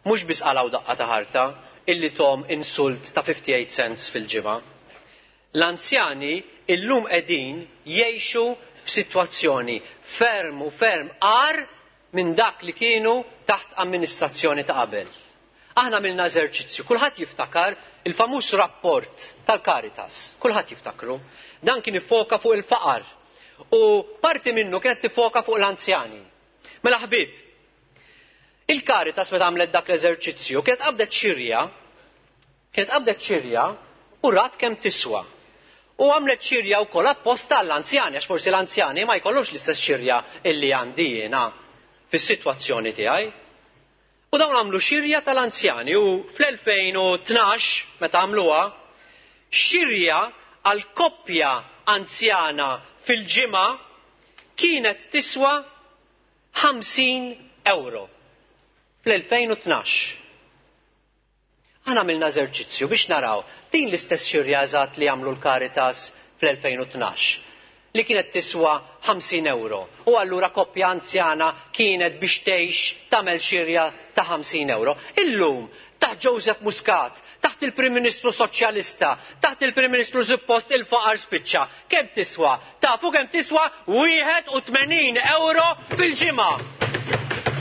mhux biss qalgħu daqqa ta' ħarta illi tom insult ta' fifty-eight cents fil-ġimgħa. L-anzjani illum qegħdin jgħixu f'sitwazzjoni ferm u ferm agħar minn dak li kienu taħt amministrazzjoni ta' qabel. Aħna għamilna eżerċizzju, kulħadd jiftakar il-famuż rapport tal-Caritas, kulħadd jiftakru. Dan kien ifoka fuq il-faqar u parti minnu kienet tifoka fuq l-anzjani. Mela ħbib, il-Caritas meta għamlet dak l-eżerċizzju kienet qabdet xirja, kienet qabdet xirja u rat kemm tiswa. U għamlet xirja wkoll apposta għall-anzjani, għax forsi l-anzjani ma jkollux l-istess xirja illi għandi jiena fis-sitwazzjoni tiegħi. U dawn għamlu xirja tal-anzjani u fl-elfejn u tnax, meta għamluha, xirja għal koppja anzjana fil-ġimgħa kienet tiswa ħamsin euro fl-elfejn u tnax. Aħna għamilna eżerċizzju biex naraw din l-istess xirja eżatt li għamlu l-Caritas fl-elfejn u tnax li kienet tiswa ħamsin euro. U allura koppja anzjana kienet biex tgħix tagħmel xirja ta' ħamsin euro. Illum, taħt Joseph Muscat, taħt il-Prim Ministru Soċjalista, taħt il-Prim Ministru suppost il-faqar spiċċa, kemm tiswa? Tafu kemm tiswa? Wieħed u tmenin euro fil-ġimgħa.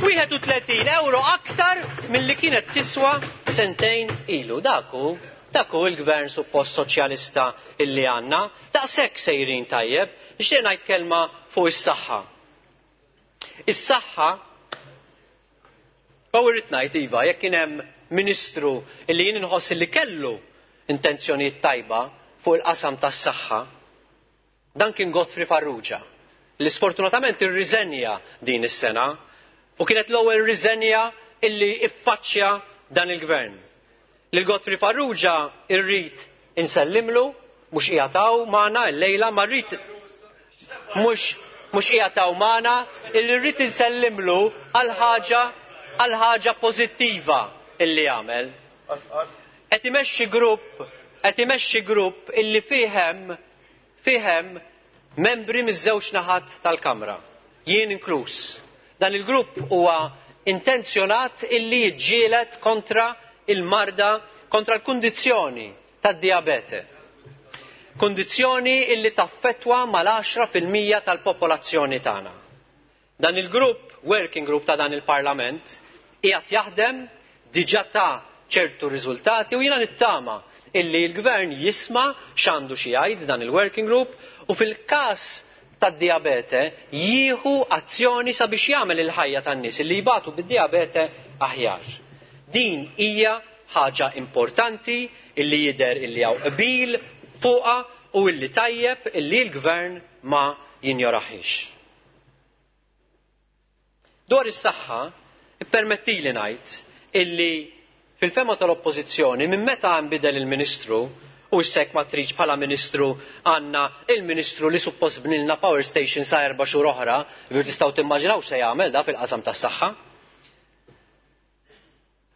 Wieħed u tletin euro aktar milli kienet tiswa sentejn ilu. Dak hu, dak hu l-gvern suppost soċjalista illi għandna, daqshekk sejrin tajjeb. Nixtieq ngħid kelma fuq is-saħħa. Is-saħħa, u rrid ngħid iva, jekk kien hemm ministru illi jien inħoss li kellu intenzjonijiet tajba fuq il-qasam tas-saħħa, dan kien Godfrey Farrugia, li sfortunatament irriżenja din is-sena u kienet l-ewwel riżenja illi iffaċċja dan il-gvern. Lil Godfrey Farrugia irrid insellimlu, mhux qiegħed hawn magħna llejla, ma rrid mhux, mhux qiegħed hawn magħna, illi rrid insellimlu għal ħaġa, għal ħaġa pożittiva illi għamel. Qed imexxi grupp, qed imexxi grupp illi fihem, fihem membri miż-żewġ naħat tal-Kamra, jien inkluż. Dan il-grupp huwa intenzjonat illi jiġġieled kontra il-marda, kontra l-kundizzjoni tad-diabete. Kundizzjoni illi taffettwa mal-għaxra fil-mija tal-popolazzjoni tagħna. Dan il-grupp, working group ta' dan il-Parlament, qiegħed jaħdem diġà ta' ċertu riżultati u jiena nittama illi l-gvern jisma' x'għandu xi jgħid dan il-working group u fil-każ tad-diabete jieħu azzjoni sabiex jagħmel il-ħajja tan-nies illi jbatu bid-diabete aħjar. Din hija ħaġa importanti illi jidher illi hawn qbil fuqha u illi tajjeb illi l-gvern ma jinjoraħiex. Dwar is-saħħa, ippermettili ngħid illi fil-fema tal-Oppożizzjoni minn meta nbidel il-Ministru u issek ma tridx bħala Ministru għandna il-Ministru li suppost bnilna power station sa erba' xhur oħra, biex tistgħu timmaġinaw x'se jagħmel da fil-qasam tas-saħħa.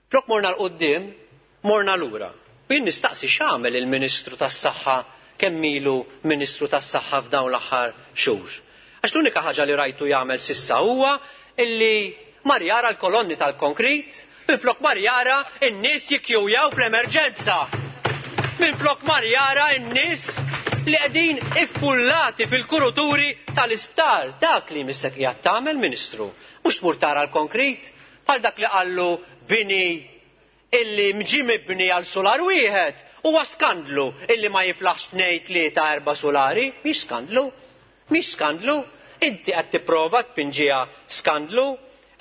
Flok morna l-qudiem, morna lura. U jien nistaqsi x'għamel il-Ministru tas-Saħħa kemm ilu Ministru tas-Saħħa f'dawn l-aħħar xhur. Għax l-unika ħaġa li rajtu jagħmel sissa huwa illi mar jara l-kolonni tal-konkrit, minflok mar jara n-nies jikkjujaw fl-emerġenza. Minflok mar jara n-nies li qegħdin iffullati fil-kuruturi tal-isptar. Dak li missek qiegħed tagħmel, Ministru. Mhux tmur tara l-konkrit, Bħal dak li qallu bini illi mġi mibni għal solar wieħed huwa skandlu illi ma jiflaħx tnejn tlieta erba' solari, mhix skandlu, mhix skandlu. Inti qed tipprova tpinġiha skandlu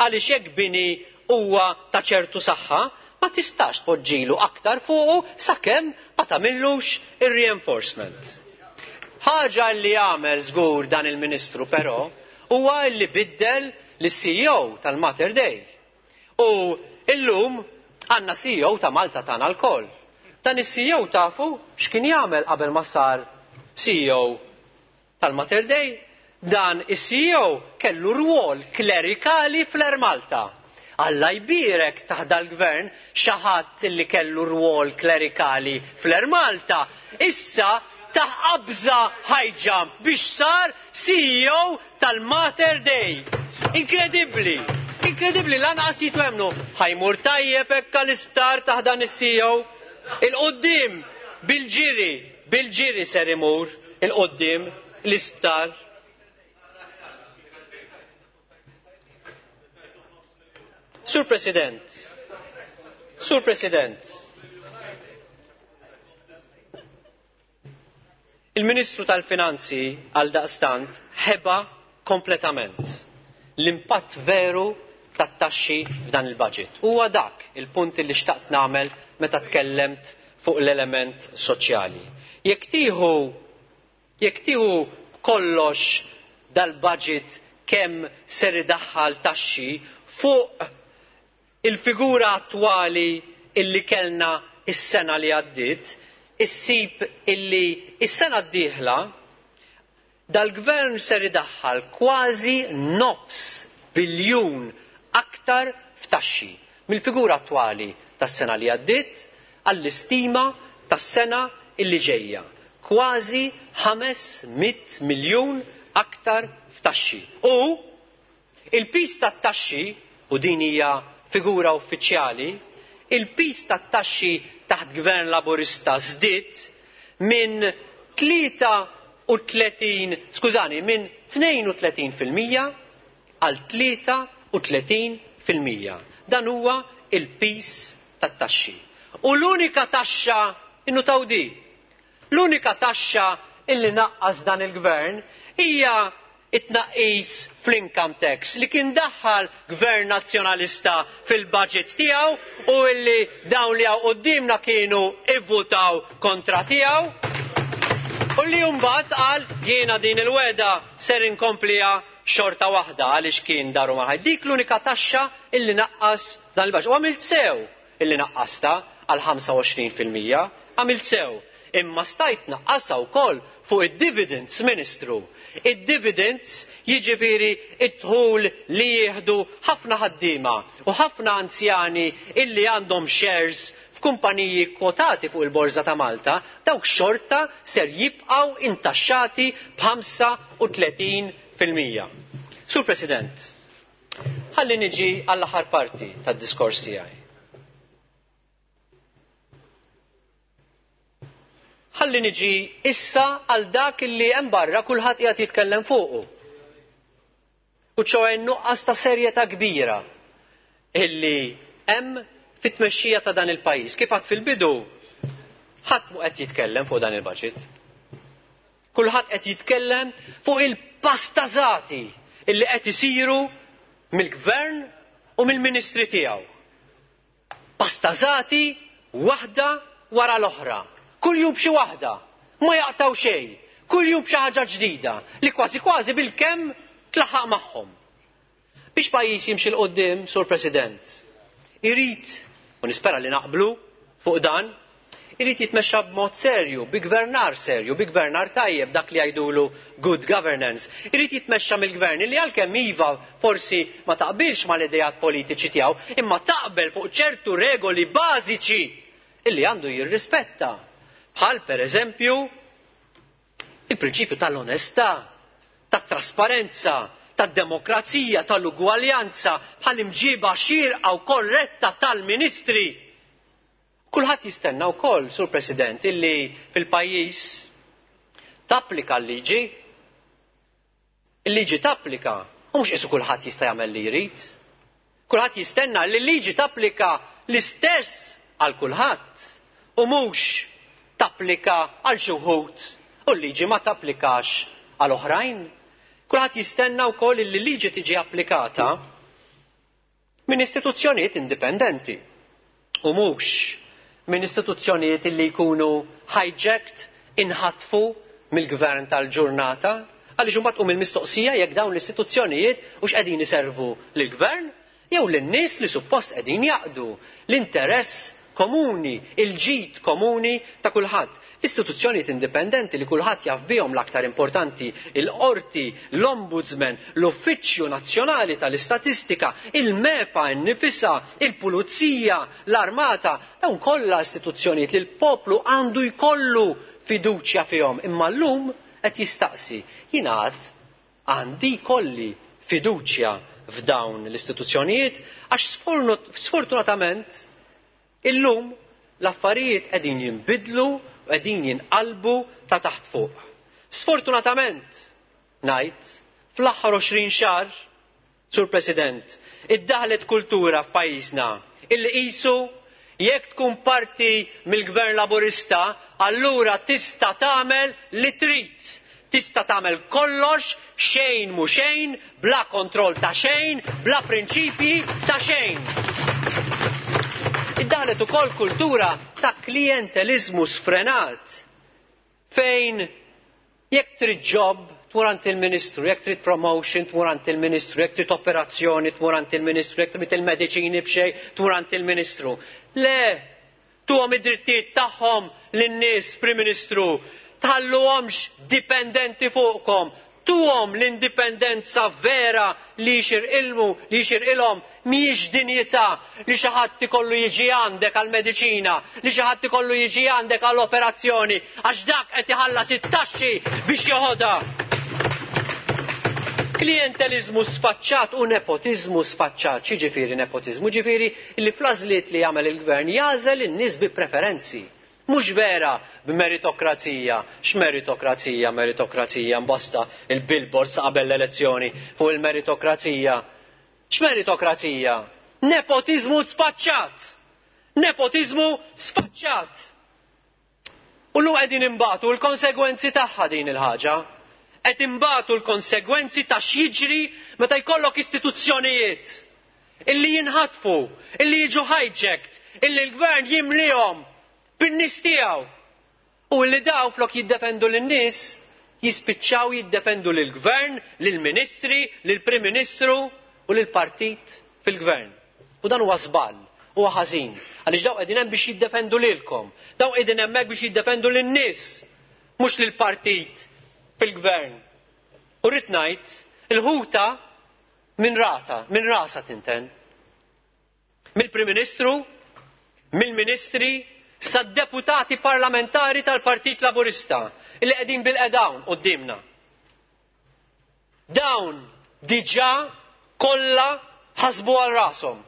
għaliex jekk bini huwa ta' ċertu saħħa ma tistax tpoġġilu aktar fuqu sakemm ma tagħmillux ir-reinforcement. Ħaġa li għamel żgur dan il-Ministru però huwa li biddel lis-C E O tal-Mater Dei. U illum għandna C E O ta' Malta tagħna lkoll. Dan is-C E O tafu x'kien jagħmel qabel ma sar C E O tal-Mater Dei? Dan is-C E O kellu rwol klerikali fl-Air Malta. Alla jbierek taħt dal-gvern xi ħadd li kellu rwol klerikali fl-Air Malta. Issa ta' qabża high jump biex sar C E O tal-Mater Dei. Inkredibbli, inkredibbli, lanqas jitwemnu. Ħajmur tajjeb hekk għall-isptar taħt dan is-C E O. Il-qoddim bil-ġiri, bil-ġiri ser imur il-qoddim l-isptar. Sur President, Sur President, il-Ministru tal-Finanzi għal daqstant ħeba kompletament l-impatt veru tat-taxxi f'dan il-budget. Huwa dak il-punt li xtaqt nagħmel meta tkellemt fuq l-element soċjali. Jekk tieħu jekk tieħu kollox dal-budget kemm ser idaħħal taxxi fuq il-figura attwali illi kellna is-sena li għaddiet, issib illi is-sena d-dieħla dal-gvern ser idaħħal kważi nofs biljun aktar f'taxxi mill-figura attwali tas-sena li għaddiet għall-istima tas-sena illi ġejja. Kważi ħames mitt miljun aktar f'taxxi. U il-pis tat-taxxi, u din hija figura uffiċjali, il-pis tat-taxxi taħt gvern laburista żdied minn tlieta u tletin, skużani, minn tnejn u tletin fil-mija għal tlieta u tletin fil-mija. Dan huwa il-pis tat-taxxi. U l-unika taxxa, innutaw di, l-unika taxxa illi naqqas dan il-gvern hija it-tnaqqis fl-income tax li kien daħħal gvern nazzjonalista fil-budget tiegħu u illi dawn li hawn quddiemna kienu ivvutaw kontra tiegħu u li mbagħad qal jiena din il-weda ser inkomplija xorta waħda għaliex kien daru mal-ħajt. Dik l-unika taxxa illi naqqas dan il-budget. U għamilt sew illi naqqasta għal ħamsa u għoxrin fil-mija, għamilt sew. Imma stajt naqqasha wkoll fuq id-dividends, Ministru. Id-dividends jiġifieri id-dħul li jieħdu ħafna ħaddiema u ħafna anzjani illi għandhom shares f'kumpaniji kwotati fuq il-Borża ta' Malta, dawk xorta ser jibqgħu intaxxati b'ħamsa u tletin fil-mija. Sur President, ħalli niġi għall-aħħar parti tad-diskors tiegħi. Ħalli niġi issa għal dak illi hemm barra kulħadd qiegħed jitkellem fuqu. U ċoħe nuqqas ta' serjetà kbira illi hemm fit-tmexxija ta' dan il-pajjiż. Kif għad fil-bidu, ħadd mhu qed jitkellem fuq dan il-budget. Kulħadd qed jitkellem fuq il-pastażati illi qed isiru mill-gvern u mill-ministri tiegħu. Pastażati waħda wara l-oħra. Kull jum b'xi waħda, ma jaqtaw xejn, kull jum b'xi ħaġa ġdida li kważi kważi bil-kemm tlaħaq magħhom. Biex pajjiż jimxi 'l quddiem, Sur President, irid, u nispera li naqblu fuq dan, irid jitmexxa b'mod serju, bi gvernar serju, bi gvernar tajjeb, dak li jgħidulu good governance. Irid jitmexxa mill-gvern li għalkemm iva forsi ma taqbilx mal-idejat politiċi tiegħu, imma taqbel fuq ċertu regoli bażiċi illi għandu jirrispetta. Bħal per eżempju il-prinċipju tal-onestà, tat-trasparenza, tad-demokrazija, tal-ugwaljanza, bħal imġiba xierqa u korretta tal-ministri. Kulħadd jistenna wkoll, Sur President, illi fil-pajjiż tapplika l-liġi. Il-liġi tapplika, u mhux qisu kulħadd jista' jagħmel li jrid. Kulħadd jistenna li l-liġi tapplika l-istess għal kulħadd u mhux tapplika għal xi wħud u l-liġi ma tapplikax għal oħrajn. Kulħadd jistenna wkoll li l-liġi tiġi applikata minn istituzzjonijiet indipendenti u mhux minn istituzzjonijiet li jkunu hijacked, inħatfu mill-gvern tal-ġurnata, għaliex imbagħad tqum il-mistoqsija jekk dawn l-istituzzjonijiet hux qegħdin iservu lill-gvern jew lin-nies li suppost qegħdin jaqdu l-interess komuni, il-ġid komuni ta' kulħadd. Istituzzjonijiet indipendenti li kulħadd jaf bihom, l-aktar importanti, il-qorti, l-ombudsman, l-Uffiċċju Nazzjonali tal-Istatistika, il-MEPA nnifisha, il-Pulizija, l-Armata, dawn kollha istituzzjonijiet li l-poplu għandu jkollu fiduċja fihom. Imma llum qed jistaqsi, jingħad għandi jkolli fiduċja f'dawn l-istituzzjonijiet għax sfortunatament illum l-affarijiet qegħdin jinbidlu u qegħdin jinqalbu ta' taħt fuq. Sfortunatament ngħid fl-aħħar għoxrin xahar, Sur President, iddaħlet kultura f'pajjiżna illi qisu jekk tkun parti mill-Gvern Laburista allura tista' tagħmel li trid. Tista' tagħmel kollox, xejn mhu xejn, bla kontroll ta' xejn, bla prinċipji ta' xejn. Iddaħlet ukoll kultura ta' klientelizmu sfrenat fejn jekk trid job tmur għand il-Ministru, jekk trid promotion tmur għand il-Ministru, jekk trid operazzjoni tmur għand il-Ministru, jekk trid il-mediċini b'xejn tmur għand il-Ministru. Le, tuhom id-drittijiet tagħhom lin-nies, Prim Ministru, tħalluhomx dipendenti fuqkom, tuhom l-indipendenza vera li jixirqilmu, li jixirqilhom, mhijiex dinjità li xi ħadd ikollu jiġi għandek għall-mediċina, li xi ħadd ikollu jiġi għandek għall-operazzjoni, għax dak qed iħallas it-taxxi biex joħodha. Klientelizmu sfaċċat u nepotiżmu sfaċċat. X'jiġifieri nepotiżmu? Ġifieri li fl-għażliet li jagħmel il-gvern jagħżel in-nies bi preferenzi. Mhux vera b'meritokrazija. X'meritokrazija? Meritokrazija mbasta il-billboards qabel l-elezzjoni fuq il-meritokrazija. X'meritokrazija? Nepotiżmu sfaċċat. Nepotiżmu sfaċċat. U llum qegħdin imbagħtu l-konsegwenzi tagħha din il-ħaġa. Qed imbagħtu l-konsegwenzi ta' x'jiġri meta jkollok istituzzjonijiet illi jinħatfu, illi jiġu hijacked, illi l-gvern jimlihom bin-nies tiegħu. U li daw flok jiddefendu lin-nies jispiċċaw jiddefendu lill-gvern, lill-ministri, lill-Prim Ministru u lill-partit fil-gvern. U dan huwa żball, huwa ħażin, għaliex daw qegħdin hemm biex jiddefendu lilkom, daw qegħdin hemmhekk biex jiddefendu lin-nies, mhux lill-partit fil-gvern. U rrid ngħid, il-ħuta minn rata, minn rasa tinten. Mill-Prim Ministru, mill-Ministri, sad-deputati parlamentari tal-Partit Laburista illi qegħdin bil-qedawn quddiemna. Dawn diġà kollha ħasbu għal rashom.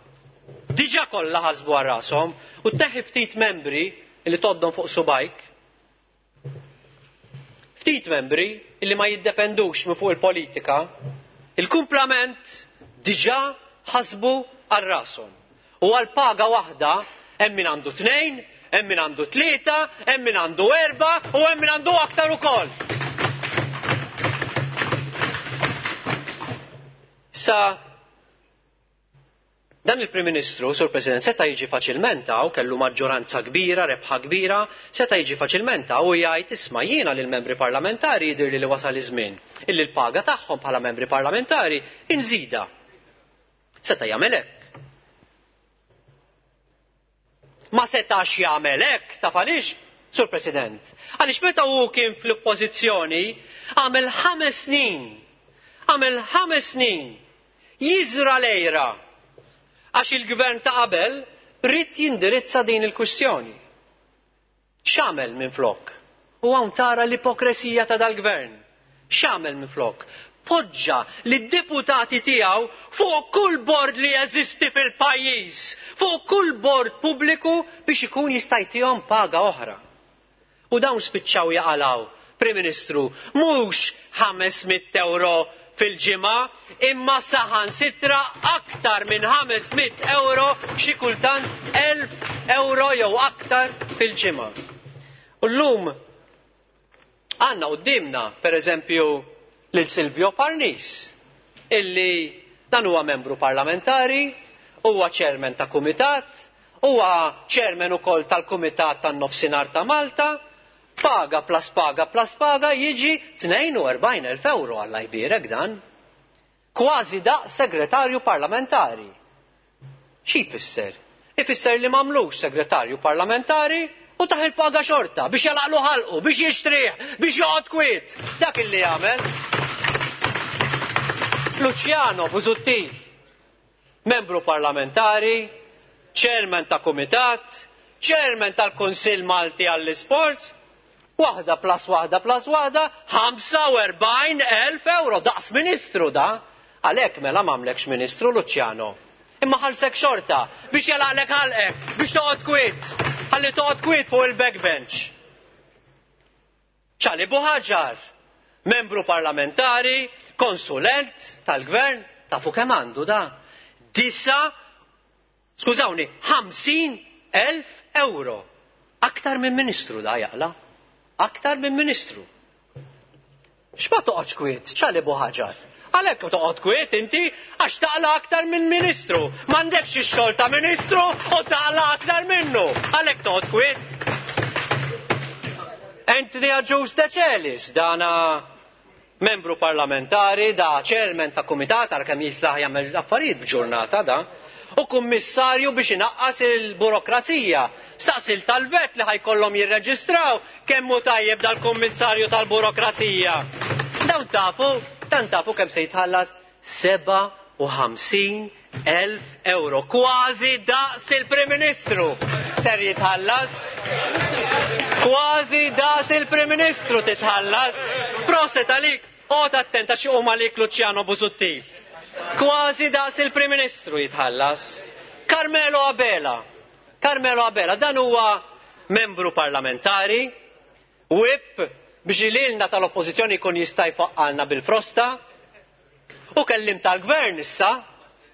Diġà kollha ħasbu għal rashom u teħi ftit membri illi toddhom fuq subajk. Ftit membri illi ma jiddependux minn fuq il-politika, il-kumplament diġà ħasbu għal rashom. U għal paga waħda hemm min għandu tnejn, hemm min għandu tlieta, hemm min għandu erba' u hemm min għandu aktar ukoll. Sa dan il-Prim Ministru, Sur President, seta' jiġi faċilment hawn, kellu maġġoranza kbira, rebħa kbira, seta' jiġi faċilment hawn u jgħid isma' jiena lill-membri parlamentari jidhirli li wasal iż-żmien illi l-paga tagħhom bħala membri parlamentari inżida. Seta' jagħmel hekk. Ma setax jagħmel hekk, taf għaliex, Sur President? Għaliex meta hu kien fl-oppożizzjoni għamel ħames snin, għamel ħames snin jiżra lejra għax il-gvern ta' qabel ried jindirizza din il-kwistjoni. X'għamel minflok? U hawn tara l-ipokresija ta' dal-gvern. X'għamel minflok? Poġġa lid-deputati tiegħu fuq kull bord li jeżisti fil-pajjiż, fuq kull bord pubbliku biex ikun jista' jtihom paga oħra. U dawn spiċċaw jaqalaw, Prim Ministru, mhux ħames mitt euro fil-ġimgħa, imma saħansitra aktar minn ħames mitt euro, xi kultant elf euro jew aktar fil-ġimgħa. U llum għandna quddiemna pereżempju lil Silvio Parnis, illi dan huwa membru parlamentari, huwa chairman ta' kumitat, huwa chairman ukoll tal-Kumitat tan-Nofsinhar ta' Malta, paga plus paga plus paga jiġi tnejn u erbgħin elf euro, Alla jbierek dan. Kważi daq segretarju parlamentari. Xi jfisser? Ifisser li m'għamlux segretarju parlamentari u taħ il-paga xorta biex jalaqlu ħalqu, biex jixtrih, biex joqgħod kwiet. Dak illi jagħmel. Luciano Busuttil, membru parlamentari, chairman ta' kumitat, chairman tal-Kunsill Malti għall-Isports, waħda plus waħda plus waħda, ħamsa u erbgħin elf euro, daqs ministru da. Għalhekk mela m'għamlekx ministru Luciano. Imma ħalsek xorta biex jalaqlek ħalqek, biex toqgħod kwiet, ħalli toqgħod kwiet fuq il-backbench. Ċali Buħaġar, membru parlamentari, konsulent tal-gvern, tafu kemm għandu da? Disa, skużawni, ħamsin elf euro. Aktar minn ministru da jaqla. Aktar minn ministru. X'ma toqgħodx kwiet, Ċali Buħaġar? Għalhekk toqgħod kwiet inti għax taqla aktar minn ministru. M'għandekx ix-xogħol ta' ministru u taqla aktar minnu. Għalhekk toqgħod kwiet. Anthony Agius Decelis, dana membru parlamentari, da chairman ta' kumitat, ara kemm jislaħ jagħmel affarijiet b'ġurnata da, u kummissarju biex inaqqas il-burokrazija. Saqsil tal-vet li ħajkollhom jirreġistraw kemm hu tajjeb dal-kummissarju tal-burokrazija. Dawn tafu, dan tafu kemm se jitħallas seba' u ħamsin elf euro, kważi daqs il-Prim Ministru ser jitħallas. Kważi daqs il-Prim Ministru titħallas. Proset għalik, oqgħod attenta xi huma għalik Luciano Busuttil. Kważi daqs il-Prim Ministru jitħallas. Carmelo Abela. Carmelo Abela, dan huwa membru parlamentari, whip biex lilna tal-oppożizzjoni jkun jista' jfaqqalna bil-frosta, u kellim tal-gvern issa,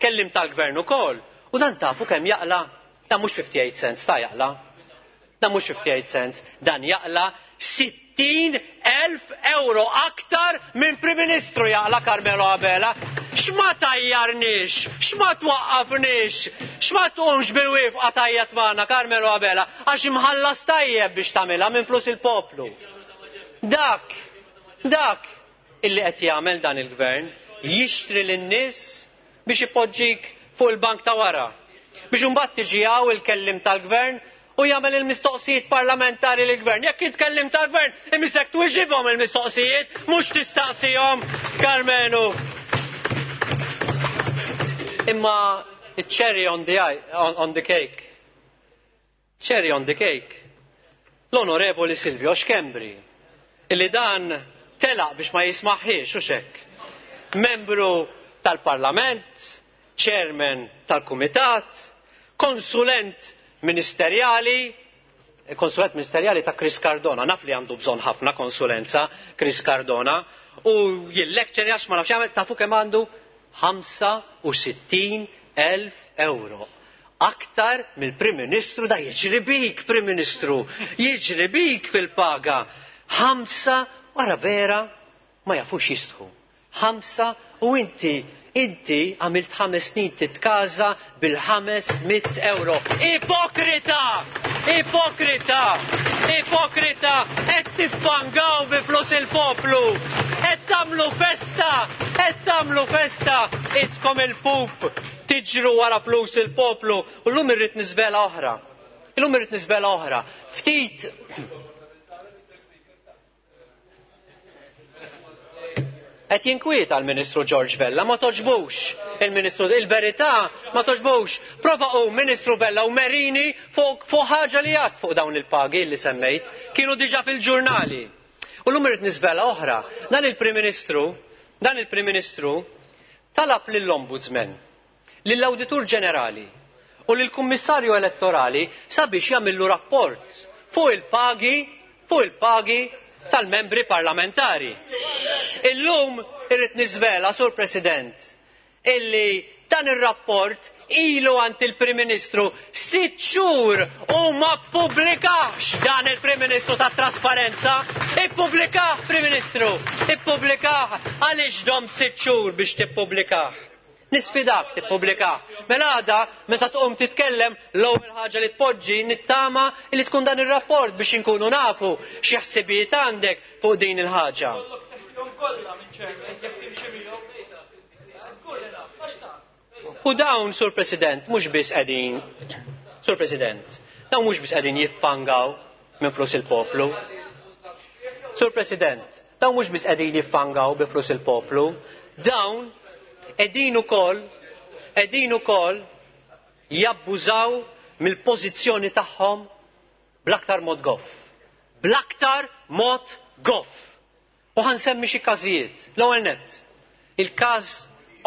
kellim tal-gvern ukoll. U dan tafu kemm jaqla, dan mhux fifty-eight cents ta' jaqla. Dan mhux fifty-eight cents, dan jaqla sittin elf euro aktar minn Prim Ministru jaqla Carmelo Abela. X'ma tajjarniex, x'ma twaqqafniex, x'ma tqumx bil-wifqa tajjat magħna Carmelo Abela, għax imħallas tajjeb biex tagħmilha minn flus il-poplu. Dak, dak illi qed jagħmel dan il-gvern, jixtri lin-nies biex ipoġġik fuq il-bank ta' wara. Biex imbagħad tiġi hawn il-kellim tal-gvern u jagħmel il-mistoqsijiet parlamentari lill-gvern. Jekk jitkellim tal-gvern, imisek twiġibhom il-mistoqsijiet, mhux tistaqsihom, Karmenu. Imma cherry on the, on, on the cake. Cherry on the cake. L-Onorevoli Silvio Schembri, illi dan telaq biex ma jismaħħiex u xekk. Membru tal-Parlament, chairman tal-Kumitat, konsulent ministerjali, konsulent ministerjali ta' Chris Cardona, naf li għandu bżonn ħafna konsulenza Chris Cardona, u jil-lecture għax ma nafx jagħmel, tafu kemm għandu ħamsa u sittin elf euro. Aktar mill-Prim Ministru, da jiġri bik, Prim Ministru, jiġri bik fil-paga. Ħamsa, wara vera, ma jafux jistħu. Ħamsa, u inti, inti għamilt ħames snin titkaża bil-ħames mitt euro. Ipokrita! Ipokrita! Ipokrita! Qed tiffangaw bi flus il-poplu! Qed tagħmlu festa! Qed tagħmlu festa! Iskom il-pup tiġru wara flus il-poplu. U llum irrid niżvela oħra. Illum irrid niżvela oħra. Ftit qed jinkwieta l-Ministru George Vella, ma toġbux il-Ministru, il-verità ma toġbux. Prova u Ministru Vella u Merini fuq, fuq ħaġa li għad fuq dawn il-pagi li semmejt, kienu diġà fil-ġurnali. U llum irrid niżvela oħra. Dan il-Prim Ministru, dan il-Prim Ministru talab lill-Ombudsman, lill-Awditur Ġenerali u lill-Kummissarju Elettorali sabiex jagħmillu rapport fuq il-pagi, fuq il-pagi tal-membri parlamentari. Illum irrid niżvela, Sur President, illi dan ir-rapport ilu għand il-Prim Ministru sitt xhur u ma ppubblikahx dan il-Prim Ministru tat-trasparenza. Ippubblikah, Prim Ministru, ippubblikah. Għaliex domt sitt xhur biex tippubblikah? Nisfidak tippubblikah. Mela għada meta tqum titkellem l-ewwel ħaġa li tpoġġi nittama li tkun dan ir-rapport biex inkunu nafu xi ħsibijiet għandek fuq din il-ħaġa. U dawn, Sur President, mhux biss qegħdin, Sur President, dawn mhux biss qegħdin jiffangaw minn flus il-poplu. Sur President, dawn mhux biss qegħdin jiffangaw bi flus il-poplu, dawn qegħdin ukoll qegħdin ukoll jabbużaw mill-pożizzjoni tagħhom bl-aktar mod goff. Bl-aktar mod goff. U ħansemmi xi każijiet. L-ewwel nett, il-każ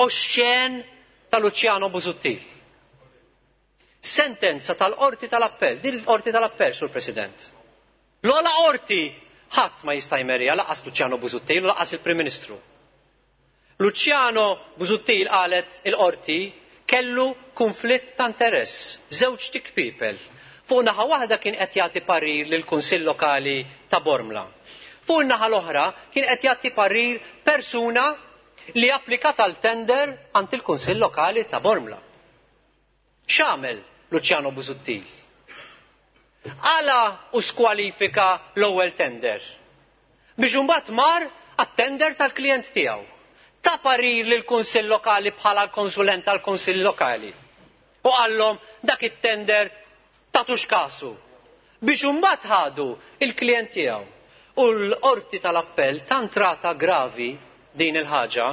oxxen ta' Luciano Busuttil. Sentenza tal-Qorti tal-Appell, din l-Qorti tal-Appell, Sur President. L-ogħla qorti ħadd ma jista' jmerija laqas Luciano Busuttil u laqas il-Prim Ministru. Luciano Busuttil qalet il-qorti kellu konflitt ta' interess, żewġ tikpipel. Fuq naħa waħda kien qed jagħti parir lill-Kunsill Lokali ta' Bormla. Fuq naħa l-oħra kien qed jagħti parir persuna li applikat għal tender għand il-Kunsill Lokali ta' Bormla. X'għamel Luciano Busuttil? Għala u skwalifika l-ewwel tender. Biex imbagħad mar għat-tender tal-klijent tiegħu. Ta' parir lill-Kunsill Lokali bħala l-konsulent tal-Kunsill Lokali. U qallhom dak it-tender tagħtux kasu. Biex imbagħad ħadu il-klijent tiegħu. U l-Qorti tal-Appell tant rata gravi din il-ħaġa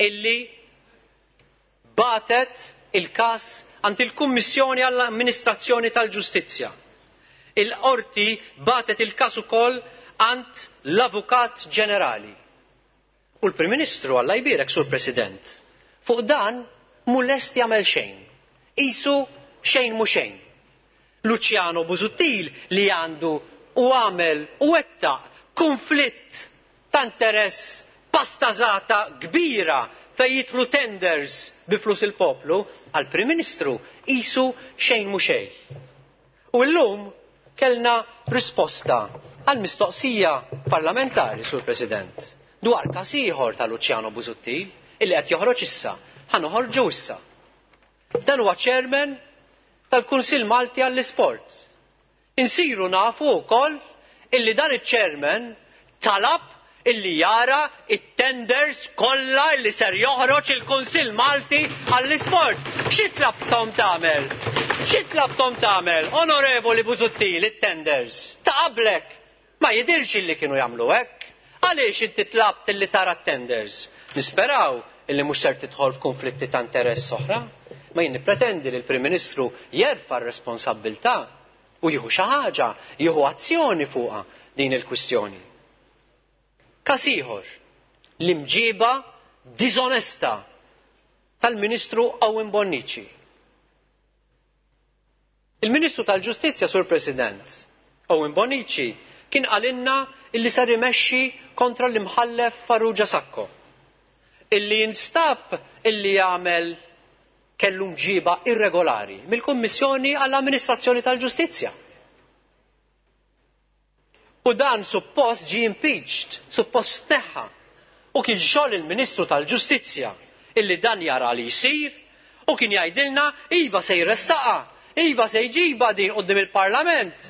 illi batet il-każ għand il-Kummissjoni għall-Amministrazzjoni tal-Ġustizzja. Il-Qorti batet il-każ ukoll għand l-Avukat Ġenerali. U l-Prim Ministru, Alla jbierek, Sur President, fuq dan mhu lest jagħmel xejn. Qisu xejn mhu xejn. Luciano Busuttil li għandu u għamel u wettaq konflitt ta' interess pastażata kbira fejn jidħlu tenders bi flus il-poplu, għall-Prim Ministru qisu xejn mhu xejn. U llum kellna risposta għal mistoqsija parlamentari, Sur President, dwar każ ieħor ta' Luciano Busuttil illi qed joħroġ issa, ħa noħorġu issa. Dan huwa chairman tal-Kunsill Malti għall-Isport. Insiru nafu wkoll illi dan iċ-chairman talab illi jara it-tenders kollha illi ser joħroġ il-Kunsill Malti għall-Isport. Xi tlabtom tagħmel? Xi tlabtom tagħmel, Onorevoli Busuttil, it-tenders? Ta' qablek ma jidirx illi kienu jagħmlu hekk. Għaliex inti tlabt illi tara t-tenders? Nisperaw illi mhux ser tidħol f'konflitti ta' interess oħra. Ma jien nippretendi li l-Prim Ministru jerfa' r-responsabbiltà u jieħu xi ħaġa, jieħu azzjoni fuqha din il-kwistjoni. Każ ieħor, l-imġiba diżonesta tal-Ministru Owen Bonnici. Il-Ministru tal-Ġustizzja, Sur President, Owen Bonnici, kien qalilna illi ser imexxi kontra l-imħallef Farrugia Sacco, illi jinstab illi jagħmel kellu mġiba irregolari mill-Kummissjoni għall-Amministrazzjoni tal-Ġustizzja. U dan suppost ġie impeached, suppost tneħħa. U kien xogħol il-Ministru tal-Ġustizzja illi dan jara li jsir u kien jgħidilna iva se jressaqa, iva se jġiba din quddiem il-Parlament.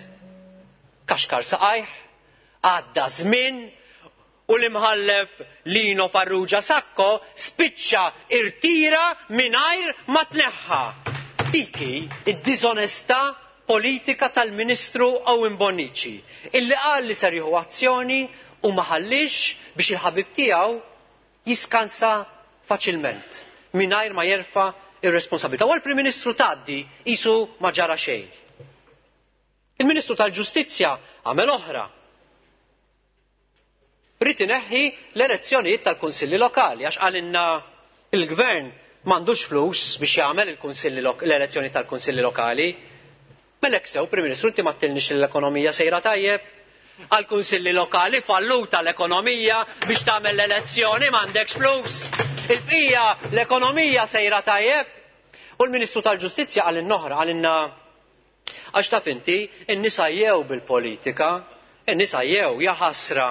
Kaxkar saqajh, għadda żmien u l-imħallef Lino Farrugia Sacco spiċċa irtira mingħajr ma tneħħa. Dik hi id-diżonestà politika tal-Ministru Owen Bonnici illi qal li ser jieħu azzjoni u ma ħallix biex il-ħabib tiegħu jiskansa faċilment mingħajr ma jerfa' ir-responsabilità. U għall-Prim Ministru tgħaddi qisu ma ġara xejn. Il-Ministru tal-Ġustizzja għamel oħra. Rrid ineħħi l-elezzjonijiet tal-Kunsilli Lokali għax qalilna il-Gvern m'għandux flus biex jagħmel il-kunsilli l-elezzjoni tal-Kunsilli Lokali. Mela hekk sew, Prim Ministru, inti ma ttilniex li l-ekonomija sejra tajjeb, Għall-kunsilli lokali falluta l-ekonomija biex tagħmel l-elezzjoni m'għandekx flus. Il-bqija l-ekonomija sejra tajjeb. U l-Ministru tal-Ġustizzja qalilna oħra, qalilna għax taf inti, in-nisa jew bil-politika, in-nisa jew jaħasra.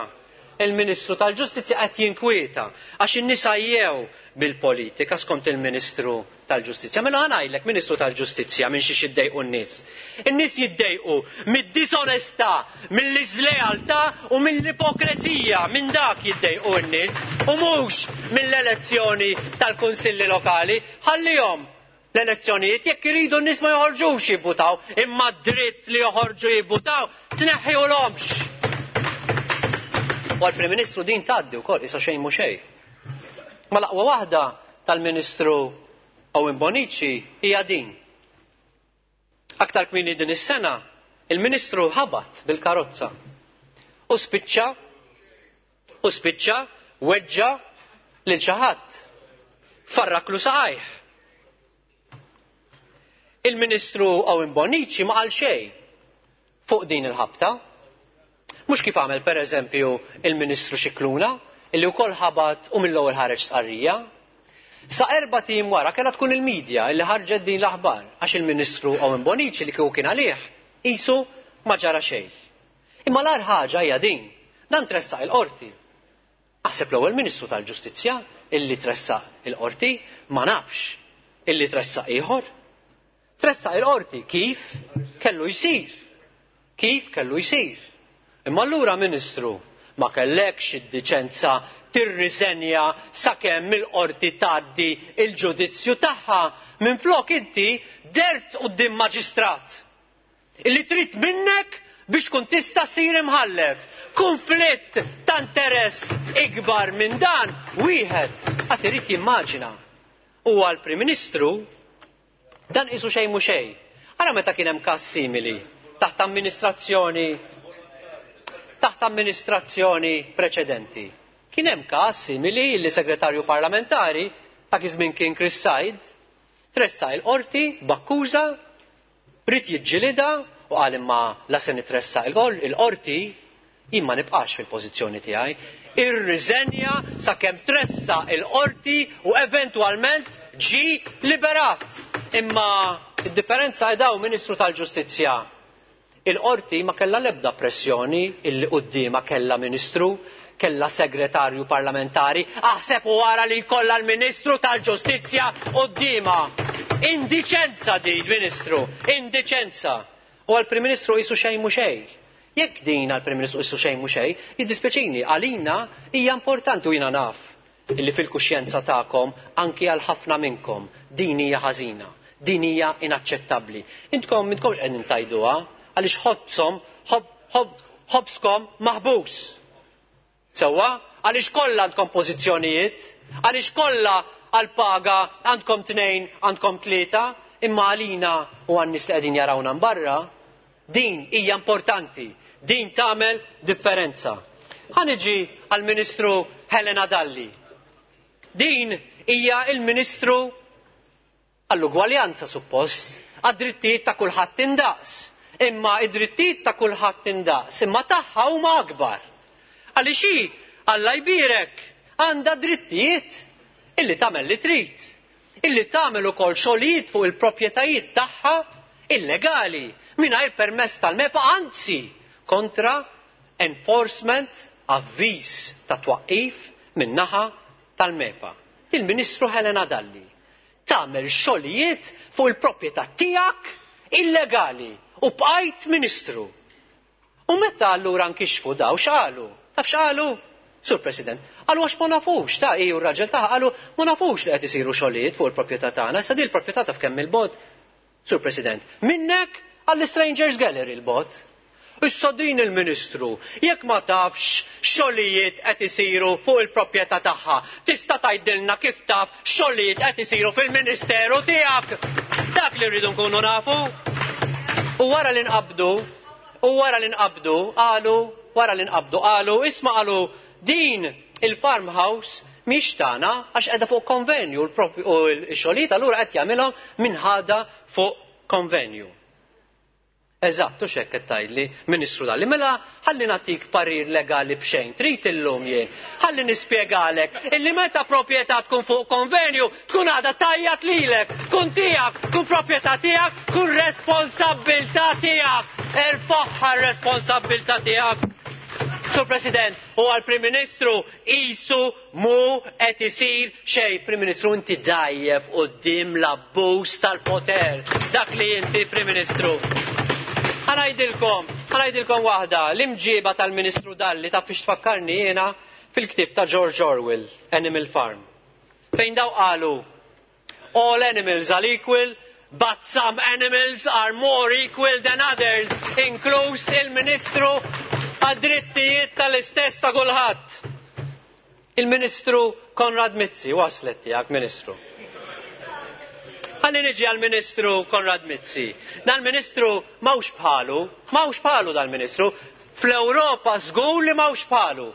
Il-Ministru tal-Ġustizzja qed jinkwieta għax in-nisa jew bil-politika skont il-Ministru tal-Ġustizzja. Mela ħa ngħidlek, Ministru tal-Ġustizzja, minn xiex jiddejqu n-nies. In-nies jiddejqu mid-disonestà, mill-iżlealtà u mill-ipokresija, minn dak jiddejqu n-nies u mhux mill-elezzjoni tal-kunsilli lokali. Ħallihom l-elezzjonijiet, jekk iridu n-nies ma joħorġux jivvutaw, imma dritt li joħorġu jivvutaw tneħħiulhomx. U għall-Prim Ministru din tgħaddi wkoll issa xejn mhu xejn. Ma l-aqwa waħda tal-Ministru Owen Bonnici hija din. Aktar kmieni din is-sena, il-Ministru ħabat bil-karozza u spiċċa u spiċċa weġġa lil xi ħadd. Farraklu saqajh. Il-Ministru Owen Bonnici ma qal xejn fuq din il-ħabta. Mhux kif għamel pereżempju il-Ministru Scicluna, illi wkoll ħabat u mill-ewwel ħareġ stqarrija. Sa erba' tim wara kellha tkun il-medja illi ħarġet din l-aħbar għax il-Ministru Owen Bonnici li kieku kien għalih qisu ma ġara xejn. Imma l-agħar ħaġa hija din, dan tressaq il-qorti. Aħseb l-ewwel Ministru tal-Ġustizzja illi tressaq il-qorti, ma nafx illi tressaq ieħor. Tressaq il-qorti kif kellu jsir. Kif kellu jsir. Imma allura Ministru ma kellekx id-diċenza tirriżenja sakemm il-qorti tgħaddi il-ġudizzju tagħha. Minflok inti dert quddiem maġistrat illi trid minnek biex tkun tista' ssir imħallef. Konflitt ta' interess ikbar minn dan wieħed qatt irid jimmaġina. U għall-Prim Ministru dan qisu xejn mhu xejn. Ara meta kien hemm każ simili taħt amministrazzjoni taħt amministrazzjoni preċedenti. Kien hemm każ simili li segretarju parlamentari dak iż-żmien kien Chris Said tressa il-qorti b'akkuża, rid jiġġilida u qal imma la se nitressa il-qorti jien ma nibqax fil-pożizzjoni tiegħi. Irriżenja sakemm tressa il-qorti u eventwalment ġie liberat. Imma id-differenza hi daw Ministru tal-Ġustizzja. Il-qorti ma kellha l-ebda pressjoni illi quddiemha kellha ministru, kellha segretarju parlamentari, aħseb u wara li jkollha l-Ministru tal-Ġustizzja quddiemha. Indiċenza din, Ministru, indiċenza. U għall-Prim Ministru qisu xejn mhu xejn. Jekk din għall-Prim Ministru qisu xejn mhu xejn, jiddispjaċini, għalina hija importanti u jiena naf illi fil-kuxjenza tagħkom anki għal ħafna minnkom din hija ħażina, din hija inaċċettabbli. Intkom intkomx qegħdin tajduha għaliex ħobsom, ħob, ħob, ħobskom maħbus. Sewwa, għaliex kollha għandkom pożizzjonijiet, għaliex kollha għall-paga għandkom tnejn, għandkom tlieta, imma għalina u għan-nies li qegħdin jarawna mbarra, din hija importanti, din tagħmel differenza. Ħa niġi għall-Ministru Helena Dalli. Din hija il-Ministru għall-ugwaljanza suppost, għad-drittijiet ta' kulħadd indaqs. Imma id-drittijiet ta' kulħadd indaqs, imma tagħha huma akbar. Għaliex hi, Alla jbierek, għandha drittijiet illi tagħmel li trid, illi tagħmel ukoll xogħlijiet fuq il-proprjetajiet tagħha illegali mingħajr permess tal-MEPA, anzi kontra enforcement avviż ta' twaqqif min-naħa tal-MEPA. Il-Ministru Helena Dalli tagħmel xogħlijiet fuq il-proprjetà tiegħek illegali u bqajt Ministru. U meta allura nkixfu daw x'qalu? Taf x'qalu? Sur President, qalu għax ma nafux, ta' hi u r-raġel tagħha qalu ma nafux li qed isiru xogħlijiet fuq il-proprjetà tagħna. Issa din il-proprjetà taf kemm il-bot? Sur President, minnek għall-Strangers Gallery l-bot. Issa din il-Ministru, jekk ma tafx xogħlijiet qed isiru fuq il-proprjetà tagħha, tista' tgħidilna kif taf xogħlijiet qed isiru fil-Ministeru tiegħek. Dak li rridu nkunu nafu. U wara li nqabdu, u wara li nqabdu, qalu, wara li nqabdu, qalu, isma' qalu, din il-farmhouse mhix tagħna għax qiegħda fuq konvenju u l-xogħlijiet allura qed jagħmilhom minn ħada fuq konvenju. Eżatt, u x'hekk qed tgħidli, Ministru Dalli. Mela ħalli nagħtik parir legali b'xejn, trid illum jien. Ħalli nispjegalek illi meta proprjetà tkun fuq konvenju, tkun għadha tajjat lilek, tkun tiegħek, tkun proprjetà tiegħek, tkun responsabbiltà tiegħek. Erfaħħa r-responsabbiltà tiegħek. Sur President, u għal-Prim Ministru isu mu qed isir xejn. Prim Ministru, inti dajjef quddiem l-abbuż tal-poter. Dak li inti, Prim Ministru. Ħa ngħidilkom, ħa ngħidilkom waħda, l-imġiba tal-Ministru Dalli taf fiex tfakkarni jiena fil-ktieb ta' George Orwell, Animal Farm. Fejn daw qalu, all animals are equal, but some animals are more equal than others, inkluż il-Ministru għad-drittijiet tal-istess ta' kulħadd. Il-Ministru Konrad Mizzi, waslet tiegħek, Ministru. Ħalli niġi għal-Ministru Konrad Mizzi. Dal-Ministru m'hawnx bħalu, m'hawnx bħalu dal-Ministru. Fl-Ewropa żgur li m'hawnx bħalu.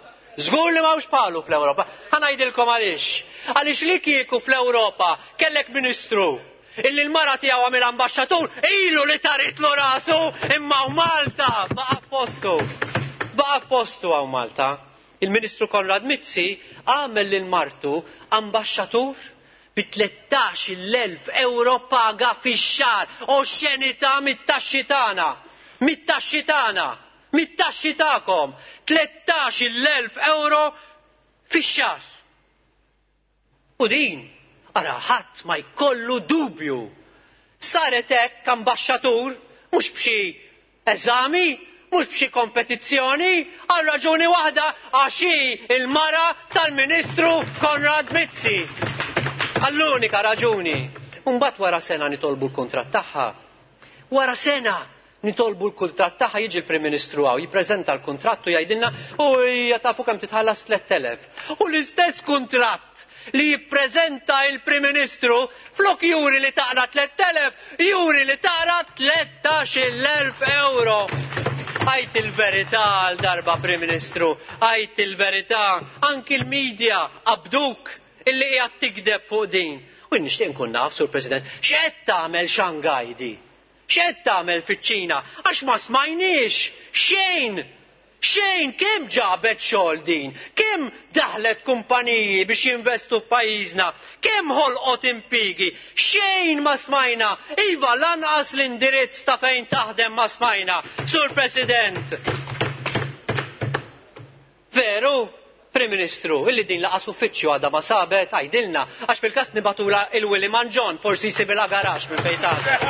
Żgur li m'hawnx bħalu fl-Ewropa. Ħa ngħidilkom għaliex. Għaliex li kieku fl-Ewropa kellek Ministru illi l-mara tiegħu għamil ambaxxatur, ilu li taritlu rasu, imma u Malta baqa' postu. Baqa' postu hawn Malta. Il-Ministru Konrad Mizzi għamel lil martu ambaxxatur bi tlettax-il elf euro paga fix-xahar, oxxenità mit-taxxi tagħna, mit-taxxi tagħna, mit-taxxi tagħkom, tlettax-il elf euro fix-xahar. U din, ara ħadd ma jkollu dubju. Saret hekk ambaxxatur, mhux b'xi eżami, mhux b'xi kompetizzjoni, għal raġuni waħda, għax hi il-mara tal-Ministru Konrad Mizzi. Għall-unika raġuni. Mbagħad wara sena nitolbu l-kuntratt tagħha. Wara sena nitolbu l-kuntratt tagħha, jiġi l-Prim Ministru hawn, jippreżenta l-kuntratt u jgħidilna u hija tafu kemm titħallas tliet elef. U l-istess kuntratt li jippreżenta il-Prim Ministru flok juri li taqra tliet elef, juri li taqra tlettax-il elf euro. Għajt il-verità għal darba, Prim Ministru, għajt il-verità, anki l-medja qabduk illi qiegħed tikdeb fuq din. U nixtieq nkun naf, Sur President, x'qed tagħmel Shanghai di? X'qed tagħmel fiċ-Ċina? Għax ma smajniex xejn. Xejn, kemm ġabet xogħol din? Kemm daħlet kumpaniji biex jinvestu f'pajjiżna? Kemm ħolqot impjiegi? Xejn ma smajna. Iva, lanqas l-indirizz ta' fejn taħdem ma smajna. Sur President. Veru? Prim Ministru, illi din laqas uffiċċju għadha ma sabet, għajdilna, għax fil-każ nibatula il-Willy Manġon, forsi jsibilha garax minn fejn taħdem.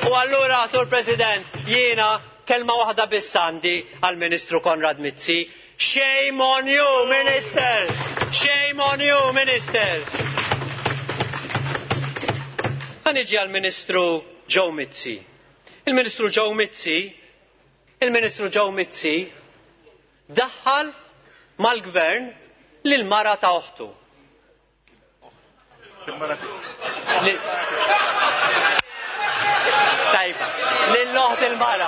U allura, Sur President, jiena kelma waħda biss għandi għall-Ministru Konrad Mizzi. Shame on you, Minister! Shame on you, Minister! Ħa niġi għall-Ministru Joe Mizzi. Il-Ministru Joe Mizzi, il-Ministru Joe Mizzi daħħal mal-gvern lil mara ta' oħtu. Tajba, lill-oħt il-mara.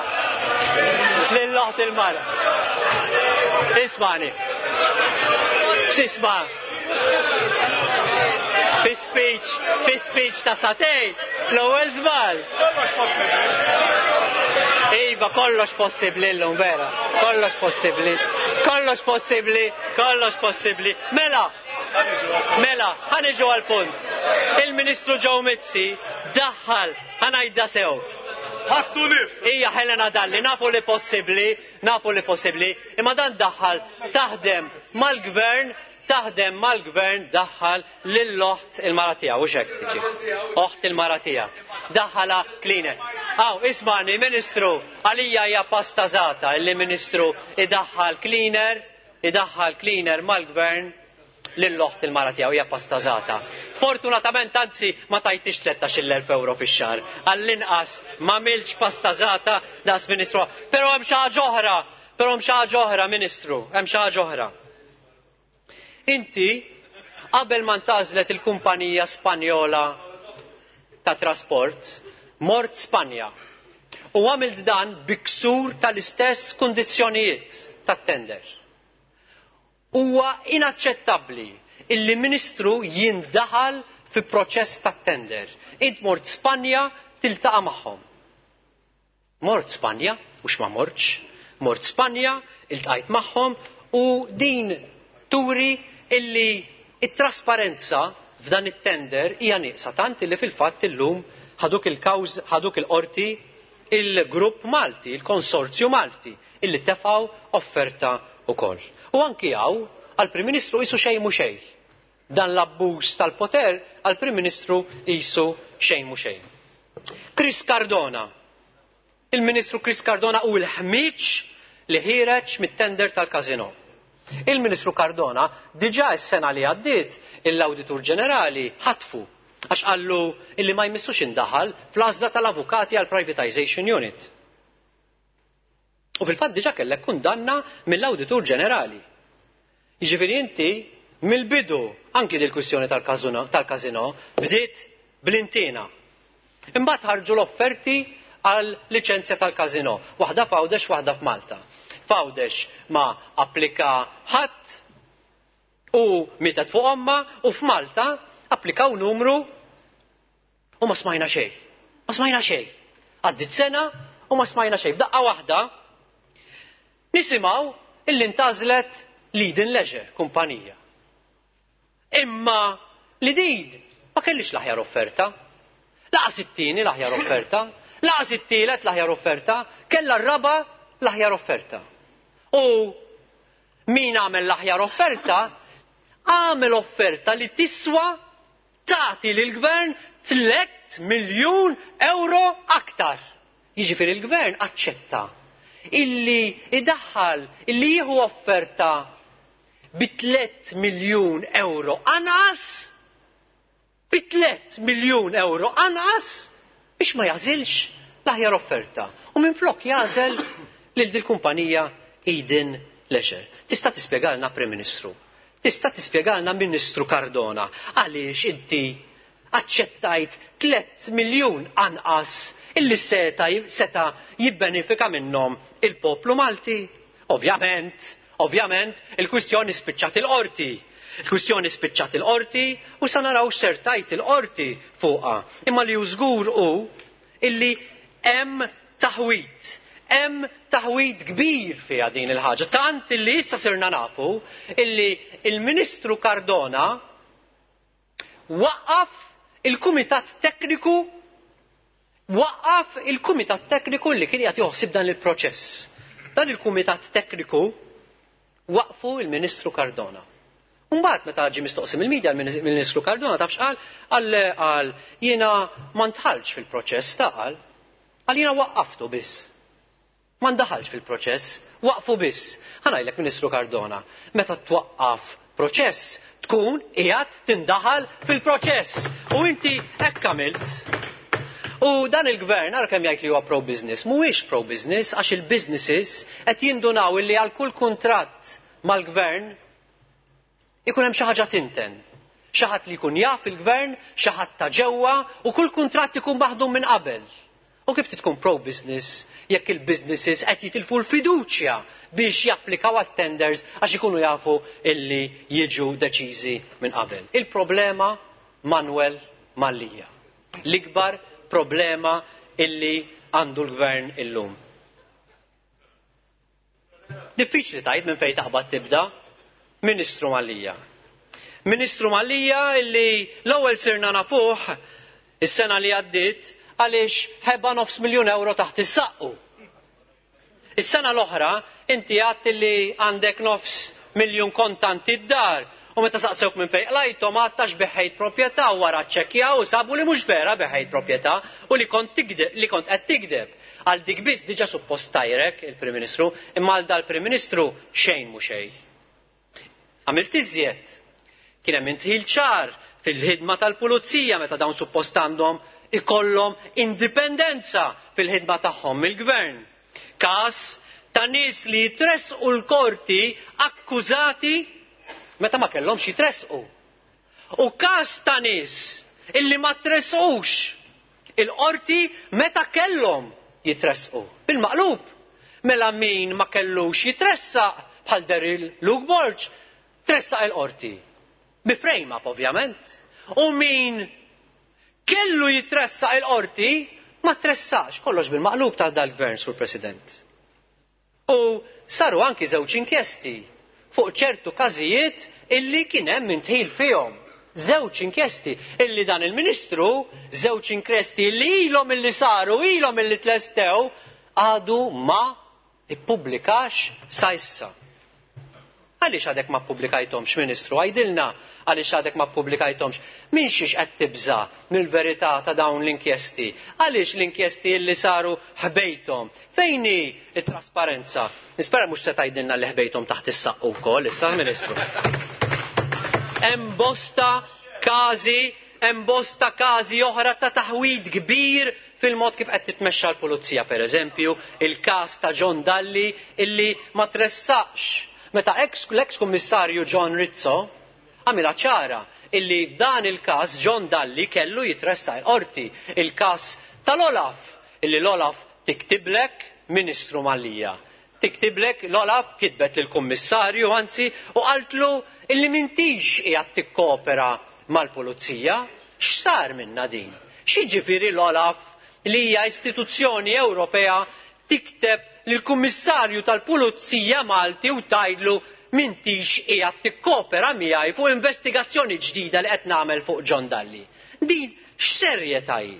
Lill-oħt il-mara. Ismani. X'isma? Fi speech, fi speech ta' satej, l-ewwel żball. Kollox possibbli. Iva, kollox possibbli llum, vera. Kollox possibbli. Kollox possibbli, kollox possibbli. Mela, mela, ħa niġu għall-punt. Il-Ministru Joe Mizzi daħħal, ħa ngħidha sew. Ħattu nifs. Ija Helena Dalli, nafu li possibbli, nafu li possibbli, imma dan daħħal taħdem mal-gvern, taħdem mal-gvern daħħal lill-oħt il-mara tiegħu, u x'hekk tiġi. Oħt il-mara tiegħu. Daħħala cleaner. Aw, ismani, Ministru, għalija hija pastażata illi Ministru idaħħal cleaner, idaħħal cleaner mal-gvern lill-oħt il-mara tiegħu, hija pastażata. Fortunatament, anzi, ma tajtix tlettax-il elf euro fix-xahar. Għall-inqas ma milx pastażata daqs Ministru. Però hemm xi ħaġa oħra, però hemm xi ħaġa oħra, Ministru, hemm xi ħaġa oħra. Inti, qabel ma ntażlet il-kumpanija Spanjola ta' trasport, mort Spanja u għamilt dan biksur tal-istess kundizzjonijiet tat-tender. Huwa inaċċettabbli illi Ministru jindaħal fi proċess tat-tender. Int mort Spanja tiltaqa' magħhom. Mort Spanja, mhux ma mortx, mort Spanja, iltqajt magħhom u din turi illi it-trasparenza f'dan it-tender hija nieqsa tant illi fil-fatt illum ħaduk il-kawż, ħaduk il-qorti il-grupp Malti, il-konsorzju Malti, illi tefgħu offerta wkoll. U anki hawn għall-Prim Ministru qisu xejn mhu xejn. Dan l-abbuż tal-poter għall-Prim Ministru qisu xejn mhu xejn. Chris Cardona. Il-Ministru Chris Cardona u l-ħmiġ li ħiereġ mit-tender tal-kazino. Il-Ministru Cardona diġà s-sena li għaddiet l-Awditur Ġenerali ħatfu għax qallu illi ma jmissux indaħal fl-għażla tal-avukati għal Privatization Unit. U fil-fatt diġà kellek kundanna mill-Awditur Ġenerali. Jiġifieri inti mill-bidu anki dil-kwistjoni tal-kazino bdiet bl-intina. Imbagħad ħarġu l-offerti għal liċenzja tal-kazino, waħda f'Għawdex, waħda f'Malta. F'Għawdex ma applika ħadd u mietet fuq omma, u f'Malta applikaw numru u ma smajna xejn. Ma smajna xejn. Għaddit sena u ma smajna xejn. F'daqqa waħda nisimgħu illi ntażlet Leading Leisure kumpanija. Imma li din ma kellix l-aħjar offerta. Laqas it-tieni l-aħjar offerta, laqas it-tielet l-aħjar offerta, kellha r-raba l-aħjar offerta. U min għamel l-aħjar offerta, għamel offerta li tiswa tagħti lill-gvern tliet miljun euro aktar. Jiġifieri l-gvern aċċetta illi idaħħal, illi jieħu offerta bi tliet miljun euro anqas, bi tliet miljun euro anqas biex ma jażilx l-aħjar offerta. U minflok jażel lil dil-kumpanija Eden Leisure. Tista' tispjegalna Prim Ministru, tista' tispjegalna Ministru Cardona għaliex inti aċċettajt tliet miljun anqas illi seta seta jibbenefika minnhom il-poplu Malti? Ovvjament, ovvjament, il-kwistjoni spiċċat il-qorti. Il-kwistjoni spiċċat il-qorti u sa naraw x'sertajt il-qorti fuqha. Imma li hu żgur hu illi hemm taħwit. Hemm taħwit kbir fiha din il-ħaġa. Tant illi issa sirna nafu illi il-Ministru Cardona waqqaf il-Kumitat Tekniku, waqqaf il-Kumitat Tekniku li kien qiegħed joħsib dan il-proċess. Dan il-Kumitat Tekniku waqfu il-Ministru Cardona. Mbagħad meta ġie mistoqsi mill-medja il-Ministru Cardona taf x'qal? Qal qal jiena ma ndħalx fil-proċess ta' qal. Qal jiena waqqaftu biss. Ma ndaħalx fil-proċess, waqfu biss. Ħa ngħidlek Ministru Cardona, meta twaqqaf proċess tkun qiegħed tindaħal fil-proċess. U inti hekk għamilt. U dan il-gvern ara kemm jgħid li huwa pro-business, mhuwiex pro-business għax il-businesses qed jindunaw illi għal kull kuntratt mal-gvern ikun hemm xi ħaġa tinten. Xi ħadd li jkun jaf il-gvern, xi ħadd ta' ġewwa u kull kuntratt ikun maħdum minn qabel. U kif tkun pro-business jekk il-businesses qed jitilfu l-fiduċja biex japplikaw għat-tenders għax ikunu jafu illi jiġu deċiżi minn qabel. Il-problema Manuel Mallia. L-ikbar problema illi għandu l-gvern illum. Diffiċli tajt minn fejn taħbad tibda. Ministru Mallia. Ministru Mallia illi l-ewwel sirna nafuh is-sena li għaddiet għaliex ħeba nofs miljun euro taħt is-saqqu. Is-sena l-oħra inti għadt li għandek nofs miljun kontanti d-dar u meta saqsewk minn fejn qlajthom għadt għax beħejt proprjetà u wara ċċekkjaw u sabu li mhux vera beħejt proprjetà u li kont tigdeb, li kont qed tigdeb. Għal dik biss diġà suppost tajrek il-Prim Ministru, imma għal dal-Prim Ministru xejn mhu xejn. Għamilt iżjed. Kien hemm intħil ċar fil-ħidma tal-pulizija meta dawn suppost għandhom ikollhom indipendenza fil-ħidma tagħhom mill-gvern. Każ ta' nies li jitressqu l-korti akkużati meta ma kellhomx jitressqu. U każ ta' nies illi ma tressqux il-qorti meta kellhom jitressqu. Bil-maqlub, mela min ma kellux jitressaq bħal Daryl Luke Borg, tressaq il-qorti. Bi frame up ovvjament. U min kellu jitressaq il-qorti ma tressax, kollox bil-maqlub ta' dal-gvern, Sur President. U saru anki żewġ inkjesti fuq ċertu każijiet illi kien hemm intħil fihom. Żewġ inkjesti illi dan il-Ministru, żewġ inkjesti illi ilhom illi saru, ilhom illi tlestew, għadu ma ippubblikax sa issa. Għaliex għadek ma ppubblikajthomx, Ministru? Għajdilna għaliex għadek ma ppubblikajthomx. Min xiex qed tibża' mill-verità ta' dawn l-inkjesti? Għaliex l-inkjesti li saru ħbejthom? Fejn hi t-trasparenza? Nispera mhux se tgħidilna li ħbejthom taħt is-saqqu wkoll issa, Ministru. Hemm bosta każi, hemm bosta każi oħra ta' taħwid kbir fil-mod kif qed titmexxa l-pulizija, pereżempju, il-każ ta' John Dalli illi ma tressaqx. Meta l-ex-kummissarju John Rizzo għamilha ċara illi dan il-każ John Dalli kellu jitressaq il-qorti. Il-każ tal-Olaf illi l-Olaf tiktiblek Ministru Mallia. Tiktiblek l-Olaf kitbet lill-kummissarju anzi u qaltlu illi m'intix qiegħed tikkopera mal-pulizija. X'sar minna din? X'jiġifieri l-Olaf li hija istituzzjoni Ewropea tikteb lill-kummissarju tal-Pulizija Malti u tgħidlu m'intix qiegħed tikkopera miegħi fuq investigazzjoni ġdida li qed nagħmel fuq John Dalli. Din x'serjetà hi?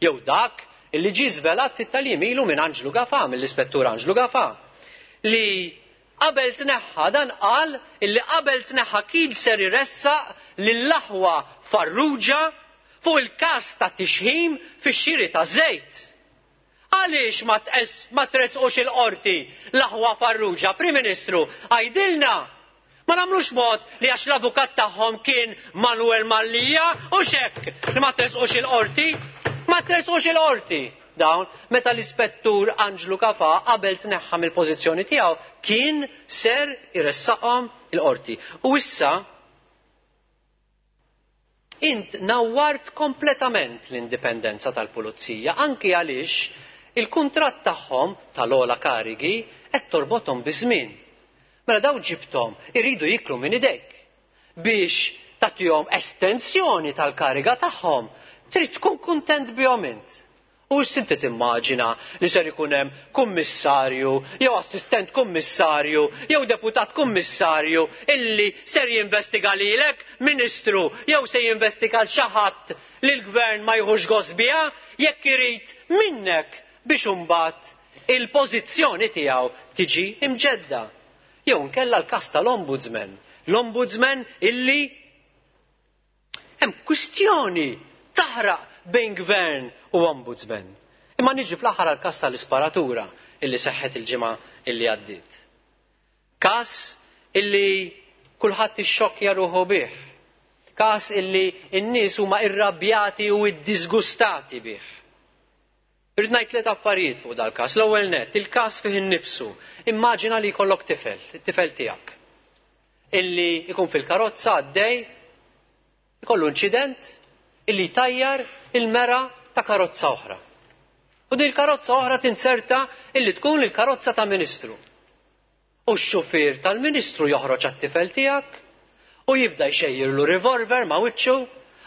Jew dak illi ġie żvelat fit-talim ilu minn Anġlu Gafà, mill-Ispettur Anġlu Gafà, li qabel tneħħa dan qal illi qabel tneħħa kien ser iressaq lill-aħwa Farrugia fuq il-każ ta' tixħim fix-xiri ta' żejt. Għaliex ma ma tresqux il-qorti l-aħwa Farrugia, Prim Ministru, għajdilna ma nagħmlux mod li għax l-avukat tagħhom kien Manuel Mallia u xekk li ma tresqux il-qorti, ma tresqux il-qorti. Dawn meta l-Ispettur Anġlu Gafà qabel tneħħa mill-pożizzjoni tiegħu kien ser iressaqhom il-qorti. U issa int nawwart kompletament l-indipendenza tal-pulizija, anki għaliex il-kuntratt tagħhom tal-ogħla karigi qed torbothom biż-żmien. Mela daw ġibthom iridu jiklu minn idejk biex tagħtihom estensjoni tal-kariga tagħhom. Trid tkun kuntent bihom int. U inti timmaġina li ser ikun hemm kummissarju jew assistent kummissarju jew deputat kummissarju illi ser jinvestiga lilek, Ministru, jew se jinvestiga l xi ħadd li l-gvern ma jħux gost biha jekk irid minnek biex imbagħad il-pożizzjoni tiegħu tiġi imġedda. Jew nkella l-każ tal-Ombudsman. L-Ombudsman illi hemm kwistjoni taħraq bejn gvern u ombudsman. Imma niġi fl-aħħar għall-każ tal-isparatura illi seħħet il-ġimgħa illi għaddiet. Każ illi kulħadd ixxokkja ruħu bih. Każ illi n-nies huma irrabjati u iddisgustati bih. Irrid ngħid tliet affarijiet fuq dal-każ. L-ewwel nett, il-każ fih innifsu. Immaġina li jkollok tifel, it-tifel tiegħek, illi jkun fil-karozza għaddej, ikollu inċident illi tajjar il-mera ta' karozza oħra. U din il-karozza oħra tinserta illi tkun il-karozza ta' ministru. U x-xufier tal-ministru joħroġ għat-tifel tiegħek u jibda jxejjirlu revolver ma' wiċċu.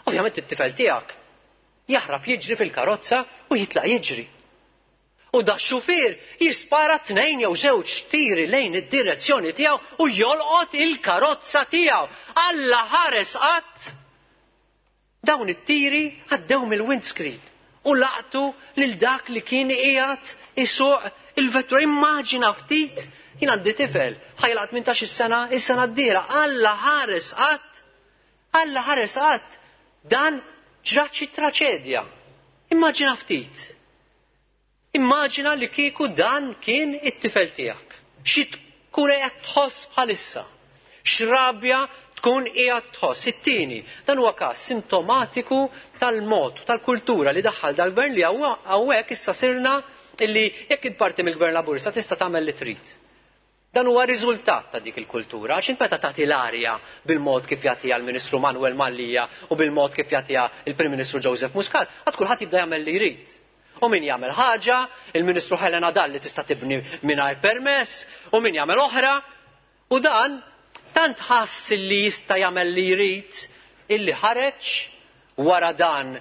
Ovvjament it-tifel tiegħek jaħrab jiġri fil-karozza u jitlaq jiġri. U da x-xufier jispara tnejn jew żewġ tiri lejn id-direzzjoni tiegħu u jolqot il-karozza tiegħu. Alla ħares qatt dawn it-tiri għaddew mill-windscreen u laqtu lil dak li kien qiegħed isuq il-vettura. Immaġina ftit, jien għandi tifel ħajlaq tmintax-il sena, is-sena d-dieħla. Alla ħares qatt, Alla ħares qatt dan ġrat xi traċedja. Immaġina ftit. Immaġina li kieku dan kien it-tifel tiegħek. Xi tkun qiegħed tħoss bħalissa? X'rabja tkun qiegħed tħoss? It-tieni, dan huwa każ sintomatiku tal-mod, tal-kultura li daħħal dal-gvern li hawnhekk issa sirna illi jekk int parti mill-gvern Laburista tista' tagħmel li trid. Dan huwa riżultat ta' dik il-kultura, għax int meta tagħti l-arja bil-mod kif jagħtiha l-Ministru Manuel Mallia u bil-mod kif jagħtiha il-Prim Ministru Joseph Muscat, għad kulħadd jibda jagħmel li jrid. U min jagħmel ħaġa, il-Ministru Helena Dalli tista' tibni mingħajr permess, u min jagħmel oħra, u dan tant ħass li jista' jagħmel li jrid illi ħareġ wara dan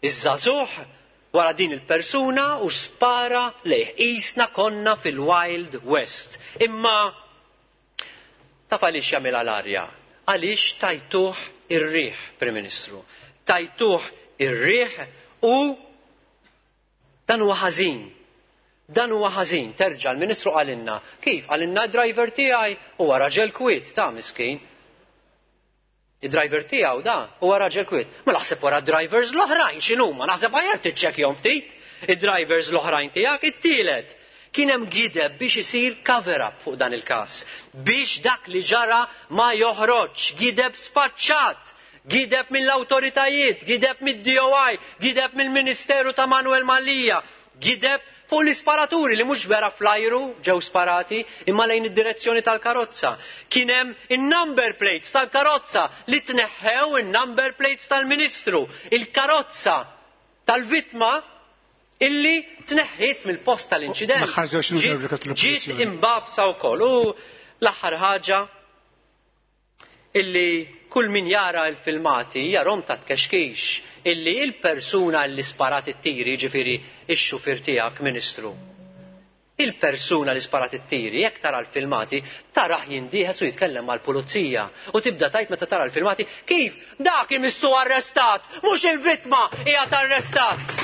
iż-żagħżugħ wara din il-persuna u spara lejh. Qisna konna fil-Wild West. Imma taf għaliex jagħmilha l-arja? Għaliex tajtuh ir-riħ, Prim Ministru. Tajtuh ir-riħ u dan huwa ħażin. Dan huwa ħażin. Terġa' l-Ministru qalilna. Kif? Qalilna d-driver tiegħi huwa raġel kwiet ta' miskin. Id-driver tiegħu da huwa raġel kwiet. Ma naħseb wara drivers l-oħrajn x'inhuma, naħseb aħjar tiċċekkjahom ftit. Id-drivers l-oħrajn tiegħek it-tielet. Kien hemm gideb biex isir cover up fuq dan il-każ. Biex dak li ġara ma joħroġ, gideb sfaċċat, gideb mill-awtoritajiet, gideb mid-D O I, gideb mill-Ministeru ta' Manuel Mallia, gideb fuq l-isparaturi li mhux vera flajru ġew sparati imma lejn id-direzzjoni tal-karozza. Kien hemm in-number plates tal-karozza li tneħħew in-number plates tal-Ministru, il-karozza tal-vittma illi tneħħiet mill-post tal-inċident. L-aħħar żewġ minuti Ġiet Onorevoli Kap ġiet tal-Oppożizzjoni. imbabsa wkoll. U l-aħħar ħaġa illi kull min jara l-filmati jarom ta' tkexkix illi il-persuna li sparat it-tiri, ġifieri ix-xufier tiegħek, Ministru, il-persuna li sparat it-tiri, jekk tara l-filmati, tarah jindieħes u jitkellem mal-pulizija. U tibda tajt meta tara l-filmati, kif dak imissu arrestat, mhux il-vittma qiegħed arrestat.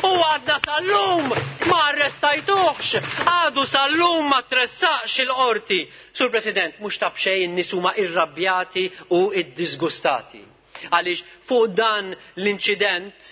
U għadna sal-lum ma arrestajtuhx, għadu sal-lum ma tressaqx il-qorti. Sur President, mhux ta' b'xejn in-nies huma irrabjati u iddisgustati. Għaliex fuq dan l-inċident,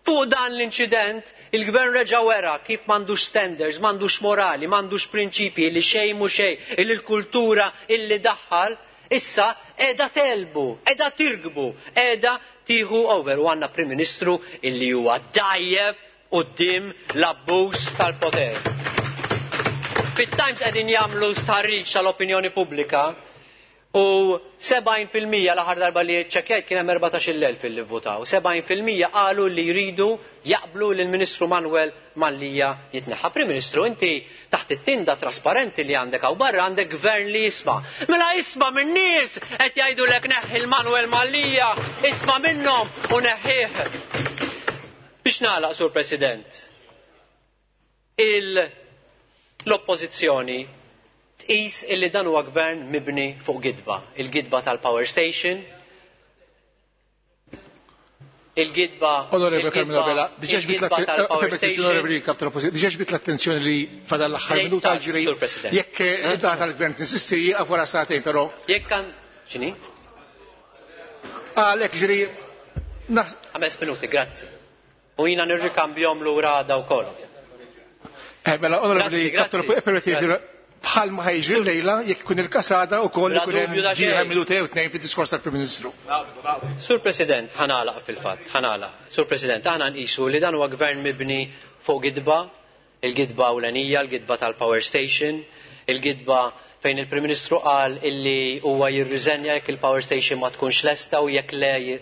fuq dan l-inċident, il-gvern reġa' wera kif m'għandux standards, m'għandux morali, m'għandux prinċipji li xejn mhu xejn, illi l-kultura illi daħħal, issa qiegħda telbu, qiegħda tirgbu, qiegħda tieħu over. U għandna Prim Ministru illi huwa dajjef quddiem l-abbuż tal-poter. Fit-Times qegħdin jagħmlu stħarriġ tal-opinjoni pubblika u sebgħin fil-mija l-aħħar darba li ċċekkjajt kien hemm erbatax-il elf illi vvutaw. Sebgħin fil-mija qalu li jridu jaqblu lil Ministru Manuel Mallia jitneħħa. Prim Ministru, inti taħt it-tinda trasparenti li għandek hawn barra għandek gvern li jisma'. Mela isma' min-nies qed jgħidulek neħħi l-Manuel Mallia, isma' minnhom u neħħih. Biex nagħlaq, Sur President, il- l-oppożizzjoni tqis illi dan huwa gvern mibni fuq gidba, il-gidba tal-power station, il-gidba Onorevole Carmelo il-gidba Abela, diġà ġbit il-gidba l-atten- tal-power eh, permetti, station. Onorevoli Kap tal-Oppożizzjoni, diġà ġbit l-attenzjoni li fadal l-aħħar Lejn minuta tard, ġiri. Sur President. Jekk id-data tal-gvern tinsisti jieqaf wara sagħtejn, però Jekk kan x'inhi? Għalhekk ġiri naħ- Ħames minuti, grazzi. U jiena nirrikambjhom lura għada wkoll. Eh, mela, onorevoli Grazzi, Kap grazzi. tal-Oppożizzjoni, permetti, ġiri, bħal ma ħajġri lejla jekk ikun il-kasada wkoll Bla ikun hemm dubju ta' ġieħa xejn. minuta jew tnejn fid-diskors tal-Prim Ministru. Sur President, ħanalaq fil-fatt, ħanalaq. Sur President, aħna nqisu li dan huwa gvern mibni fuq gidba, il-gidba ewlenija, il-gidba tal-power station, il-gidba fejn il-Prim Ministru qal illi huwa jirriżenja jekk il-power station ma tkunx lesta u jekk le ji-,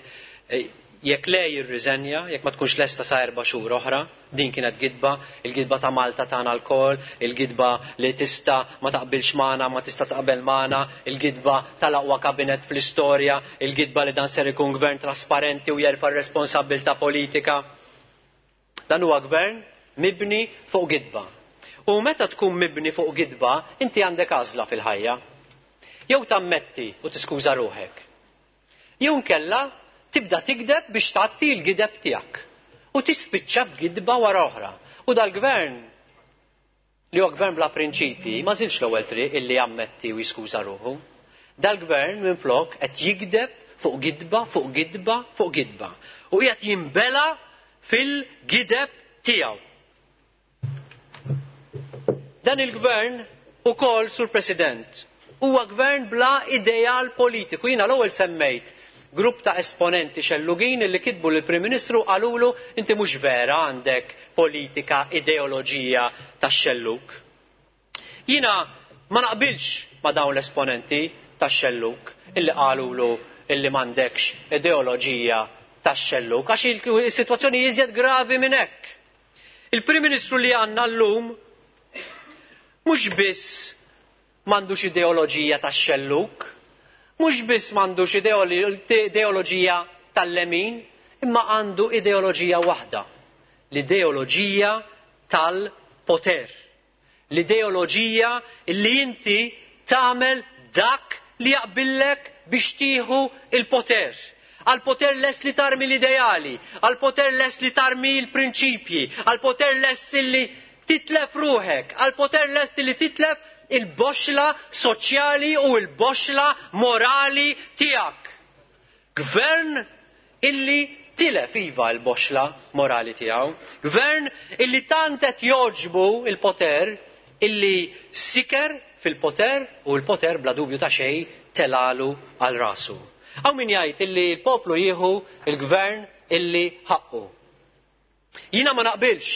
eh, jekk le jirriżenja, jekk ma tkunx lesta sa erba' xhur oħra, din kienet gidba, il-gidba ta' Malta tagħna lkoll, il-gidba li tista' ma taqbilx magħna, ma tista' taqbel magħna, il-gidba tal-aqwa kabinet fl-istorja, il-gidba li dan ser ikun gvern trasparenti u jerfa' r-responsabbiltà politika. Dan huwa gvern mibni fuq gidba. U meta tkun mibni fuq gidba, inti għandek għażla fil-ħajja. Jew tammetti u tiskuża ruħek. Jew nkella tibda tikdeb biex tgħatti l-gideb tiegħek. U tispiċċa b'gidba wara oħra. U dal-gvern li huwa gvern bla prinċipji ma żilx l-ewwel triq illi jammetti u jiskuża ruħu. Dal-gvern minflok qed jigdeb fuq gidba, fuq gidba, fuq gidba. U qiegħed jinbela fil-gideb tiegħu. Dan il-gvern ukoll, Sur President, huwa gvern bla ideal politiku. Jiena l-ewwel semmejt grupp ta' esponenti xellugin li kitbu lill-Prim Ministru qalulu inti mhux vera għandek politika ideoloġija tax-xelluk. Jiena ma naqbilx ma' dawn l-esponenti tax-xelluk illi qalulu illi m'għandekx ideoloġija tax-xelluk għax il-sitwazzjoni iżjed gravi minn hekk. Il-Prim Ministru li għandna llum mhux biss m'għandux ideoloġija tax-xelluk, mhux biss m'għandux ideoli-, ideoloġija tal-lemin, imma għandu ideoloġija waħda L-ideoloġija tal-poter. L-ideoloġija li inti tagħmel dak li jaqbillek biex tieħu il-poter. Għal-poter lest li tarmi l-ideali, għal-poter lest li tarmi l-prinċipji, għal-poter lest li titlef ruħek, għal-poter lest li titlef il-boxla soċjali u il-boxla morali tiegħek. Gvern illi tilef iva l-boxla morali tiegħu. Gvern illi tant qed jogħġbu il-poter illi siker fil-poter u l-poter bla dubju ta' xejn telalu għal rasu. Hawn min jgħid illi l-poplu jieħu il-gvern illi ħaqqu. Jiena ma naqbilx.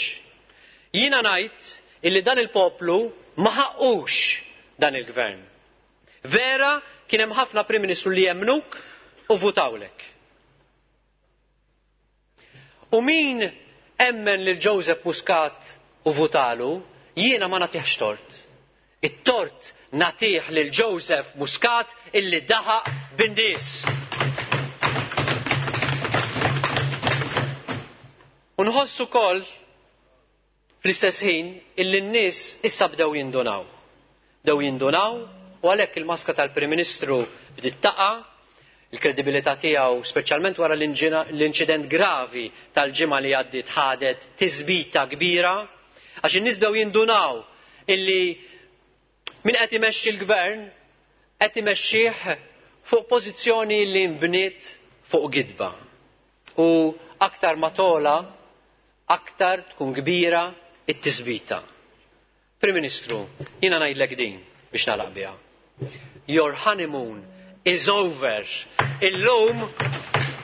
Jiena ngħid illi dan il-poplu ma ħaqqux dan il-gvern. Vera kien hemm ħafna Prim Ministru li jemnuk u votawlek. U min emmen lil Joseph Muscat u votalu, jiena ma nagħtihx tort. It-tort nagħtih lil Joseph Muscat illi daħaq bin-nies. U nħoss ukoll fl-istess ħin illi n-nies issa bdew jindunaw. Bdew jindunaw u għalhekk il-maska tal-Prim Ministru bdiet taqa', il-kredibilità tiegħu speċjalment wara l-inċident gravi tal-ġimgħa li għaddiet ħadet tisbita kbira, għax in-nies bdew jindunaw illi min qed imexxi l-gvern qed imexxih fuq pożizzjoni li nbniet fuq gidba. U aktar ma tola, aktar tkun kbira it-tisbita. Prim Ministru, jiena ngħidlek din biex nagħlaq biha. Your honeymoon is over. Illum,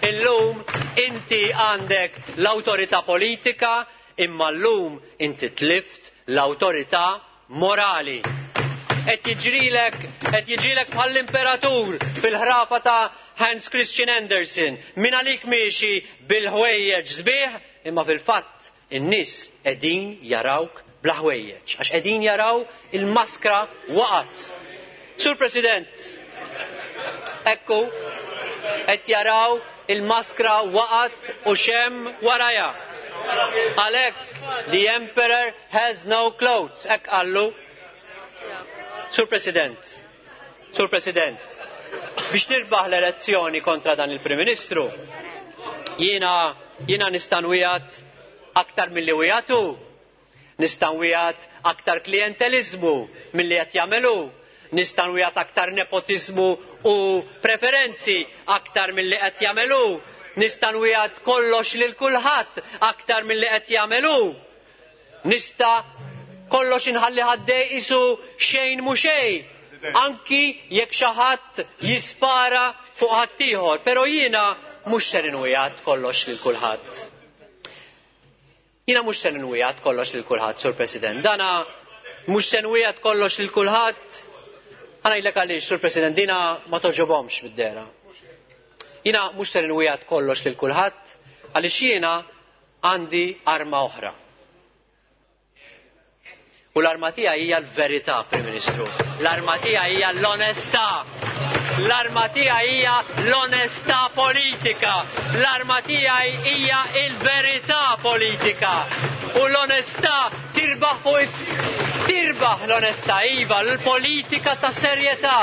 illum inti għandek l-awtorità politika, imma llum inti tlift l-awtorità morali. Qed jiġrilek, qed jiġrilek bħall-imperatur fil-ħrafa ta' Hans Christian Andersen. Min għalik miexi bil-ħwejjeġ sbieħ, imma fil-fatt in-nies qegħdin jarawk bla ħwejjeġ, għax qegħdin jaraw il-maskra waqgħet. Sur President, ekku, qed jaraw il-maskra waqgħet u xem waraja. Għalhekk the emperor has no clothes, hekk qallu. Sur President, Sur President, biex nirbaħ l-elezzjoni kontra dan il-Prim Ministru, jiena jiena nista' nwiegħed aktar milli wiegħdu, nista' nwiegħed aktar klientelizmu milli qed jagħmelu, nista' nwiegħed aktar nepotiżmu u preferenzi aktar milli qed jagħmelu, nista' nwiegħed kollox lil kulħadd aktar milli qed jagħmelu, nista' kollox inħalli ħaddej isu xejn mhu xejn, anki jekk xi ħadd jispara fuq ħaddieħor, però jiena mhux ser inwiegħed kollox lil kulħadd. Jiena mhux ser inwiegħed kollox lil kulħadd, Sur President. Dana mhux se nwiegħed kollox lil kulħadd. Ħa ngħidlek għaliex, Sur President, dina ma toġobhomx bid-dera. Jiena mhux ser inwiegħed kollox lil kulħadd għaliex jiena għandi arma oħra. U l-arma tiegħi hija l-verità, Prim Ministru. L-arma tiegħi hija l-onestà. L-arma tiegħi hija l-onestà politika. L-arma tiegħi hija l-verità politika. U l-onestà tirbaħ fuq is tirbaħ l-onestà, iva, l-politika ta' serjetà,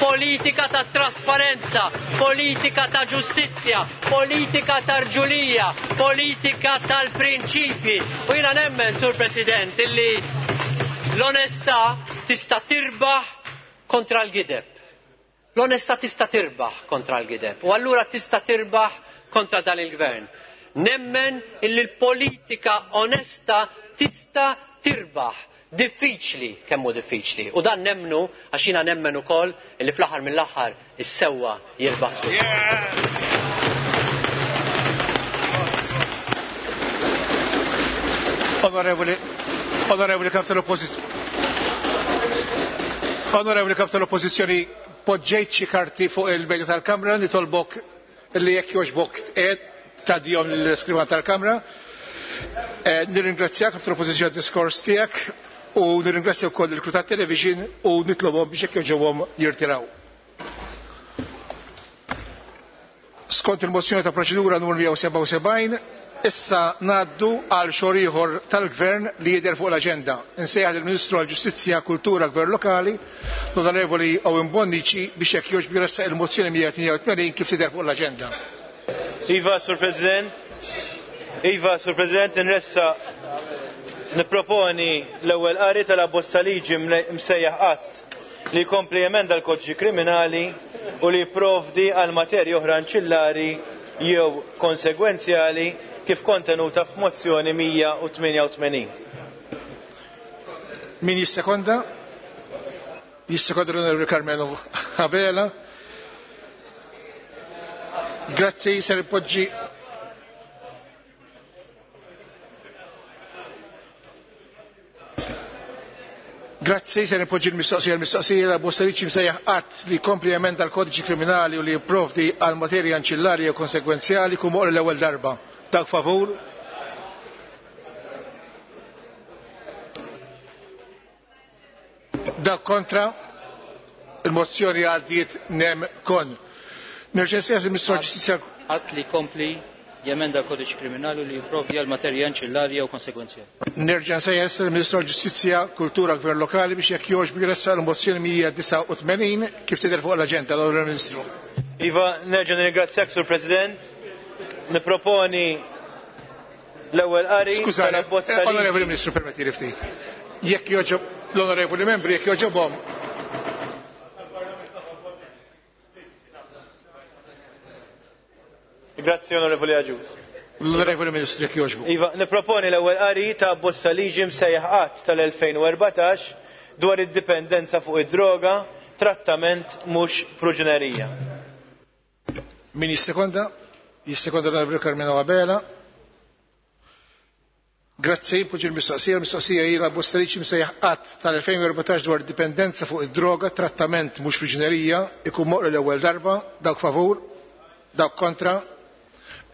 politika ta' trasparenza, politika ta' ġustizzja, politika ta' rġulija, politika tal-prinċipji. U jiena nemmen, Sur President, illi l-onestà tista' tirbaħ kontra l-gideb. L-onestà tista' tirbaħ kontra l-gideb. U allura tista' tirbaħ kontra dan il-gvern. Nemmen illi l-politika onesta tista' tirbaħ. Diffiċli kemm hu diffiċli. U dan nemmnu għax jiena nemmen ukoll illi fl-aħħar mill-aħħar is-sewwa jirbaħ żgur. Onorevoli, Onorevoli Kap tal-Oppożizzjoni. Onorevoli Kap tal-Oppożizzjoni, poġġejt xi karti fuq il-mejda tal-Kamra, nitolbok li jekk jogħġbok tqiegħed tgħaddihom lill-iskrivan tal-Kamra. Nirringrazzjak Kap tal-Oppożizzjoni għad-diskors tiegħek u nirringrazzja wkoll il-crew tat-television u nitlobhom biex jekk jogħġobhom jirtiraw. Skont il-mozzjoni ta' proċedura numru mija u sebgħa u sebgħin, Issa ngħaddu għal xogħol ieħor tal-Gvern li jidher fuq l-aġenda. Insejjaħ lill-Ministru għall-Ġustizzja, Kultura, Gvern Lokali, l-Onorevoli Owen Bonnici, biex jekk jogħġbu jressaq il-mozzjoni mija tmienja u tmenin kif tidher fuq l-aġenda. Iva, Sur President. Iva, Sur President, nressaq nipproponi l-ewwel qari tal-abbozz ta' liġi msejjaħ att li jkompli jemenda l-Kodiċi Kriminali u li jipprovdi għal materji oħra anċillari jew konsegwenzjali kif kontenuta f'mozzjoni mija u tmienja u tmenin. Min jissekonda? Jissekonda l-Onorevoli Karmenu Abela. Grazzi, ser poġġi. Grazzi, se nipoġġi l-mistoqsija. L-mistoqsija la bosta liġi msejjaħ att li jkompli jemenda l-Kodiċi Kriminali u li jipprovdi għal materja anċillari u konsegwenzjali kum oqri l-ewwel darba. Dak favur? Dak kontra? Il-mozzjoni għaddiet nem kon. Nerġa' nsejjaħ il-Ministru għall-Ġustizzja. Att li jkompli jemenda l-Kodiċi Kriminali u li jipprovdi għal materja anċillari jew konsegwenzjali. Nerġa' nsejjaħ il-Ministru għall-Ġustizzja, Kultura, Gvern Lokali biex jekk jogħġbu jressaq il-mozzjoni mija disgħa u tmenin kif tidher fuq l-aġenda. L-Onorevoli Ministru. Iva, nerġa' nirringrazzjak, Sur President. Nipproponi l-ewwel qari Skużani, tal-abbozz ta' liġi. Onorevoli Ministru, permetti li ftit. Jekk jogħġob l-onorevoli membri, jekk jogħġobhom. Grazzi, Onorevoli Agius. L-Onorevoli Ministru, jekk jogħġbu. Iva, nipproponi l-ewwel qari ta' abbozz ta' liġi msejjaħ att tal-elfejn u erbatax dwar id-dipendenza fuq id-droga, trattament mhux proġenerija. Min jissekonda? Jissekonda l-Onorevoli Karmenu Abela. Grazzi, poġġi l-mistoqsija. L-mistoqsija hi l-abbozz ta' liġi msejjaħ att tal-elfejn u erbatax dwar dipendenza fuq id-droga, trattament mhux proġenerija, ikun moqri l-ewwel darba. Dawk favur, dawk kontra.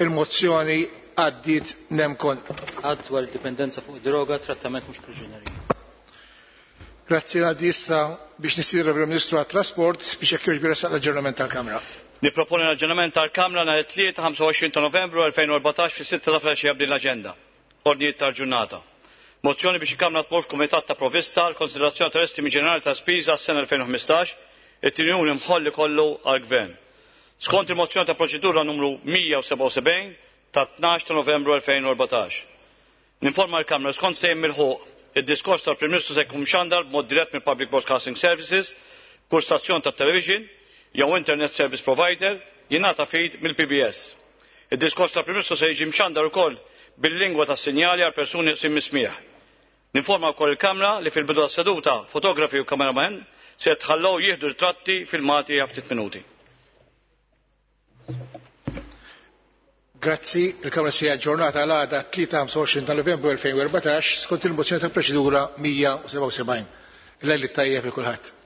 Il-mozzjoni għaddiet nemkon. Att dwar dipendenza fuq droga, trattament mhux proġenerija. Grazzi, għaddi issa biex nistieden il-Ministru għat-Trasport biex jekk jogħġbu jressaq l-aġġornament tal-Kamra. Nipproponi l-aġġornament tal-Kamra nhar it-tlieta ħamsa u għoxrin ta' Novembru elfejn u erbatax fis-sitta ta' filgħaxija b'din l-aġenda. Ordnijiet tal-ġurnata. Mozzjoni biex il-Kamra tmur f'Kumitat ta' Provvista għal konsiderazzjoni tal-estimi ġenerali ta' spiża għas-sena elfejn u ħmistax, it-tieni imħolli kollu għall-Gvern. Skont il-mozzjoni ta' proċedura numru mija u sebgħa u sebgħin ta' tnax ta' Novembru elfejn u erbatax. Ninforma l-Kamra skont sejjem mill-ħuq id-diskors tal-Prim Ministru se jkun mxandar b'mod dirett mill Public Broadcasting Services, kull stazzjon ta' television jew Internet Service Provider jingħata feed mill-P B S. Id-diskors tal-Prim Ministru se jiġi mxandar ukoll bil-lingwa tas-sinjali għal persuni qsim mismieħ. Ninforma wkoll il-Kamra li fil-bidu tas-seduta fotografi u kameraman se jitħallew jieħdu ritratti filmati għal ftit minuti. Grazzi, il-Kamra se aġġornata għal għada tlieta ħamsa u għoxrin ta' Novembru elfejn u erbatax skont il-mozzjoni ta' proċedura mija u sebgħa u sebgħin. Il-lejl it-tajjeb lil kulħadd.